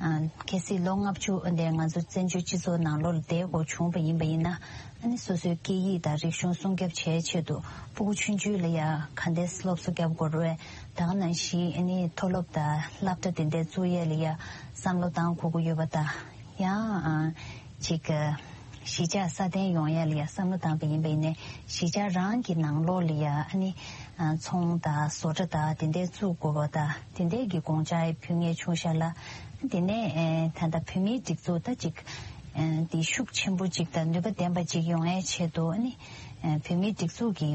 ཨ་གལ་སྲིད་ལོ་ལྔ་བཅུ་འདི་ང་ཚོ་བཙན་བྱོལ་སྤྱི་ཚོགས་ནང་ལོགས་ལ་བསྡད་དགོས་བྱུང་བ་ཡིན་པ་ཡིན་ན། ཨ་ནི་སོ་སོའི་སྐད་ཡིག་དང་རིག་གཞུང་སྲུང་སྐྱོབ་བྱེད་ཆེད་དུ་སྤུ་གུ་ཆུང་ཆུང་ལ་ཡ་ག་འདྲས་སློབ་གསོ་རྒྱབ་དགོས་རེད། ད་ག་ནང་བཞིན་ཨ་ནི་མཐོ་སློབ་དང་སློབ་གྲྭ་དེ་འདྲས་བཙུགས་ཡས་ལ་ཡ་བསམ་བློ་བཏང་དགོས་ཀྱི་ཡོད་པ་དང་། ཡང་ཨ་གཅིག་གཞིས་ཆགས་སྲ་བརྟན་ཡོང་ཡ་ལ་ཡ་བསམ་བློ་བཏང་པ་ཡིན་པ་ཡིན་ནའི། གཞིས་ཆགས་རང་གི་ནང་ལོགས་ལ་ཡ་ཨ་ནི་ཨ་ཚོང་དང་བཟོ་གྲྭ་དང་དེ་འདྲའི་བཙུགས་དགོས་པ་དང་། དེ་འདྲའི་གི་དགོངས་འཆར་ཕུལ་མཁན་བྱུང་ཤག་ལ། དེ་ནས་ཨ་ད་ལྟ་བོད་མིའི་སྒྲིག་འཛུགས་ད་ཅིག་ཨ་དེ་ཤུགས་ཆེན་པོ་ཅིག་དང་ནུས་པ་ལྡན་པ་ཅིག་ཡོང་ཡའི་ཆེད་དུ་ཨ་ནི་ཨ་བོད་མིའི་སྒྲིག་འཛུགས་ཀྱི་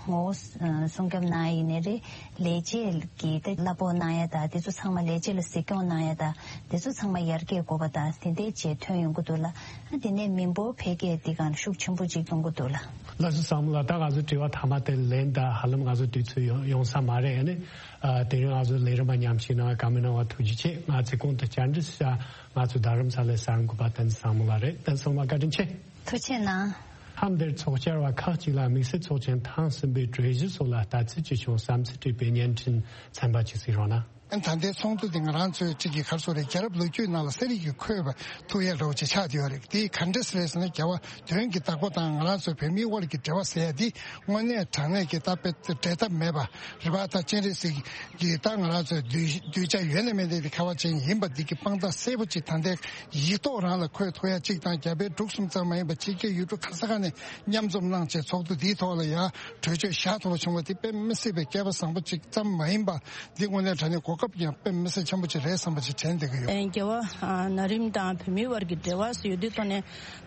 ངོ་བོ་ཨ་སྲུང་སྐྱོབ་གནང་ཡ་ཡིན་ནའི་རེད། ལས་བྱེད་ཀྱི་ད་གླ་ཕོགས་གནང་ཡ་དང་དེ་ཚོ་ཚང་མ། ལས་བྱེད་ལ་གཟིགས་སྐྱོང་གནང་ཡ་དང་དེ་ཚོ་ཚང་མ་ཡར་རྒྱས་དགོས་པ་དང་དེ་འདྲའི་བྱས་ཐོན་ཡོང་གི་འདུག་ལ། ཨ་དེ་ནས་མི་འབོར་འཕེལ་རྒྱས་འདི་གང་ཤུགས་ཆེན་པོ་ཅིག་གཏོང་གི་འདུག་ལ། ལགས་སོ་བསམ་བློ། ད་ང་ཚོ་དྲི་བ་མཐའ་མ་དེ་ལན་ད་ཧ་ལམ་ང་ཚོ་དུས་ཚོད་ཡོང་ཡོང་ས་མ་རེད། ཨ་ནི་ཨ་དེ་རིང་ང་ཚོ་ལས་རིམ་པ་མཉམ་ཞུགས་གནང་བ་བཀའ་མོལ་གནང་བ་ཐུགས་རྗེ་ཆེ། ང་ཚོའི་ཁོང་དུ་བཅར་འདྲི་ཞུ་ང་ཚོ་རྡ་རམ་ས་ལའི་གསར་འགོད་པ་བསྟན་འཛིན་བཟང་མོ་ལགས་རེད། བསྟན་འཛིན་བཟང་མོ་ལགས་བཀའ་དྲིན་ཆེ། ཐུགས་རྗེ་གནང་། མཚམས་འདིར་ཚོགས་བཅར་བ་ཁག་ཅིག་ལ་དམིགས་བསལ་ཚོགས་ཆེན་ཐེངས་གསུམ་པའི་གྲོས་གཞི་སོགས་ལ་ལྟ་ཚུལ་ཅི་བྱུང་བསམ་ཚུལ་དྲིས་པའི་བརྙན་འཕྲིན་ཚན་པ་ཅིག་གཟིགས་རོགས་གནང་། ད་ལྟའི་ཚོགས་འདུ་འདི་ང་རང་ཚོའི་གཅིག་གི་ག་རེ་ཟེར་རེད། རྒྱལ་རབས་ལོ་རྒྱུས་ནང་ལ་གསལ་རིག་གིས་འཁོད་པ་ཐུབ་ཡ་འདྲ་བོ་ཅིག་ཆགས་བསྡད་ཡོད་རེད། དེ་ག་འདྲ་ཟེར་རེད་ཟེར་ན། རྒྱལ་བ་དོན་གྱི་བདག་པོ་དང་ང་རང་ཚོའི་བོད་མིའི་དབར་གྱི་འབྲེལ་བ་ཟེར་ཡ་འདི་དངོས་གནས་དྲང་གནས་ཀྱི་ད་དཔེ་འབྲལ་ཐབས་མེད་པ་རེད་པ། ད་སྤྱན་རས་གཟིགས་ཀྱི་ད་ང་རང་ཚོའི་གདུལ་གདུལ་བྱ་ཡོད་ན་མེད་ན་དེ་ཁ་བ་ཅན་ཡིན་པ་འདི་གི་དཔང་རྟགས་གསལ་པོ་ཅིག་ད་ལྟའི་ཡིག་ཐོག་རང་ལ་འཁོད་ཐུབ་ཡ་གཅིག་དང་། རྒྱ་བལ་འབྲུག་གསུམ་ཙམ་མ་ཡིན་པ་ཕྱི་རྒྱལ་ཡུལ་གྲུ་ག་ས་ག་ནས་མཉམ་འཛོམས་གནང་བྱས་ཚོགས་འདུ་འདིའི་ཐོག་ལ་ཡ་གྲོས་ཆོད་བཞག་ཐུབ་པ་བྱུང་བ་འདི་དཔེ་མི་སྲིད་པའི་སྐལ་པ་བཟང་པོ་ཅིག་ཙམ་མ་ཡིན་པ། འདི་དངོས་གནས་དྲང་གནས་གོ་སྐབས་ཀྱང་དཔེ་མི་སྲིད་ཆེན་པོ་ཅིག་རེད་བསམ་པ་ཅིག་དྲན་བསྡད་ཀྱི་ཡོད། ཨེ་རྒྱལ་བ་ཨ་ན་རིམ་དང་བོད་མིའི་དབར་གྱི་འབྲེལ་བ་ཟེར་ཡོད་དུས་ཐོག་ནས།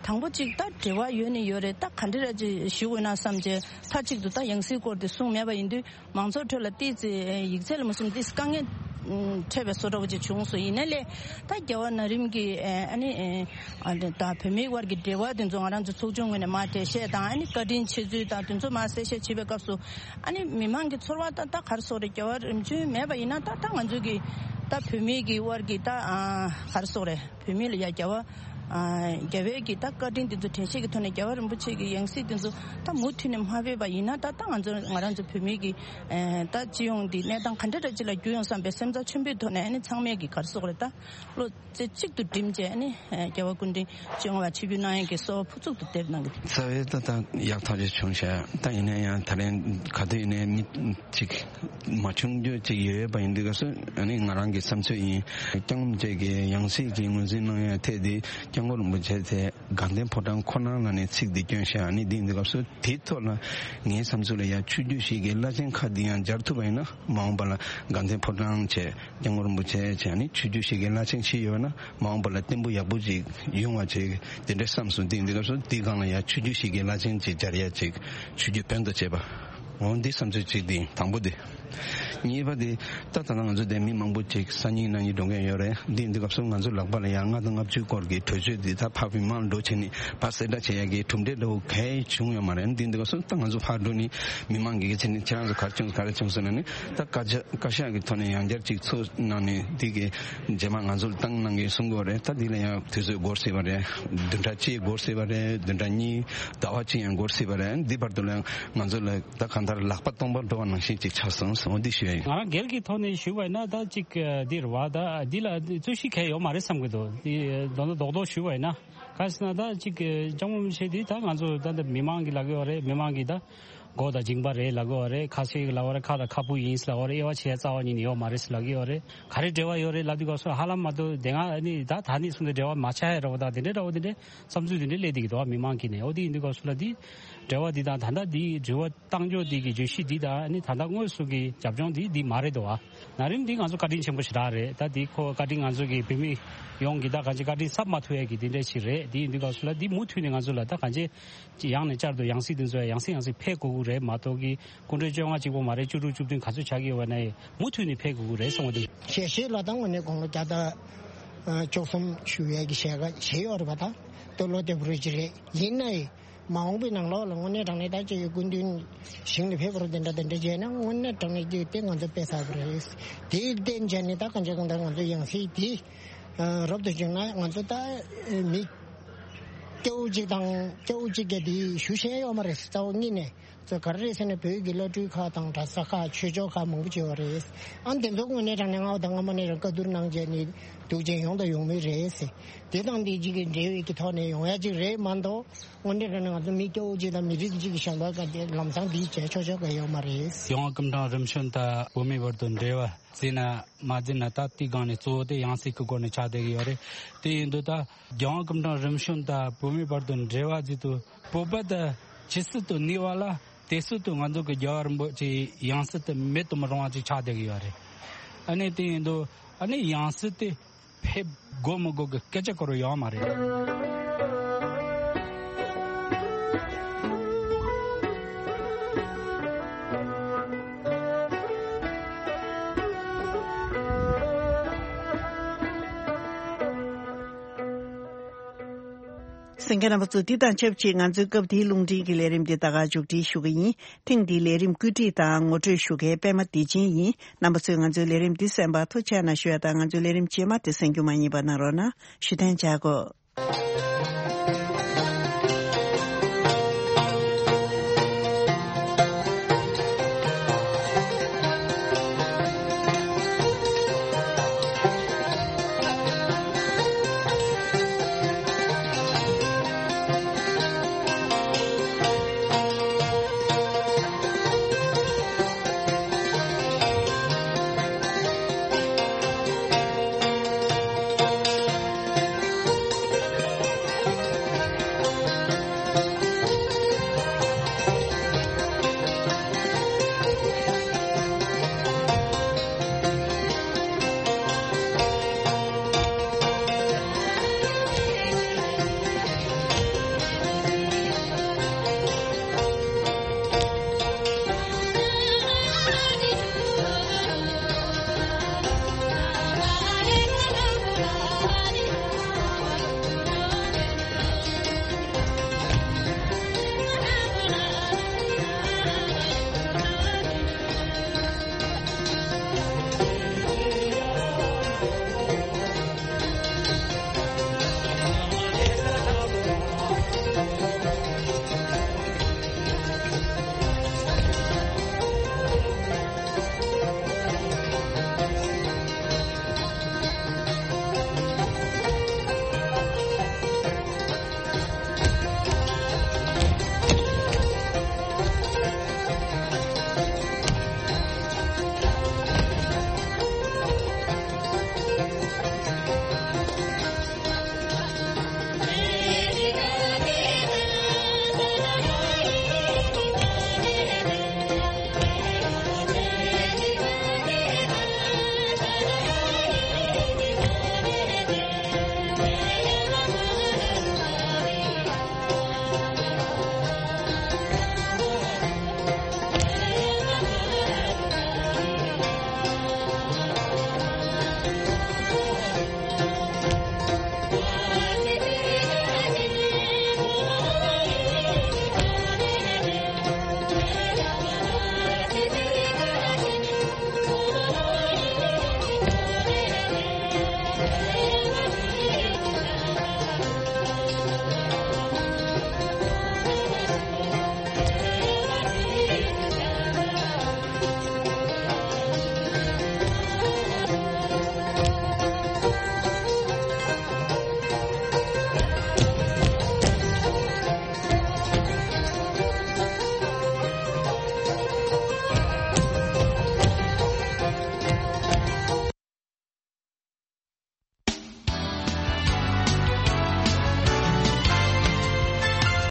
དང་པོ་ཅིག་ད་འབྲེལ་བ་ཡོད་ནི་ཡོད་རེད། ད་ག་འདྲ་ར་ཅིག་ཞུ་དགོས་ན་བསམ་བྱས་མཐའ་གཅིག་ཏུ་ད་ཡང་སྲིད་སྐོར་དེ་གསུངས་མེད་པ་ཡིན་དུས། མང་ཚོགས་ཁྲོད་ལ་ཏོག་ཙམ་ཡིག་ཚད་ལ་མ་སོང་ཏོག་ཙམ་དཀའ་ངལ་འཕྲད་པའི་བཟོ་འདྲ་བོ་ཅིག་བྱུང་སོང་། ཡིན་ནའི་ལས་ད་རྒྱལ་བ་ན་རིམ་གྱི་ཨ་ནི་ཨ་ད་བོད་མིའི་དབར་གྱི་འབྲེལ་བ་དེ་ཚོ་ང་རང་ཚོ་ཚོགས་ཆུང་ངོས་ནས་མར་འགྲེལ་བཤད་དང་ཨ་ནི་བཀའ་དྲིན་ཆེ་ཚུལ་དང་དེ་ཚོ་མར་གསལ་བཤད་བྱེད་པའི་སྐབས་སུ། ཨ་ནི་མི་མང་གི་ཚོར་བ་ད་ད་ག་རེ་ཟེར་དགོས་རེད། རྒྱལ་བ་རིམ་བྱོན་མེད་པ་ཡིན་ན་ད་ད་ང་ཚོ་གི་ད་བོད་མིའི་གི་དབར་གྱི་ད་ཨ་ག་རེ་ཟེར་དགོས་རེད། བོད་མི་ལ་ཡ་རྒྱལ་བ་ཨ་རྒྱལ་བའི་གི་ད་བཀའ་དྲིན་དེ་ཚོ་དྲན་ཤེས་ཀྱི་ཐོག་ནས་རྒྱལ་བ་རིན་པོ་ཆེ་གི་ཡང་སྲིད་དེ་ཚོ་ད་མུ་མཐུད་ནས་མ་ཕེབས་པ་ཡིན་ན། ད་ད་ང་ཚོ་ང་རང་ཚོ་བོད་མི་གི་ཨ་ད་སྤྱི་ཡོངས་འདི་གནས་སྟངས་ག་འདྲ་འདྲ་ཅིག་ལ་འགྱུར་ཡོང་བསམ་པའི་སེམས་རྩ་ཆེན་པོའི་ཐོག་ནས། ཨ་ནི་ཚང་མས་གི་ག་རེ་ཟེར་དགོས་རེད། ད་བློ་རྩེ་གཅིག་ཏུ་བསྒྲིམས་བྱས་ཨ་ནི་རྒྱལ་བ་སྐུ་ཕྲེང་བཅོ་ལྔ་པ་ཆིབས་བསྒྱུར་གནང་ཡས་ཀྱི་གསོལ་བ་ཕུར་ཚུགས་སུ་འདེབས་གནང་གི། རྩ་བའི་ད་ད་ཡག་ཐག་ཆོད་བྱུང་ཤག་ད་ཡིན་ན་ཡང་ད་རེས་ག་དུས་ཡིན་ནའི་མི་གཅིག་མ་བྱུང་རྒྱུ་ཅིག་ཡོད་པ་ཡིན་དུས་སྐབས་སུ། ཨ་ནི་ང་རང་གི་བསམ་ཚུལ་ཡིན། སྐྱབས་མགོན་རིན་པོ་ཆེ་གི་ཡང་སྲིད་ཀྱི་ངོས་འཛིན་གནང་ཡ་ཐད་དེ་སྐྱབས་མགོན་རིན་པོ་ཆེ་དེ་ དགའ་ལྡན་ཕོ་བྲང་ཁོ་ན་ལ་ནས་ཚིག་འདི་བསྐྱོན་བཞག་ཨ་ནི་འདི་འདི་སྐབས་སུ་དེའི་ཐོག་ལ་ངའི་བསམ་ཚུལ་ལ་ཡ་ཆོས་བརྒྱུད་ཞིག་གི་བླ་ཆེན་ཁག་འདི་ཡང་སྦྱར་ཐུབ་པ་ཡིན་ན་མ་འོངས་པ་ལ་དགའ་ལྡན་ཕོ་བྲང་བྱས་སྐྱབས་མགོན་རིན་པོ་ཆེ་བྱས་ཨ་ནི་ཆོས་བརྒྱུད་ཞིག་གི་བླ་ཆེན་ཞིག་ཡོད་ན་མ་འོངས་པ་ལ་བརྟན་པོ་ཡག་པོ་ཅིག་ཡོང་བ་ཅིག་དེ་འདྲའི་བསམ་སོང་། འདི་འདི་སྐབས་སུ་འདི་སྒང་ལ་ཡ་ཆོས་བརྒྱུད་ཞིག་གི་བླ་ཆེན་ཅིག་སྦྱར་ཡ་ཅིག་ཆོས་བརྒྱུད་དོན་དུ་བྱས་པ། འོ་འདི་བསམ་ཚུལ་གཅིག་འདི་དང་པོ་འདི། གཉིས་པ་འདི་ད་ད་ལྟ་ང་ཚོ་འདི་མི་མང་པོ་ཅིག་ས་རྙིང་གནའ་རྙིང་འགྲོ་མཁན་ཡོད་རེད། འདི་འདི་སྐབས་སུ་ང་ཚོ་ལག་པ་ལ་ཡང་ལྔ་དང་ལྔ་བཅུའི་སྐོར་གྱི་གྲོས་ཆོད་འདི་ད་ཕར་མི་མང་འགྲོ་བྱས་ནས་ཕར་གསལ་བསྒྲགས་བྱེད་ཡ་གི་གྲུབ་འབྲས་འདྲ་བོ་གང་ཡང་བྱུང་ཡོད་མ་རེད། འདི་འདི་སྐབས་སུ་ད་ང་ཚོ་ཕར་འགྲོ་ནས་མི་མང་གི་གི་ཚེ་ནས་ཁྱེད་རང་ཚོ་ག་རེ་བྱུང་ག་རེ་བྱུང་ཟེར་ན་ནི་ད་བཀའ་ཤག་བཀའ་ཤག་གི་ཐོག་ནས་ཡང་བསྐྱར་ཅིག་ཚུར་གནང་ནས་འདི་གི་རྗེས་མ་ང་ཚོ་ལ་བཏང་གནང་གི་གསུང་གི་ཡོད་རེད། ད་འདི་ལ་ཡང་དུས་ཚོད་འགོར་སྲིད་པ་རེད། བདུན་ཕྲག་གཅིག་འགོར་སྲིད་པ་རེད། བདུན་ཕྲག་གཉིས་ཟླ་བ་གཅིག་ཡང་འགོར་སྲིད་པ་རེད། འདི་བར་དུ་ལ་ཡང་ང་ཚོ་ལ་ད་གང་ལྟར་ལག་པ་སྟོང་པར་འགྲོ་བ་ནང་བཞིན་ཅིག་ཆགས་སོང་། འོ་འདི་ཞུ་ཡ་ཡིན། ང་རང་སྒེར་གྱི་ཐོག་ནས་ཞུས་པ་ཡིན་ན་ད་ཅིག་འདི་རེད་བ། ད་འདི་ལ་རྩོད་གཞི་གང་ཡང་ཡོད་མ་རེད་བསམ་གྱི་འདུག་འདི་མདོར་ན་རྡོག་རྡོག་ཞུས་པ་ཡིན་ན་ག་རེ་ཟེར་ན་ད་ཅིག་སྐྱབས་མགོན་རིན་པོ་ཆེ་འདི་ད་ང་ཚོ་ད་འདི་མི་མང་གིས་ལབ་ཀྱི་ཡོད་རེད། མི་མང་གིས་ད་མགོ་དང་མཇིང་པ་རེད་ལབ་ཀྱི་ཡོད་རེད། ཁ་ཤས་ཀྱིས་ལབ་ཀྱི་ཡོད་རེད། ཁ་དང་ཁ་སྤུ་ཡིན་ལབ་ཀྱི་ཡོད་རེད། དབྱེ་བ་ཕྱེ་ཡ་རྩ་བ་ཉིད་ནས་ཡོད་མ་རེད་ལབ་ཀྱི་ཡོད་རེད། ག་རེ་འབྲེལ་བ་ཡོད་རེད་ལབ་དུས་སྐབས་སུ་ཧ་ལམ་མ་གཏོགས་དེ་སྔ་ནི་ད་ད་ནི་གསུངས་ཏེ་འབྲེལ་བ་མ་ཆགས་ཡ་འདྲ་བོ་དང་དེ་འདྲའི་འདྲ་བོ་དེ་འདྲའི་བསམ་ཚུལ་དེ་འདྲའི་སླེབས་བསྡད་ཀྱི་འདུག་མི་མང་གིས་ནས། འོ་དེ་ཡིན་དུས་སྐབས་སུ་ལ་འདི་འབྲེལ་བ་འདི་དང་ད་ལྟ་འདི་དྲི་བ་བཏང་ཕྱོགས་འདི་གི་བརྗོད་གཞི་འདི་དང་ནི་ད་ལྟ་དངོས་སུ་གི་རྒྱབ་ལྗོངས་འདི་འདི་མ་རེད་འདུག་ཨ། ན་རིམ་འདི་ང་ཚོ་བཀའ་དྲིན་ཆེན་པོ་ཞེ་དྲག་རེད། ད་འདི་ཁོ་བཀའ་དྲིན་ང་ཚོ་གི་བོད་མི་ཡོངས་ཀྱི་ད་གང་ཅི་བཀའ་དྲིན་གསབ་མ་ཐུབ་ཡ་གི་འདི་འདྲ་ཞིག་རེད། འདི་ཡིན་དུས་སྐབས་སུ་ལ་འདི་མུ་མཐུད་ནས་ང་ཚོ་ལ་ད་གང་ཅི་ཡང་ནས་བསྐྱར་དུ་ཡང་སྲིད་འདི་ཚོ་ཡང་སྲིད་ཡང་སྲིད་ཕེབས་དགོས་ཀྱི་རེད་མ་གཏོགས་གི་སྐུ་ཕྲེང་བཅོ་ལྔ་གཅིག་པོ་མ་རེད། བཅུ་དྲུག་བཅུ་བདུན་ག་ཚོད་ཆགས་ཀྱི་ཡོད་པ་ན་ཡང་མུ་མཐུད་ནས་ཕེབས་དགོས་ཀྱི་རེད་བསམ་གྱི་འདུག་ཞལ་བཞེས་ལ་ད་དངོས་གནས་དགུང་ལོ་བརྒྱ་དང་བཅུ་གསུམ་བཞུགས་ཡས་ཀྱི་ཞལ་བཞེས་ཡོད་རེད་པ། ད་ལྟོ་ལོ་བདེ་པོ་རེད་ཅི་རེད། ཡིན་ནའི་མ་འོངས་པའི་ནང་ལོགས་ལ་དངོས་གནས་དྲང་གནས་ད་ཅིག་སྐུ་མདུན་ཞིང་ལ་ཕེབས་པ་རུ་དེ་འདྲ་དེ་འདྲ་བྱས་ན་དངོས་གནས་དྲང་གནས་ཀྱི་དེ་ང་ཚོ་དཔེ་བསགས་པ་རེད། དེའི་རྟེན་བྱས་ནས་ད་གང་ཅི་གང་ལྟར་ང་ཚོ་ཡང་སྲིད་དེ་རབ་ཏུ་བྱུང་ན་ང་ཚོ་ད་མི་སྐྱ་བོ་གཅིག་དང་སྐྱ་བོ་གཅིག་ག་དེ་ཞུ་ཤེས་ཡོད་མ་རེད། རྩ་བ་ཉིད་ནས། ཚོ་ག་རེ་རེད་ཟེར་ན་བོད་ཀྱི་བླ་སྤྲུལ་ཁག་དང་གྲྭ་ས་ཁག་ཆོས་ཕྱོགས་ཁག་མང་པོ་ཅིག་ཡོད་རེད། ཨ་འདི་ཚོ་དངོས་གནས་དྲང་གནས་སྔ་བ་དང་སྔ་མ་ནས་རང་བཀའ་བསྡུར་གནང་བྱས་ནས་འདུག་ཅན་ཡོང་དང་ཡོང་མུས་རེད་ཟེར། དེ་དང་འདི་གཅིག་གི་འབྲེལ་བའི་གི་ཐོག་ནས་ཡོང་ཡ་ཅིག་རེད་མ་གཏོགས་དངོས་གནས་དྲང་གནས་ང་ཚོ་མི་སྐྱ་བོ་གཅིག་དང་མི་རིགས་གཅིག་གི་བྱ་བ་ག་དེ་ལམ་སང་འདི་བྱས་ཆོག་ཆོག་ག་ཡོད་མ་རེད། ཡང་སྐུ་ཕྲེང་རིམ་བྱོན་དང་བོད་མིའི་བར་དུ་འབྲེལ་བ་བརྩིས་ན་མ་བརྩིས་ན་ད་དེའི་སྒང་ནས་གཙོ་བོ་དེ་ཡང་སྲིད་ཀྱི་སྒོ་ནས་ཆགས་བསྡད་ཀྱི་ཡོད་རེད། དེ་ཡིན་དུས་ད་རྒྱལ་དབང་སྐུ་ཕྲེང་རིམ་བྱོན་དང་བོད་མིའི་བར་དུ་འབྲེལ་བ་བརྩིས་དུས་བོད་པ་དང་ཇི་སྲིད་དུ་གནས་པ་ལ་དེ་སྲིད་དུ་ང་ཚོ་གི་རྒྱལ་བ་རིན་པོ་ཆེའི་ཡང་སྲིད་དེ་མེད་དུ་མི་རུང་བ་ཅིག་ཆགས་བསྡད་ཀྱི་ཡོད་རེད། ཨ་ནི་དེ་ཡིན་དུས་ཨ་ནི་ཡང་སྲིད་དེ་ཕེབས་དགོས་མི་དགོས་ཀྱི་སྐད་ཆ་སྐོར་ཡོད་མ་རེད། གསན་མཁན་རྣམ་པ་ཚོ། འདི་དང་ཆབས་ཅིག་ང་ཚོའི་སྐབས་འདིའི་རླུང་འཕྲིན་གྱི་ལས་རིམ་འདི་ད་ག་མཇུག་སྒྲིལ་ཞུ་གི་ཡིན། ཐེངས་འདིའི་ལས་རིམ་བཀོད་སྒྲིག་དང་ངོ་སྤྲོད་ཞུ་མཁན་པད་མ་བདེ་ཆེན་ཡིན། རྣམ་པ་ཚོས་ང་ཚོའི་ལས་རིམ་འདི་གསན་པར་ཐུགས་རྗེ་གནང་ཞུ་ཡ་དང་། ང་ཚོའི་ལས་རིམ་རྗེས་མ་དེ་གསན་རྒྱུ་མ་བསྙེལ་བ་གནང་རོགས་གནང་། ཞུ་གཏན་འཇགས་གོ།